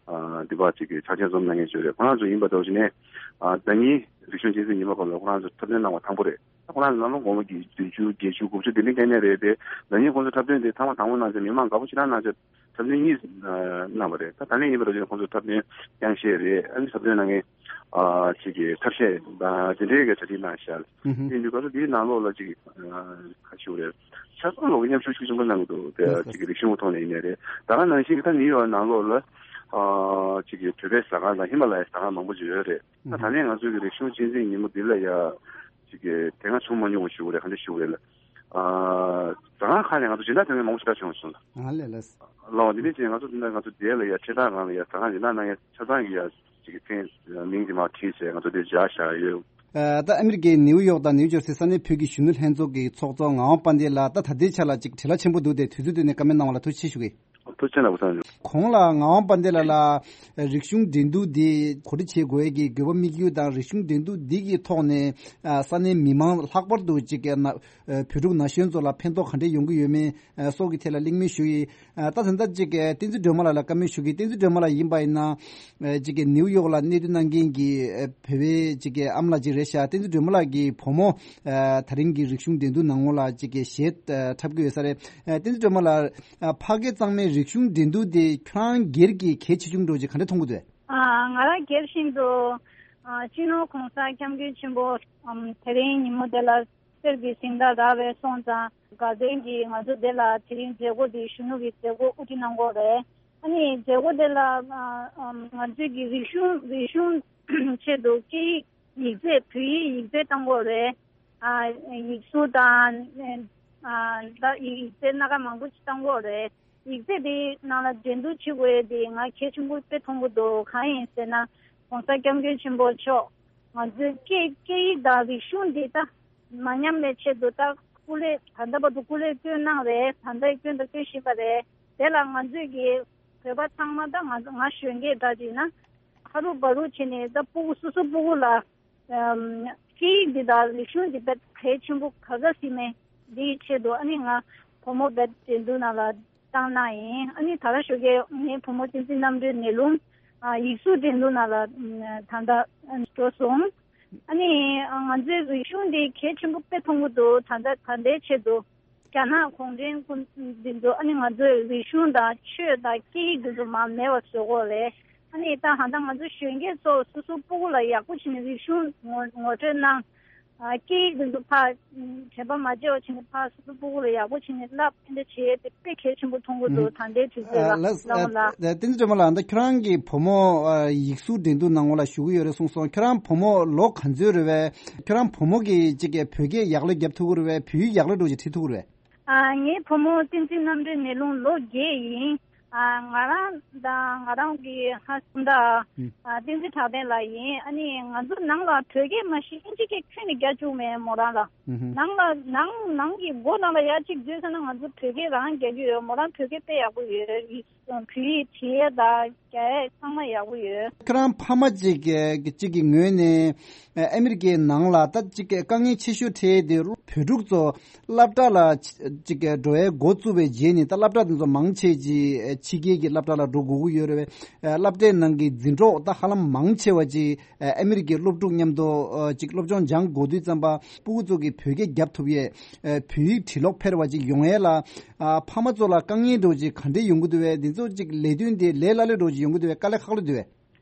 ཨ་འདི་པར་ཅིག་གི་ཕྱག་ཆེན་འཛོམས་གནང་མཁན་ཞིག་རེད། ཁོ་རང་ཚོ་ཡིན་པ་འདྲ་བོ་ཞིག་ནས་ཨ་ཟླ་ཉིན་རིག་གཞུང་གཅེས་འཛིན་ཉི་མ་སྐབས་ལ་ཁོ་རང་ཚོ་འཁྲབ་སྟོན་གནང་བ་དང་པོ་རེད། ད་ཁོ་རང་ཚོ་ནང་ལོགས་དགོངས་པ་གི་བདུན་ཅུ་བརྒྱད་ཅུ་དགུ་བཅུ་དེ་འདྲའི་སྐད་ནས་རེད་དེ། ཟླ་ཉིན་ཁོང་ཚོ་འཁྲབ་སྟོན་དེ་ཐེངས་མ་དང་པོ་གནང་ཚེ་མི་མང་དགའ་པོ་ཞེ་དྲག་གནང་ཚེ་འཁྲབ་སྟོན་གཉིས་གནང་བ་རེད། ད་ད་ལན་ཡིན་པ་འདྲ་བོ་ཞིག་ཁོང་ཚོ་འཁྲབ་སྟོན་རྐྱང་ཤད་རེད། ཨ་ནི་འཁྲབ་སྟོན་གནང་མཁན་ཨ་ཅིག་གི་ཐབས་ཤེས་དང་དེ་འདྲའི་གི་གྲ་སྒྲིག་གནང་ཤག་ལ། དེ་ཡིན་དུས་ག་ཚོད་དེའི་ནང་ལོགས་ལ་ཅིག་ཁ་ཤུ་རེད། ཆ་ཚང་ལོག་གི་མཉམ་ཞུགས་ཤུགས་ཆེན་པོ་གནང་གི་འདུག་དེ་ཅིག་གི་རིག་གཞུང་ཐོག་ནས་ཡིན་ནའི་རེད། ད་ག་ནང་བཞིན་གི་ད་ནིའུ་ཡོག་ནང་ལོགས་ལ་ཨ་ཅིག་གི་བོད་པའི་ཟ་ཁང་དང་ཧི་མ་ལ་ཡའི་ཟ་ཁང་མང་པོ་ཅིག་ཡོད་རེད། ད་ད་ལན་ང་ཚོའི་གི་རིག་གཞུང་གཅེས་འཛིན་ཉིན་མོ་འདི་ལ་ཡ་ཅིག་གི་དེ་སྔ་བྱུང་མ་མྱོང་བ་ཞུ་དགོས་རེད། ག་འདྲ་ཞུ་དགོས་རེད་ལ། ཨ་ཟ་ཁང་ཁག་ནས་ང་ཚོ་སྦྱིན་བདག་ཐོན་མཁན་མང་པོ་ཞིག་ད་བྱུང་སོང་ལ། ཨ་ལས་ལས། ལའོ་འདི་ནས་ཅིག་ང་ཚོ་འདི་ན་ང་ཚོ་དེ་ལ་ཡ་ཆེ་ཐག་སྒང་ལ་ཡ་ཟ་ཁང་སྦྱིན་བདག་གནང་ཡ་ཆ་ཚང་གི་ཡ་ཅིག་གི་མཚན་མིང་དེ་མར་བྲིས་བྱས་ང་ཚོ་དེ་སྦྱར་བཞག་ཡོད། ཨ་ད་ཨ་མི་རི་ཀའི་ནིའུ་ཡོག་དང་ནིའུ་ཇར་སི་ས་གནས་བོད་ཀྱི་གཞོན་ནུ་ལྷན་ཚོགས་ཀྱི་ཚོགས་གཙོ་ངག་དབང་དཔལ་ལྡན་ལགས། ད་ད་ལྟའི་ཆ་ལ་ཅིག་བྲེལ་བ་ཆེན་པོ་འདུག་སྟེ་དུས་ཚོད་བཏོན་ནས་བཀའ་མོལ་གནང་བ་ལ་ཐུགས་རྗེ་ཆེ་ཞུ་གི། ཐུགས་རྗེ་ཆེ་གནང་དགོས་བསམ་ཡོད། གོང་ལ་ངག་དབང་དཔལ་ལྡན་ལགས་ལ་རིག་གཞུང་འགྲན་བསྡུར་འདི་གོ་སྒྲིག་བྱེད་དགོས་ཀྱི་དགོས་པ་དམིགས་ཡུལ་དང་རིག་གཞུང་འགྲན་བསྡུར་འདི་གི་ཐོག་ནས་ཨ་ས་གནས་མི་མང་ལྷག་པར་དུ་ཅིག་ན་བོད་ཕྲུག་ན་གཞོན་ཚོ་ལ་ཕན་ཐོགས་ག་འདྲས་ཡོང་གི་ཡོད་མེད་སོགས་ཀྱི་ཐད་ལ་གླེང་མོལ་ཞུ་ཡི། ད་ད་ལྟ་ཅིག་བསྟན་འཛིན་སྒྲོལ་མ་ལགས་ལ་བཀའ་མོལ་ཞུ་གི། བསྟན་འཛིན་སྒྲོལ་མ་ལགས་ཡིན་པ་ཡིན་ན་ཅིག་ནིའུ་ཡོག་ལ་གནས་སྡོད་གནང་མཁན་གྱི་བོད་པའི་ཅིག་ཨ་མ་ལགས་ཅིག་རེད་ཤག་བསྟན་འཛིན་སྒྲོལ་མ་ལགས་ཀྱི་བུ་མོ་ད་རིང་གི་རིག་གཞུང་འགྲན་བསྡུར་ནང་ལོགས་ལ་ཅིག་གཞས་འཁྲབ་ཀྱི་ཡོད་ས་རེད། བསྟན་འཛིན་སྒྲོལ་མ་ལགས། ཨ་ཕ་སྐད་གཙང་མའི་རིག་གཞུང་འགྲན་བསྡུར་དེ་ཁྱོད་རང་སྒེར་གྱི་གལ་ཆེ་ཆུང་འདྲ་ཅིག་ག་འདྲ་མཐོང་གི་འདུག་ཨ་ང་རང་སྒེར་བཞིན་དུ་ཨ་སྤྱི་ནོར་༸གོང་ས་༸སྐྱབས་མགོན་ཆེན་པོ་ཨམ་དེ་རིང་ཉིན་མོ་དེ་ལ་གསེར་གྱི་གཟེངས་རྟགས་རག་པའི་སོང་ཙང་དགའ་ལྡན་གྱིས་ང་ཚོ་དེ་ལ་དེ་རིང་མཛད་སྒོ་འདི་གཞོན་ནུ་གི་མཛད་སྒོ་དབུ་ཁྲིད་གནང་གི་ཡོད་རེད། ཨ་ནི་མཛད་སྒོ་དེ་ལ་ཨ་ཨམ་ང་ཚོས་ཀྱི་རིག་གཞུང་རིག་གཞུང་ཆེད་དུ་སྐད་ཡིག་ཡིག་རྩིས་བོད་ཡིག་ཡིག་རྩིས་བཏང་གི་ཡོད་རེད། ཨ་ཡིག་གཟུགས་དང་ཨ་ད་ཡིག་རྩིས་སྣ་ཁ་མང་པོ་ཞིག་བཏང་གི་ཡོད་རེད། ཡིག་རྩིས་དེའི་ནང་ལ་འགྲན་བསྡུར་བྱེད་དགོས་དེ་ང་གལ་ཆེན་པོ་དཔེ་མཐོང་གི་འདུག་གང་ཡིན་ཟེར་ན་༸གོང་ས་༸སྐྱབས་མགོན་ཆེན་པོ་མཆོག་ང་ཚོའི་སྐད་སྐད་ཡིག་དང་རིག་གཞུང་འདི་ད་མ་ཉམས་པའི་ཆེད་དུ་ད་སྐུ་ལས་ད་ལྟ་བར་དུ་སྐུ་ལས་བསྐྱོན་གནང་རེད། ད་ལྟ་བསྐྱོན་དང་བསྐྱོན་བཞིན་པ་རེད། དེ་ལ་ང་ཚོས་ཀྱི་བོད་པ་ཚང་མ་ད་ང་ང་གཞོན་སྐྱེས་འདྲ་ཅིག་ན། ཧ་རུ་བ་རུ་བྱས་ནས་ད་སྤུ་གུ་སོ་སོ་སྤུ་གུ་ལ་ཨམ་སྐད་ཡིག་འདི་དང་རིག་གཞུང་འདི་དཔེ་གལ་ཆེན་པོ་ག་ཚོད་ཡིན་མིན་འདིའི་ཆེད་དུ། ཨ་ནི་ང་བུ་མོ་དཔེ་འགྲན་བསྡུར་ནང་ལ་བཏང་གནང་ཡིན། ཨ་ནི་ད་ར་ཞོགས་ཀས་ངའི་བུ་མོ་བསྟན་འཛིན་རྣམ་གྲོལ་ནེ་ལུང་ཨ་ཡིག་གཟུགས་འགྲན་བསྡུར་ནང་ལ་ཨམ་ད་ལྟ་འགྲོ་སོང་། ཨ་ནི་ང་ཚོའི་རིག་གཞུང་འདི་གལ་ཆེན་པོ་དཔེ་མཐོང་གི་འདུག་ད་ལྟ་ད་ལྟའི་ཆེད་དུ། རྒྱ་ནག་གུང་ཁྲན་ཀུན་འདི་ཚོ་ཨ་ནི་ང་ཚོའི་རིག་གཞུང་དང་ཆོས་དང་སྐད་ཡིག་འདི་ཚོ་མར་མེད་པ་བཟོ་དགོས་རེད། ཨ་ནི་ད་ཧ་ད་ང་ཚོ་གཞོན་སྐྱེས་ཚོ་སོ་སོ་སྤུ་གུ་ལ་ཡག་པོ་བྱས་ནས་རིག་གཞུང་ངོ་ངོ་སྤྲོད་གནང་། ཨ་སྐད་ཡིག་འདི་ཚོ་ཕར་དྲན་པ་མ་བརྗེད་པ་བྱས་ནས་ཕར་སོ་སོ་སྤུ་གུ་ལ་ཡག་པོ་བྱས་ནས་བསླབ། དེ་འདྲ་བྱེད་དེ་དཔེ་གལ་ཆེན་པོ་མཐོང་གི་འདུག་ད་ལྟའི་དུས་ཚོད་ལ་ལགས་ལགས་འོང་ལ། བསྟན་འཛིན་སྒྲོལ་མ་ལགས། ད་ཁྱོད་རང་གི་བུ་མོ་ཨ་ཡིག་གཟུགས་འགྲན་བསྡུར་ནང་ལ་ཞུགས་ཀྱི་ཡོད་རེད་གསུངས་སོང་། ཁྱོད་རང་བུ་མོ་ལོ་ག་ཚོད་རེད་པས། ཁྱོད་རང་བུ་མོ་གིས་ཅིག་གི་བོད་སྐད་ཡག་ལེ་རྒྱབ་ཐུབ་ཀྱི་རེད་པས། བོད་ཡིག་ཡག་ལེ་འདྲ་ཅིག་ཁྲིད་ཐུབ་ཀྱི་རེད་པས། ཨ་ངའི་བུ་མོ་བསྟན་འཛིན་རྣམ་གྲོལ་ནེ་ལུང་ལོ་བརྒྱད་ཡིན། ཨ་ང་རང་དང་ང་རང་གི་ཧ་སུམ་ད་ཨ་བསྟན་འཛིན་གྲགས་ལྡན་ལགས་ཡིན། ཨ་ནི་ང་ཚོ་ནང་ལ་བོད་སྐད་མ་གཞི་ཨིན་ཇི་སྐད་ཁྱོན་ནས་རྒྱག་བཅུག་མེད་མོ་རང་ལ། ནང་ལ་ནང་ནང་གི་སྒོ་ནང་ལ་ཡར་གཅིག་འཛུལ་ཚར་ན་ང་ཚོ་བོད་སྐད་རང་རྒྱག་གི་ཡོད། མོ་རང་བོད་སྐད་དཔེ་ཡག་པོ་ཡོད། བོད་ཡིག་བྲིས་ཡས་དང་རྒྱག་ཡས་ཚང་མ་ཡག་པོ་ཡོད། ཁྱོད་རང་ཕ་མ་གཅིག་གི་གཅིག་གི་ངོས་ནས་ཨ་ཨ་མི་རི་ཀའི་ནང་ལ་ད་གཅིག་གི་དཀའ་ངལ་ཆེ་ཤོས་འཕྲད་དེ་བོད་ཕྲུག་ཚོ་སློབ་གྲྭ་ལ་གཅིག་གི་འགྲོ་ཡས་འགོ་བཙུགས་པའི་རྗེས་ནས་ད་སློབ་གྲྭ་དེ་ཚོ་མང་ཆེ་གཅིག་ཕྱི་རྒྱལ་གྱི་སློབ་གྲྭ་ལ་འགྲོ་དགོས་ཀྱི་ཡོད་རེད་པས། སློབ་གྲྭའི་ནང་གི་འཛིན་གྲོགས་ད་ཧ་ལམ་མང་ཆེ་བ་གཅིག་ཨ་ཨ་མི་རི་ཀའི་སློབ་ཕྲུག་མཉམ་དུ་ཨ་ཅིག་སློབ་སྦྱོང་སྦྱང་དགོས་དུས་ཙམ་པ་སྤུ་གུ་ཚོ་གིས་བོད་སྐད་རྒྱབ་ཐུབ་ཡས། ཨ་བོད་ཡིག་བྲིས་ཀློག་འཕེར་བ་ཅིག་ཡོང་ཡས་ལ། ཨ་ཕ་མ་ཚོ་ལ་དཀའ་ངལ་འདྲ་བོ་ཅིག་ག་འདྲས་ཡོང་གི་འདུག་པས། འདི་ཚོ་ཅིག་ལས་དོན་དེ་ལས་སླ་ལོས་འདྲ་བོ་ཅིག་ཡོང་གི་འདུག་པས། དཀའ་ལས་ཁག་ལོས་འདུག་པས།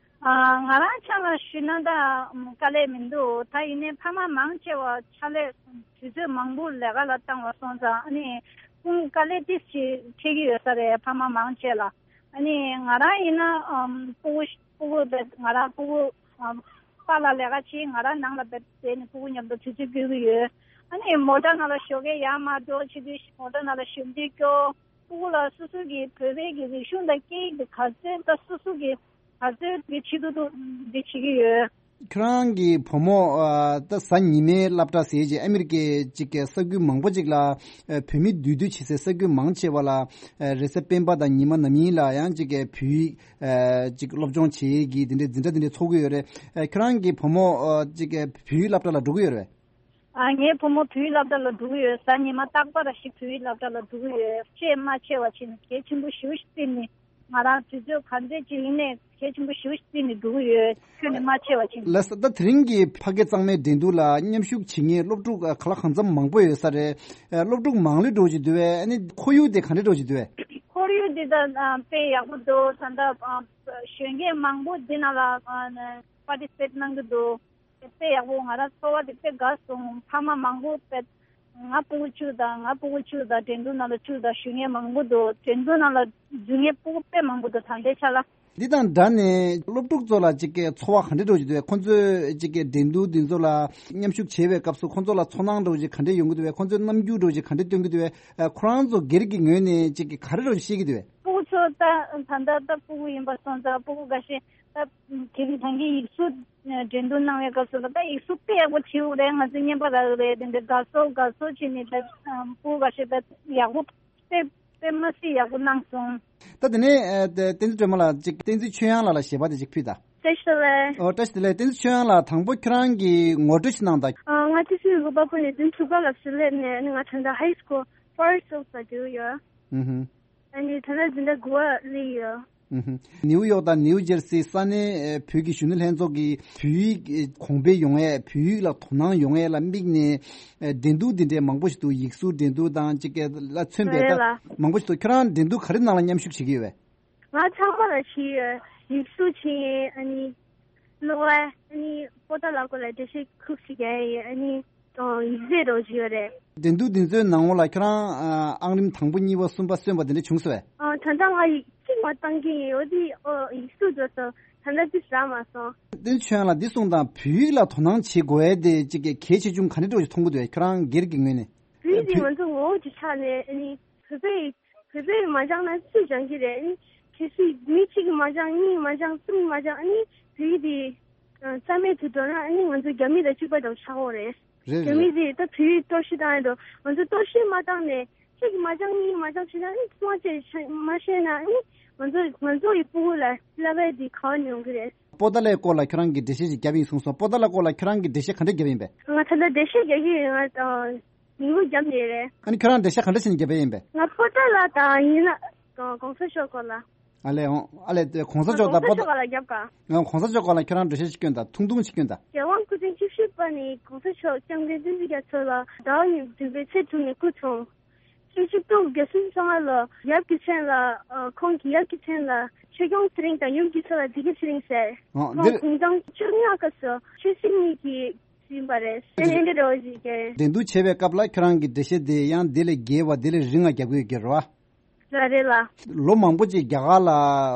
ཨ་ང་རང་ཆ་ལ་ཞུས་ན་ད་དཀའ་ལས་མི་འདུག་ད་ཡིན་ནའི་ཕ་མ་མང་ཆེ་བ་ཕྱག་ལས་དུས་ཚོད་མང་པོ་ལས་ཀ་ལ་བཏང་བ་སོང་ཙང་ཨ་ནི་ཁོང་དཀའ་ལས་ཏིས་ཅིག་འཕྲད་ཀྱི་ཡོད་ས་རེད། ཕ་མ་མང་ཆེ་ལ། ཨ་ནི་ང་རང་ཡིན་ན་ཨམ་སྤུ་གུ་སྤུ་གུ་བས་ང་རང་སྤུ་གུ་ཨམ་པཱ་ལགས་ལས་ཀ་བྱེད། ང་རང་ནང་ལ་བསྡད་བསྡད་ནས་སྤུ་གུ་མཉམ་དུ་དུས་ཚོད་སྐྱོལ་གྱི་ཡོད། ཨ་ནི་མོ་ཊ་ནང་ལ་ཞོགས་ཀས་ཡར་མར་འགྲོ་བྱེད་དུས་མོ་ཊ་ནང་ལ་ཞབས་འདེགས་སྐྱོར། སྤུ་གུ་ལ་སོ་སོ་གི་བོད་པའི་གི་རིག་གཞུང་དང་སྐད་ཡིག་དེ་ག་ཚོད་ད་སོ་སོ་གི་ག་ཚོད་གི་ཆེད་དུ་འདི་བྱེད་ཀྱི་ཡོད། ཁྱོད་རང་གི་བུ་མོ་ཨ་ད་གཟའ་ཉི་མའི་སློབ་གྲྭ་ཟེར་གྱི་ཨ་མི་རི་ཀའི་གཅིག་གི་ས་ཁུལ་མང་པོ་ཅིག་ལ་ཨ་བོད་མི་འདུས་སྡོད་བྱེད་སའི་ས་ཁུལ་མང་ཆེ་བ་ལ་ཨ་རེས་གཟའ་སྤེན་པ་དང་ཉི་མ་ནམ་ཡིན་ལ་ཡང་གཅིག་གི་བོད་ཡིག་ཨ་གཅིག་སློབ་སྦྱོང་བྱེད་ཡས་ཀྱི་དེ་འདྲའི་འཛིན་གྲྭ་དེ་འདྲ་ཚོགས་ཀྱི་ཡོད་རེད། ཨ་ཁྱོད་རང་གི་བུ་མོ་ཨ་གཅིག་གི་བོད་ཡིག་སློབ་གྲྭ་ལ་འགྲོ་གི་ཡོད་རེད་པས། ཨ་ངའི་བུ་མོ་བོད་ཡིག་སློབ་གྲྭ་ལ་འགྲོ་གི་ཡོད། གཟའ་ཉི་མ་རྟག་པར་ཞིག་བོད་ཡིག་སློབ་གྲྭ་ལ་འགྲོ་གི་ཡོད། ཤས་མ་ཆེ་བ་བྱས་ནས་གལ་ཆེན་པོ་ཞེ་པོ་ཞིག་བརྩིས་ནས་ང་རང་དུས་ཚོད་ག་འདྲས་ཅིག་ཡིན་ནའི་གལ་ཆེན་པོ་ཞེ་པོ་ཞིག་བརྩིས་ནས་འགྲོ་གི་ཡོད། ཁྱོན་ནས་མ་ཆེ་བ་བྱས་ནས། ལགས་སོ། ད་དེ་རིང་གི་ཕ་སྐད་གཙང་མའི་འགྲན་བསྡུར་ལ་མཉམ་ཞུགས་བྱེད་མཁན་སློབ་ཕྲུག་ག་ལ་གང་འཚམ་མང་པོ་ཡོད་ས་རེད། སློབ་ཕྲུག་མང་ལོས་འགྲོ་བཞིན་འདུག་པས། ཨ་ནི་ཁོར་ཡུག་དེ་ག་འདྲས་འགྲོ་བཞིན་འདུག་པས། ཁོར་ཡུག་འདི་ད་དཔེ་ཡག་པོ་འདུག་ད་ལྟ་གཞོན་སྐྱེས་མང་པོ་འདི་ནང་ལ་པར་ཊི་སི་པེཊ་གནང་གི་འདུག་དཔེ་ཡག་པོ། ང་རང་ཚོར་བ་དེ་དཔེ་དགའ་སོང་། ཕ་མ་མང་པོ་དཔེ་ང་སྤུ་གུ་བཅུ་དང་ང་སྤུ་གུ་བཅུ་དང་འགྲན་བསྡུར་ནང་ལ་བཅུག་དང་ཞུ་མཁན་མང་པོ་འདུག་འགྲན་བསྡུར་ནང་ལ་འཛུལ་མཁན་སྤུ་གུ་དཔེ་མང་པོ་འདུག་ད་ལྟའི་ཆ་ལ། འདི་དང་སྦྲགས་ནས་སློབ་ཕྲུག་ཚོ་ལ་གཅིག་གི་ཚོར་བ་ག་འདྲ་འདྲ་བོ་ཅིག་འདུག་ཁོང་ཚོས་གཅིག་གི་འགྲན་བསྡུར་འདི་ཚོ་ལ་མཉམ་ཞུགས་བྱེད་པའི་སྐབས་སུ་ཁོང་ཚོ་ལ་ཚོར་སྣང་འདྲ་བོ་ཅིག་ག་འདྲ་ཡོང་གི་འདུག་པས། ཁོང་ཚོས་རྣམ་འགྱུར་འདྲ་བོ་ཅིག་ག་འདྲ་སྟོན་གྱི་འདུག་པས། ཁོ་རང་ཚོ་སྒེར་གྱི་ངོས་ནས་གཅིག་གི་ག་རེ་འདྲ་བོ་ཅིག་ཤེས་ཀྱི་འདུག་པས། སྤུ་གུ་ཚོ་ད་ད་ལྟ་ད་སྤུ་གུ་ཡིན་པ་སོང་ཙང་སྤུ་གུ་འགའ་ཤས་ད་དེ་རིང་ད་གིན་ཡིག་གཟུགས་འགྲན་བསྡུར་གནང་བའི་སྐབས་སུ་ད་ཡིག་གཟུགས་དཔེ་ཡག་པོ་བྲིས་ཡོད་རེད། ང་ཚོས་བརྙན་པར་རག་ཡོད་རེད། དེ་འདྲའི་དགའ་ཚོར་དགའ་ཚོར་བྱས་ནས་ད་སྤུ་གུ་འགའ་ཤས་ད་ཡག་པོ་དཔེ་དཔེ་མ་སྲིད་ཡག་པོ་གནང་སོང་། ད་དེ་ནས་ཨ་ད་བསྟན་འཛིན་སྒྲོལ་མ་ལགས་ཅིག་བསྟན་འཛིན་ཆོས་དབྱངས་ལགས་ལ་ཞལ་པར་དེ་ཅིག་ཕུལ་དང་། བཀྲ་ཤིས་བདེ་ལེགས། ཨོ་བཀྲ་ཤིས་བདེ་ལེགས། བསྟན་འཛིན་ཆོས་དབྱངས་ལགས་དང་པོ་ཁྱོད་རང་གིས་ངོ་སྤྲོད་ཅིག་གནང་དང་། ཨ་ང་ཏི་སུའི་རུ་པ་པོ་ནས་དུས་ཚུགས་པ་ལ་ཞུ་ལས་ནས་ང་ད་ལྟ་ཧའི་སྐུལ་ཕར་སི་ཊི་ལ་འགྲོ་ཡོད། ཨུ་ཧུ། ཨ་ནི་ད་ལྟ་འཛིན་གྲྭ་དགུ་པ་སླེབས་ཡོད། ཨུ་ཧུ། ནེའུ་ཡོག་དང་ནེའུ་ཇར་སི་ས་གནས་ཨེ་བོད་ཀྱི་གཞོན་ནུ་ལྷན་ཚོགས་ཀྱིས་བོད་ཡིག་ཨེ་གོང་འཕེལ་ཡོང་ཡས། བོད་ཡིག་ལ་དོ་སྣང་ཡོང་ཡས་ལ་དམིགས་ནས་ཨེ་འགྲན་བསྡུར་འདི་འདྲའི་མང་པོ་ཞིག་འདུག་ཡིག་གཟུགས་འགྲན་བསྡུར་དང་གཅིག་གི་ལ་མཚོན་པའི་རེད་ད་ལ། མང་པོ་ཞིག་འདུག་ཁྱོད་རང་འགྲན་བསྡུར་ག་རེ་ནང་ལ་མཉམ་ཞུགས་བྱེད་ཀྱི་ཡོད་པས། ང་ཚང་མ་ལ་བྱེད་ཡོད། ཡིག་གཟུགས་བྱེད། ཨ་ནི་གློག་ཀླད། ཨ་ནི་པོ་ཏཱ་ལ་སྐོར་ལ་འགྲེལ་བཤད་ཁུག་ཅིག་རྒྱག་ཡོད། ཨ་ནི་ཡིག་ཚད་རོགས་བྱེད་ཡོད་རེད། འགྲན་བསྡུར་འདི་ཚོའི་ནང་ལོགས་ལ་ཁྱོད་རང་ཨ་ཨང་རིམ་དང་པོ་གཉིས་པ་གསུམ་པ་སོན་པ་དེ་འདྲ་བྱུང་སོང་བས། ཨ་ད་ལྟ་ང་ཡིག་གཅིག་མ་བཏང་གི་ཡིན། འོ་དེ་ཨོ་ཡིག་གཟུགས་འགྲོ་སོང་། ད་ལྟ་ཅི་རག་མ་སོང་། བསྟན་ཆོས་ལ་འདི་གསུངས་དང་། བོད་ཡིག་ལ་དོ་སྣང་བྱེད་དགོས་ཡས་དེ་གཅིག་གི་གལ་ཆེ་ཆུང་ག་འདྲ་འདྲ་ཞིག་མཐོང་གི་འདུག་ཁྱོད་རང་སྒེར་གྱི་ངོས་ནས། བོད་ཡིག་དེ་ང་ཚོ་ངོ་བོ་གཅིག་ཆགས་ནས་ཨ་ནི་བོད་པའི་བོད་པས་མ་སྦྱངས་ན་སུས་སྦྱང་གི་རེད། ཨ་ནི་གལ་སྲིད་མི་གཅིག་གིས་མ་སྦྱངས། གཉིས་མ་སྦྱངས། གསུམ་མ་སྦྱངས། ཨ་ནི་བོད་ཡིག་དེ་རྩ་མེད་དུ་འགྲོ་ན་ཨ་ནི་ང་ཚོ་རྒྱ་མི་དང་གཅིག་པ་དང་ཆགས་ཡོད་རེད། རེད་རྒྱ་མི་རེད། དེ་ད་བོད་ཡིག་གཏོར་བཤིག་བཏང་ཡོད་འགྲོ། ང་ཚོ་གཏོར་བཤིག་མ་བཏང་ནས་གཅིག་གིས་མ་སྦྱངས་གཉིས་ཀྱིས་མ་སྦྱངས་བྱས་ན་ཨ་ནི་སྔོན་ཆད་མ་ཤེས་ན་ཨ་ནི་ང་ཚོ་ང་ཚོ་ཡི་སྤུ་གུ་ལ་བསླབ་པ་དེ་ག་བ་ནས་ཡོང་གི་རེད། པོ་ཏཱ་ལའི་སྐོར་ལ་ཁྱོད་རང་གིས་འགྲེལ་བཤད་ཅིག་བརྒྱབ་ཡིན་གསུངས་སོང་། པོ་ཏཱ་ལ་སྐོར་ལ་ཁྱོད་རང་གིས་འགྲེལ་བཤད་ག་འདྲ་བརྒྱབ་ཡིན་པས། ང་ད་ལྟ་འགྲེལ་བཤད་རྒྱག་གི་ཡོད། ང་དང་མི་བུ་རྒྱབ་ནས་རེད། ཨ་ནི་ཁྱོད་རང་འགྲེལ་བཤད་ག་འདྲ་བྱས་ནས་བརྒྱབ་ཡིན་པས། ང་པོ་ཏཱ་ལ་དང་ཡིན་ན་གོང་ས་མཆོག་སྐོར་ལ། ཨ་ལས་འོང་། ཨ་ལས་དེ་གོང་ས་མཆོག་དང་པོ་ཏཱ། གོང་ས་མཆོག་སྐོར་ལ་རྒྱབ་ག་ང་གོང་ས་མཆོག་སྐོར་ལ་ཁྱོད་རང་འགྲེལ་བཤད་ཅིག་སྐྱོན་དང་། ཐུང་ཐུང་ཅིག་སྐྱོན་དང་། རྒྱལ་དབང་སྐུ་ཕྲེང་བཅུ་བཞི་པ་ནི་གོང་ས་མཆོག་སྐྱབས་མགོན་བསྟན་འཛིན་རྒྱ་མཚོ་ལ་ཟླ་བ་བདུན་པའི་ཚེས་དྲུག་ནས་སྐུ་འཁྲུངས། ཆུ་བཞི་སྟོང་བརྒྱད་སུམ་ཅུ་སོ་ལྔ་ལོ་ཡབ་ཀྱི་མཚན་ལ། ཁོང་གི་ཡབ་ཀྱི་མཚན་ལ་ཆོས་སྐྱོང་ཚེ་རིང་དང་ཡུམ་གྱི་མཚན་ལ་བདེ་སྐྱིད་ཚེ་རིང་ཟེར། ཨ། ཁོང་འདིར་དགུང་གྲངས་བཅོ་ལྔ་སྐབས་སུ་ཆོས་སྲིད་གཉིས་ཀྱི་ཟིན་པ་རེད། ཨེ་འདི་འདྲ་བ་ཞིག་རེད། འགྲན་བསྡུར་བྱེད་པའི་སྐབས་ལ་ཁྱོད་རང་གི་འགྲེལ་བཤད་དེ་ཡང་དེ་ལས་རྒྱས་པ་དེ་ལས་རིང་ང་རྒྱབ་དགོས་ཀྱི་རེད་བ། ལ་རེད་ལ། ལོ་མང་པོ་ཅིག་རྒྱ་གར་ལ་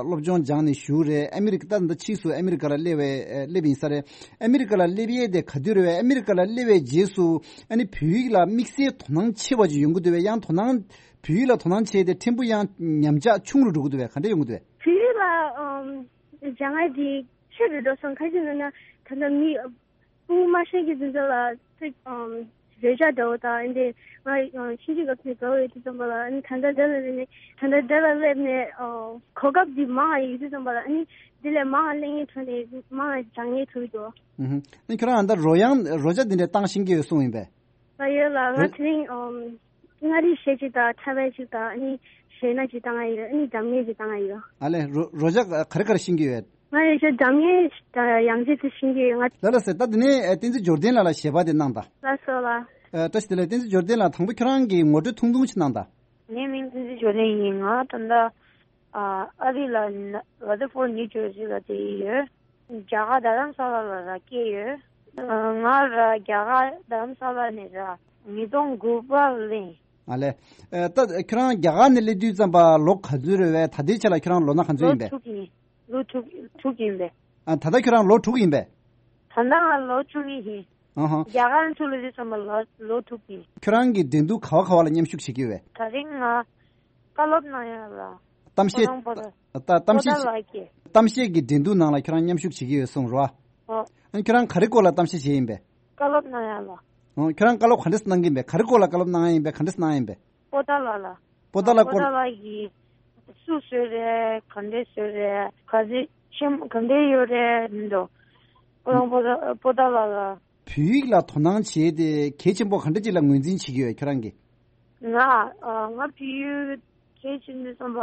སློབ་སྦྱོང་སྦྱངས་ནས་བཞུགས་རེད། ཨ་མི་རི་ཀ་ད་ད་ཕྱིས་སུ་ཨ་མི་རི་ཀ་ལ་སླེབས་པའི་སླེབས་ཡིན་ས་རེད། ཨ་མི་རི་ཀ་ལ་སླེབས་ཡས་དེ་ག་དུས་རེད་བས། ཨ་མི་རི་ཀ་ལ་སླེབས་པའི་རྗེས་སུ་ཨ་ནི་བོད་ཡིག་ལ་དམིགས་བསལ་དོ་སྣང་ཆེ་བ་ཅིག་ཡོང་གི་འདུག་བས། ཡང་དོ་སྣང་བོད་ཡིག་ལ་དོ་སྣང་བྱས་ཏེ་ཕྲན་བུ་ཡང་ཉམས་ཆག་ཆུང་རུ་འགྲོ་གི་འདུག་བས། ག་འདྲ་ཡོང་གི་འདུག་བས། བོད་ཡིག་ལ་ཨམ་སྦྱང་ཡ་དེ་ཆེ་རུ་འགྲོ་སོང་། ག་རེ་ཟེར་ན་ད་ལྟ་མི་ཕྲུ་གུ་མ་ཤེས་ཀྱི་དུས་ཚོད་ལ་ཚིག་ཨམ་རོལ་ཆ་འདྲ་བོ་དང་། ཨ་ནི་ང་ཨམ་ཆུང་ཆུང་སྐབས་ནས་འགྲོ་བའི་དུས་ཙམ་པ་ལ། ཨ་ནི་ད་ལྟ་འདི་ལ་སླེབས་ནས་ད་ལྟ་འདི་ལ་སླེབས་ནས་ཨོ་གོ་སྐབས་འདི་མང་ང་ཡོད་དུས་ཙམ་པ་ལ། ཨ་ནི་འདི་ལས་མང་ང་གླེང་ཡས་ཐོག་ནས་མང་ང་སྦྱང་ཡས་ཐུབ་ཀྱི་འདུག་ཨུ་ཧུམ། ཨ་ནི་ཁྱོད་རང་ད་རོལ་དབྱངས་རོལ་ཆ་འདི་འདྲ་བཏང་ཤེས་ཀྱི་ཡོད་གསུངས་ཡིན་པས། ལ་ཡོད་ལ། ང་རོལ་དེ་རིང་ཨམ་མངའ་རིས་གཞས་གཅིག་དང་འཁྲབ་པ་གཅིག་དང་། ཨ་ནི་གཞས་སྣ་གཅིག་བཏང་ཡ་ཡོད། ཨ་ནི་འཛམ་གླིང་གཅིག་བཏང་ཡ་ཡོད། ཨ་ལས་རོ་རོལ་ཆ་ག་རེ་ག་རེ་ཤེས་ཀྱི་ཡོད། ང་ཡོད་ཤོད་འཛམ་གླིང་དང་ཡང་རྩེ་དེ་ཤེས་ཀྱི་ཡོད། ང་ལ་ལ་ཟེར། ད་དེ་ནས་ཨ་བསྟན་འཛིན་འབྱོར་ལྡན་ལགས་ལ་གཞས་པ་དེ་གནང་དང་། ལགས་སོ་ལགས། ཨ་བཀྲ་ཤིས་བདེ་ལེགས། བསྟན་འཛིན་འབྱོར་ལྡན་ལགས། དང་པོ་ཁྱོད་རང་གི་ངོ་སྤྲོད་ཐུང་ཐུང་ཞིག་གནང་དང་། ངའི་མིང་བསྟན་འཛིན་འབྱོར་ལྡན་ཡིན། ང་ད་ལྟ་ཨ་ཨ་རི་ལ་ན་ར་དི་ཕོར་ནིའུ་ཇར་སི་ལ་བསྡད་ཡོད། རྒྱ་གར་རྡ་རམ་ས་ལ་ལ་ར་སྐྱེས་ཡོད། ང་ར་རྒྱ་གར་རྡ་རམ་ས་ལ་ནས་ར་ཉིས་སྟོང་དགུ་པ་ལ་སླེབས་ཡིན། ཨ་ལས། ཨ་ད་ཁྱོད་རང་རྒྱ་གར་ནས་སླེབས་དུས་ཙམ་པ་ལོ་ག་ཚོད་རེད་བས། ད་ལྟའི་ཆ་ལ་ཁྱོད་རང་ལོ་ན་ག་ཚོད་ལོ་ཡིན་པས། དྲུག་ཡིན། ལོ་དྲུག་དྲུག་ཡིན་པས། ཨ་ད་ལྟ་ཁྱོད་རང་ལོ་དྲུག་ཡིན་པས། ད་ལྟ་ང་ལོ་བཅུ་གཉིས་ཡིན། ཨ་ཧ། རྒྱ་གར་ཚུར་ལ་དུས་ཙམ་པ་ལོ་ལོ་དྲུག་ཡིན། ཁྱོད་རང་གིས་འགྲན་བསྡུར་ག་བ་ག་བ་ལ་མཉམ་ཞུགས་བྱེད་ཀྱི་ཡོད་པས། ད་རིང་ང་བཀའ་སློབ་གནང་ཡ་ལ། གཏམ་བཤད། ཁོ་རང་པོ་ཏཱ། ད་གཏམ་བཤད། པོ་ཏཱ་ལ་སྐྱེས། གཏམ་བཤད་ཀྱི་འགྲན་བསྡུར་ནང་ལ་ཁྱོད་རང་མཉམ་ཞུགས་བྱེད་ཀྱི་ཡོད་གསུངས་རོ། ཨོ། ཨ་ཁྱོད་རང་ག་རེ་སྐོར་ལ་གཏམ་བཤད་བྱེད་ཡིན་པས། བཀའ་སློབ་གནང་ཡ་ལ། ཨོ། ཁྱོད་རང་བཀའ་སློབ་ག་འདྲས་གནང་གི་ཡིན་པས། ག་རེ་སྐོར་ལ་བཀའ་སློབ་གནང་ཡ་ཡིན་པས། ག་འདྲས་གནང་ཡ་ཡིན་པས། པོ་ཏཱ་ལ་ལ། པོ་ཏཱ་ལ་པོ་སྐོར། ཏཱ་ལ་གིས་སུ་བཟོས་རེད། ག་འདྲས་བཟོས་རེད། ག་ཚོད་ཆེན་ག་འདྲས་ཡོད་རེད་མི་འདུག་ཁོ་རང་པོ་ཏཱ་པོ་ཏཱ་ལ་ལ། བོད་ཡིག་ལ་དོ་སྣང་བྱས་ཏེ་གལ་ཆེན་པོ་ག་འདྲ་ཅིག་ལ་ངོས་འཛིན་བྱེད་ཀྱི་ཡོད་ཁྱོད་རང་གིས། ང་ཨ་ང་བོད་ཡིག་གལ་ཆེན་པོ་བསམ་པ་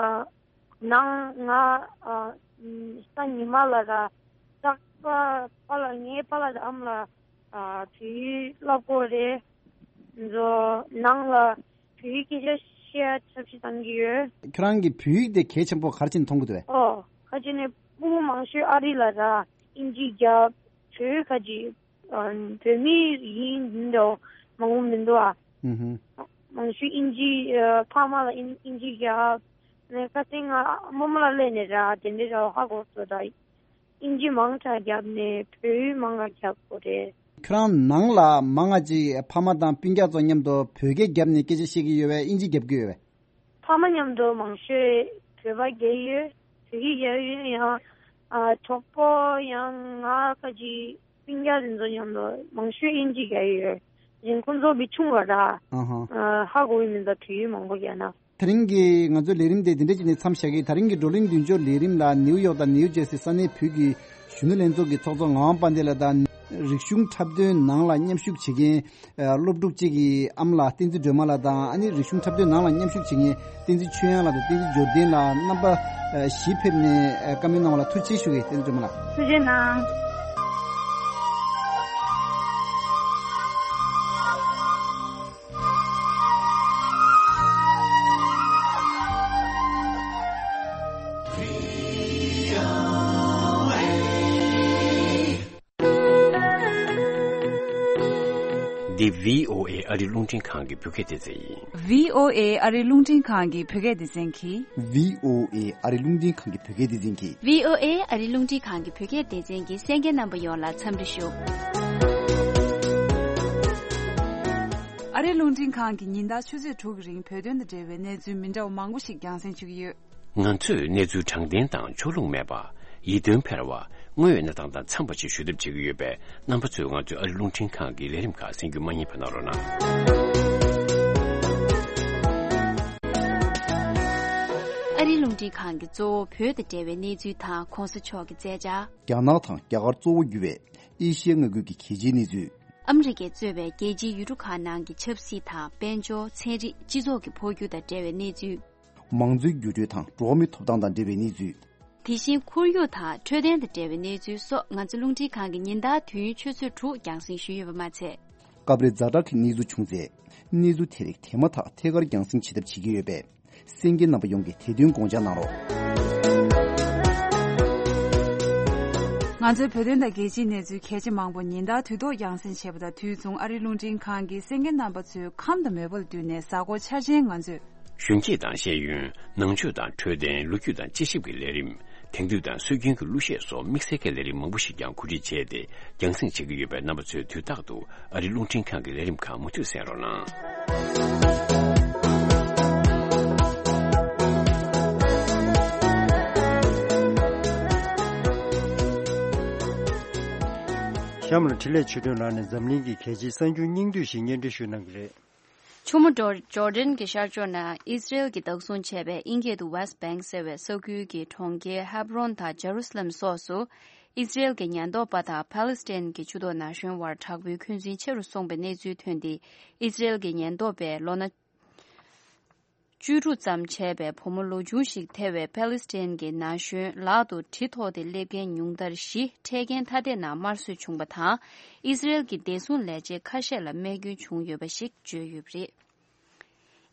ནང་ང་ཨ་ས་ཉི་མ་ལ་ར་རྟག་པ་པཱ་ལགས་ངའི་པཱ་ལགས་དང་ཨ་མ་ལགས་ཨ་བོད་ཡིག་བསླབ་དགོས་རེད། ཚོ་ནང་ལ་བོད་ཡིག་སྐད་ཆ་བཤད་ཐབས་ཤེས་བཏང་གི་ཡོད། ཁྱོད་རང་གིས་བོད་ཡིག་དེ་གལ་ཆེན་པོ་ག་རེ་བྱས་ནས་མཐོང་གི་འདུག་བས། ཨོ་ཁ་ཅིག་ནས་སྤུ་གུ་མང་ཤོས་ཨ་རི་ལ་ར་ཨིན་ཇི་རྒྱབ། བོད་ཁ་ཅིག་ཨ་བོད་མི་ཡིན་འདུག་མང་པོ་མི་འདུག་ཨ། ཨུ་ཧུ། མང་ཤོས་ཨིན་ཇི་ཨ་ཕ་མ་ལ་ཨིན་ཨིན་ཇི་རྒྱབ། ནས་ཁ་སང་ང་རྨོ་མོ་ལ་སླེབས་ནས་ར་དེ་འདྲའི་ར་ཧ་གོ་སོང་ད། ཨིན་ཇི་མང་དྲགས་རྒྱབ་ནས་བོད་ཡིག་མང་ང་རྒྱབ་དགོས་རེད། ཁྱོད་རང་ནང་ལ་མང་ང་ཅིག་ཕ་མ་དང་སྤུན་ཀྱག་ཚོ་མཉམ་དུ་བོད་སྐད་རྒྱབ་ནས་སྐད་ཆ་བཤད་ཀྱི་ཡོད་པས། ཨིན་ཇི་རྒྱབ་ཀྱི་ཡོད་པས། ཕ་མ་མཉམ་དུ་མང་ཤོས་བོད་པ་རྒྱག་ཡོད། བོད་ཡིག་རྒྱག་ཡོད། ཡང་ཨ་གྲོགས་པོ་ཡང་ང་ཁ་ཅིག་སྤུན་ཀྱག་དེ་ཚོ་མཉམ་དུ་མང་ཤོས་ཨིན་ཇི་རྒྱག་ཡོད། རིང་ཁོང་ཚོ་བི་ཆུང་བ་ར། ཨ་ཧ། ཨ་ཧ་གོ་གི་མི་འདུག་བོད་ཡིག་མང་པོ་རྒྱག་ན། དེ་རིང་གི་ང་ཚོའི་ལས་རིམ་དེ་འདི་འདྲ་ཅིག་ནས་མཚམས་བཞག་གི། དེ་རིང་གི་བགྲོ་གླེང་མདུན་ལྕོག་ལས་རིམ་ལ་ནིའུ་ཡོག་དང་ནིའུ་ཇེར་སི་ས་གནས་བོད་ཀྱི་གཞོན་ནུ་ལྷན་ཚོགས་ཀྱི་ཚོགས་གཙོ་ངག་དབང་དཔལ་ལྡན་ལགས་དང་། རིག་གཞུང་འཁྲབ་སྟོན་ནང་ལ་མཉམ་ཞུགས་བྱེད་མཁན་སློབ་ཕྲུག་གཅིག་གི་ཨ་མ་ལགས་བསྟན་འཛིན་སྒྲོལ་མ་ལགས་དང་། ཨ་ནི་རིག་གཞུང་འཁྲབ་སྟོན་ནང་ལ་མཉམ་ཞུགས་བྱེད་མཁན་བསྟན་འཛིན་ཆོས་དབྱངས་ལགས་དང་བསྟན་འཛིན་འབྱོར་ལྡན་ལགས། རྣམ་པ་བཞི་ཕེབས་ནས་བཀའ་མོལ་གནང་བ་ལ་ཐུགས་རྗེ་ཆེ་ཞུ་གི། བསྟན་འཛིན་སྒྲོལ་མ་ལགས། ཐུགས་རྗེ་གནང་། འདི་བྷི་ཨོ་ཨེ་ཨ་རི་རླུང་འཕྲིན་ཁང་གི་བོད་སྐད་སྡེ་ཚན་ཡིན། བྷི་ཨོ་ཨེ་ཨ་རི་རླུང་འཕྲིན་ཁང་གི་བོད་སྐད་སྡེ་ཚན་གྱིས། བྷི་ཨོ་ཨེ་ཨ་རི་རླུང་འཕྲིན་ཁང་གི་བོད་སྐད་སྡེ་ཚན་གྱིས། བྷི་ཨོ་ཨེ་ཨ་རི་རླུང་འཕྲིན་ཁང་གི་བོད་སྐད་སྡེ་ཚན་གྱི་གསན་མཁན་རྣམ་པ་ཡོངས་ལ་འཚམས་འདྲི་ཞུ། ཨ་རི་རླུང་འཕྲིན་ཁང་གིས་ཉིན་ལྟར་ཆུ་ཚོད་དྲུག་གི་རིང་བོད་དོན་དང་འབྲེལ་བའི་གནས་ཚུལ་མི་འདྲ་བ་མང་པོ་ཞིག་རྒྱང་སྲིང་ཞུ་གི་ཡོད། ང་ཚོས་གནས་ཚུལ་དྲང་བདེན་དང་ཕྱོགས་ལྷུང་མེད་པ། ཡིད་རྟོན་འཕེར་བ། དངོས་ཡོད་གནས་སྟངས་དང་འཚམས་པ་ཞིག་ཞུ་ཐབས་བྱེད་ཀྱི་ཡོད་པས། རྣམ་པ་ཚོས་ང་ཚོའི་ཨ་རི་རླུང་འཕྲིན་ཁང་གི་ལས་རིམ་ཁག་གསན་རྒྱུ་མ་བསྙེལ་བ་གནང་རོགས་གནང་། ཨ་རི་ རླུང་འཕྲིན་ཁང་གིས་གཙོ་བོ་བོད་དང་འབྲེལ་བའི་གནས་ཚུལ་དང་གོང་ས་མཆོག་གི་མཛད་འཆར། རྒྱ་ནག་དང་རྒྱ་གར་གཙོ་བོ་གྱུར་བའི་ཨེ་ཤི་ཡའི་མངའ་ཁུལ་གྱི་གལ་ཆེའི་གནས་ཚུལ། ཨ་མི་རི་ཀས་གཙོས་པའི་རྒྱལ་སྤྱིའི་ཡུལ་གྲུ་ཁག་ནང་གི་ཆབ་སྲིད་དང་དཔལ་འབྱོར། ཚན་རིག་སྤྱི་ཚོགས་ཀྱི་འཕོ་འགྱུར་དང་འབྲེལ་བའི་གནས་ཚུལ། མང་གཙོའི་འགྱུར་འགྲོས་དང་འགྲོ་བ་མིའི་ཐོབ་ཐང་དང་འབྲེལ་བའི་གནས་ཚུལ། དེ་བཞིན་ཁོར་ཡུག་དང་འཕྲོད་བསྟེན་དང་འབྲེལ་བའི་གནས་ཚུལ་སོགས་ང་ཚོ་རླུང་འཕྲིན་ཁང་གིས་ཉིན་ལྟར་དུས་ཡུན་ཆུ་ཚོད་དྲུག་རྒྱང་སྲིང་ཞུས་ཡོད་པ་མ་ཚད། སྐབས་རེ་ཛ་དྲག་གི་གནས་ཚུལ་བྱུང་ཚེ། གནས་ཚུལ་དེ་རིགས་དེ་མ་ཐག་ཐད་ཀར་རྒྱང་སྲིང་བྱེད་ཐབས་བྱེད་ཀྱི་ཡོད་པས། གསན་མཁན་རྣམ་པ་ཡོངས་ཀྱིས་དེ་མཐུན་དགོངས་འཇགས་གནང་རོགས། ང་ཚོའི་བོད་དོན་དང་རྒྱལ་སྤྱིའི་གནས་ཚུལ་གལ་ཆེ་མང་པོ་ཉིན་ལྟར་དུས་ཐོག་རྒྱང་སྲིང་བྱེད་པ་དང་། དུས་མཚུངས་ཨ་རིའི་རླུང་འཕྲིན་ཁང་གིས་གསན་མཁན་རྣམ་པ་ཚོའི་ཁམས་དང་མོས་པ་ལ་བསྟུན་ནས་གཟའ་འཁོར་འཆར་ཅན་ང་ཚོས། གཞོན་སྐྱེས་དང་ཤེས་ཡོན། ནང་ཆོས་དང་འཕྲོད་བསྟེན། ལོ་རྒྱུས་དང་དཔྱད་ཞིབ་ཀྱི་ལས་རིམ། དེང་དུས་དང་སྲོལ་རྒྱུན་གྱི་གླུ་གཞས་སོགས་དམིགས་བསལ་གྱི་ལས་རིམ་མང་པོ་ཞིག་ཀྱང་གོ་སྒྲིག་བྱས་ཏེ་རྒྱང་སྲིང་བྱེད་ཀྱི་ཡོད་པས། རྣམ་པ་ཚོས་དུས་རྟག་ཏུ་ཨ་རིའི་རླུང་འཕྲིན་ཁང་གི་ལས་རིམ་ཁག་མུ་མཐུད་གསན་རོགས་གནང་། གཤམ་ལ་འཕྲིན་ལས་ཆོས་སྒྲོན་ལགས་ནས་འཛམ་གླིང་གི་གལ་ཆེའི་གསར་འགྱུར་སྙིང་བསྡུས་ཤིག་སྙན་སྒྲོན་ཞུ་གནང་གི་རེད། ཆུ་མོ་ཇོར་ཇོར་ཌན་གྱི་ཤར་ཕྱོགས་ན་ཨིས་ར་ཨེལ་གྱིས་བདག་བཟུང་བྱས་པའི་དབྱིན་སྐད་དུ་West Bank ཟེར་བའི་ས་ཁུལ་གྱི་གྲོང་ཁྱེར་ཧེབ་རོན་དང་ཇེ་རུ་སི་ལེམ་སོགས་སུ། ཨིས་ར་ཨེལ་གྱི་ཉེན་རྟོག་པ་དང་ཕཱ་ལེ་སི་ཐན་གྱི་ཆུ་ཐོག་ན་གཞོན་བར་དྲག་པོའི་འཁོན་འཛིན་ཆེ་རུ་སོང་པའི་གནས་ཚུལ་ཐོན་ཏེ། ཨིས་ར་ཨེལ་གྱི་ཉེན་རྟོག་པས་ལོ་ན་བཅུ་དྲུག་ཙམ་བྱས་པའི་བུ་མོ་ལོ་ཆུང་ཞིག་ཐེ་བའི་ཕཱ་ལེ་སི་ཐན་གྱི་ན་གཞོན་ལག་ཏུ་གྲི་ཐོགས་ཏེ་སླེབས་མཁན་ཉུང་མཐར་བཞི་འཕྲལ་རྐྱེན་ཐ་དད་ནང་དམར་གསོད་བྱུང་པ་དང་། ཨིས་ར་ཨེལ་གྱི་བདེ་སྲུང་ལས་བྱེད་ཁ་ཤས་ལ་རྨས་སྐྱོན་བྱུང་ཡོད་པ་ཞིག་བརྗོད་ཡོད་པ་རེད།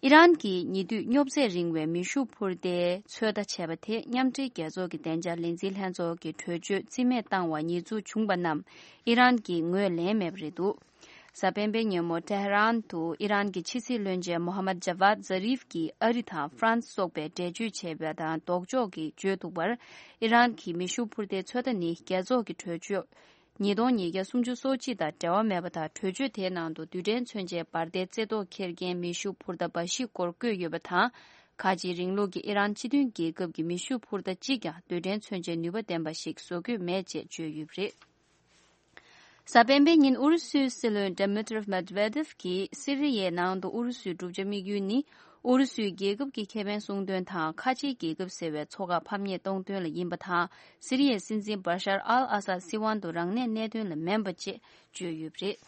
ཨི་རན་གྱིས་ཉེ་དུས་རྙོབ་ཚད་རིང་བའི་མེ་ཤུགས་འཕུར་མདའི་ཚོད་ལྟ་བྱས་པ་དེ་མཉམ་འབྲེལ་རྒྱལ་ཚོགས་ཀྱི་བདེ་འཇགས་ལས་འཛིན་ལྷན་ཚོགས་ཀྱི་གྲོས་ཆོད་རྩིས་མེད་བཏང་བར་ཉེས་འཛུགས་བྱུང་པ་རྣམས་ཨི་རན་གྱིས་ངོས་ལེན་མེད་པ་རེད་འདུག་གཟའ་སྤེན་པའི་ཉིན་མོ་ཏེ་ཧ་རན་དུ་ཨི་རན་གྱི་ཕྱི་སྲིད་བློན་ཆེན་མོ་ཧ་མད་ཇ་ཝཱད་ཛ་རིབ་ཀྱིས་ཨ་རི་དང་ཧྥ་རན་སི་སོགས་པས་འགྲེལ་བརྗོད་བྱས་པ་དང་ལྡོག་ཕྱོགས་ཀྱིས་བརྗོད་འདུག་པར། ཨི་རན་གྱི་མེ་ཤུགས་འཕུར་མདའི་ཚོད་ལྟ་ནི་རྒྱལ་ཚོགས་ཀྱི་གྲོས་ཆོད་ཉིས་སྟོང་ཉིས་བརྒྱ་སུམ་ཅུ་སོ་གཅིག་དང་འབྲེལ་བ་མེད་པ་དང་། གྲོས་ཆོད་དེའི་ནང་དུ་རྡུལ་ཕྲན་མཚོན་ཆའི་འབར་མདེལ་རྩེ་ཐོག་འཁྱེར་མཁན་མེ་ཤུགས་འཕུར་མདའ་འབའ་ཞིག་སྐོར་བཀོད་ཡོད་པ་དང་། ཁ་ཆེའི་རིང་ལུགས་ཀྱི་ཨི་རན་སྤྱི་མཐུན་རྒྱལ་ཁབ་ཀྱི་མེ་ཤུགས་འཕུར་མདའ་གཅིག་ཀྱང་རྡུལ་ཕྲན་མཚོན་ཆའི་ནུས་པ་ལྡན་པ་ཞིག་བཟོ་གི་མེད་ཅེས་བརྗོད་ཡོད་པ་རེད། གཟའ་སྤེན་པའི་ཉིན་ཨུ་རུ་སུའི་སྲིད་བློན་Dmitry Medvedev གྱིས་སི་རི་ཡའི་ནང་དུ་ཨུ་རུ་སུའི་བསྒྲུབ་བྱ་དམིགས་ཡུལ་ནི། ཨུ་རུ་སུའི་རྒྱལ་ཁབ་ཀྱི་ཁེ་ཕན་སྲུང་དོན་དང་། ཁ་ཆེའི་རྒྱལ་ཁབ་ཟེར་བའི་ཚོགས་ཁག་ཕམ་ཉེས་གཏོང་དོན་ལ་ཡིན་པ་དང་། སི་རི་ཡའི་སྲིད་འཛིན་Bashar al-Assad སྲིད་དབང་དུ་རང་གནས་གནས་དོན་ལ་མིན་པ་ཅེས་བརྗོད་ཡོད་པ་རེད།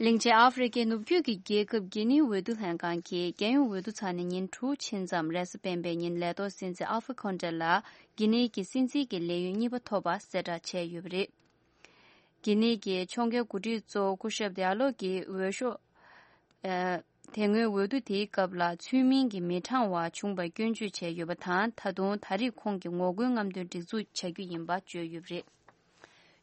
གླིང་ཆེན་ཨ་ཧྥེ་རི་ཁའི་ནུབ་རྒྱུད་ཀྱི་རྒྱལ་ཁབ་གྷི་ནིའི་འོས་བསྡུ་ལྷན་ཁང་གིས་རྒྱལ་ཡོངས་འོས་བསྡུ་ཚར་ནས་ཉིན་དྲུག་ཕྱིན་ཙམ། རེས་གཟའ་སྤེན་པའི་ཉིན་ལས་ཐོག་སྲིད་འཛིན་ཨལ་ཧྥ་ཁོན་ཏེ་ལ་གྷི་ནི་གི་སྲིད་འཛིན་གྱི་ལས་ཡུན་གཉིས་པ་ཐོབ་པ་གསལ་བསྒྲགས་བྱས་ཡོད་པ་རེད། གྷི་ནི་གི་ཕྱོགས་འགལ་འགོ་ཁྲིད་གཙོ་བོ་སྐུ་ཞབས་ཌི་ཡ་ལོ་གིས་འོས་ཤོག་ཨ། དེ་སྔོན་འོས་བསྡུ་དེའི་སྐབས་ལ་ཚུལ་མིན་གྱི་མི་དྲང་བ་བྱུང་བར་སྐྱོན་བརྗོད་བྱས་ཡོད་པ་དང་། ད་དུང་ད་རེས་ཁོང་གིས་ངོ་རྒོལ་རྔམ་སྟོན་སྒྲིག་འཛུགས་བྱ་རྒྱུ་ཡིན་པ་བརྗོད་ཡོད་པ་རེད།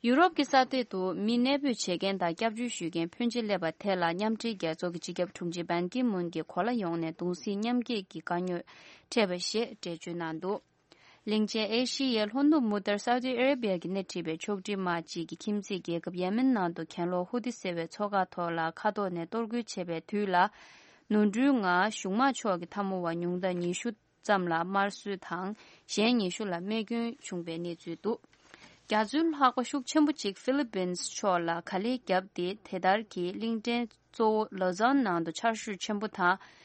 ཡུ་རོབ་ཀྱི་ས་སྟེང་དུ་མི་གནས་སྤོས་བྱེད་མཁན་དང་སྐྱབས་བཅོལ་ཞུ་མཁན་ཕོན་ཆེ་སླེབས་པ་དེ་ལ་མཉམ་འབྲེལ་རྒྱལ་ཚོགས་ཀྱི་སྤྱི་ཁྱབ་དྲུང་ཆེ་བན་ཀི་མུན་གྱིས་གོ་ལ་ཡོངས་ནས་གདུང་སེམས་མཉམ་སྐྱེད་ཀྱི་དཀའ་རྙོག་འཕྲད་པ་ཞེས་འགྲེལ་བརྗོད་གནང་འདུག་གླིང་ཆེན་ཨེ་ཤི་ཡའི་ལྷོ་ནུབ་མུ་ལྟར་སའུ་ཏི་ཨ་རེ་བི་ཡ་གིས་སྣེ་ཁྲིད་པའི་ཕྱོགས་སྒྲིག་དམག་ཅིག་གིས་ཁྱིམ་མཚེས་རྒྱལ་ཁབ་ཡེ་མེན་ནང་དུ་གྱེན་ལོག་ཧུ་ཏི་ཟེར་བའི་ཚོགས་ཁག་ཐོག་ལ་མཁའ་ཐོག་ནས་གཏོར་རྒོལ་བྱས་པའི་དུས་ལ། ནོར་འཁྲུལ་ངང་གཞུང་དམག་ཕྱོགས་ཀྱི་འཐབ་མོ་བ་ཉུང་མཐར་ཉི་ཤུ་ཙམ་ལ་དམར་གསོད་དང་། གཞན་ཉི་ཤུ་ལ་རྨས་སྐྱོན་བྱུང་བའི་གནས་ཚུལ་འདུག་རྒྱ་མཚོའི་ལྷགས་པ་ཤུགས་ཆེན་པོ་གཅིག་ཧྥི་ལི་པིན་ཕྱོགས་ལ་ག་ལེར་བརྒྱབ་སྟེ། དེ་ལྟར་གྱི་གླིང་ཕྲན་གཙོ་བོ་ལོ་ཛཱན་ནང་དུ་ཆར་ཤུགས་ཆེན་པོ་དང་།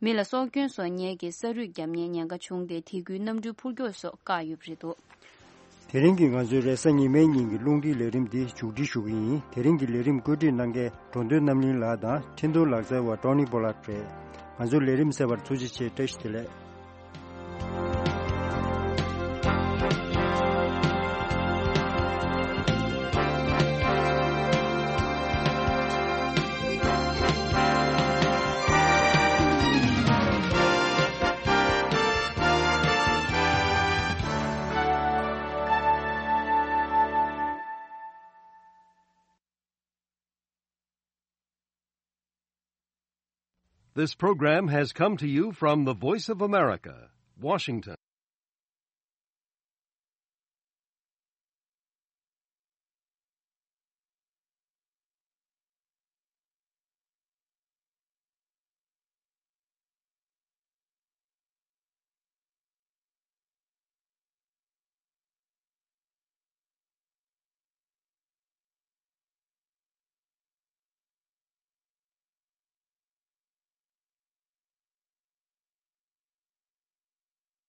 མི་ལ་སྲོག་སྐྱོན་སོགས་ཉེན་གྱི་ས་རུད་བརྒྱབ་ནས་ཉེན་ཁ་བྱུང་སྟེ། དེ་ཁུལ་གནམ་གྲུའི་འཕུར་མཆོག་སོགས་བཀག་ཡོད་པ་རེད་འདུག་དེ་རིང་གི་ང་ཚོའི་རེས་གཟའ་ཉི་མའི་ཉིན་གྱི་རླུང་འཕྲིན་ལས་རིམ་འདི་མཇུག་སྒྲིལ་ཞུ་གི་ཡིན། དེ་རིང་གི་ལས་རིམ་བཀོད་སྒྲིག་གནང་མཁན་འགྲོ་འདོད་རྣམ་གླིང་ལགས་དང་འཕྲིན་གཏོང་ལག་རྩལ་བ་ཊོ་ནི་པོ་ལགས་རེད། ང་ཚོའི་ལས་རིམ་གསན་པར་ཐུགས་རྗེ་ཆེ། བཀྲ་ཤིས་བདེ་ལེགས། This program has come to you from the Voice of America, Washington.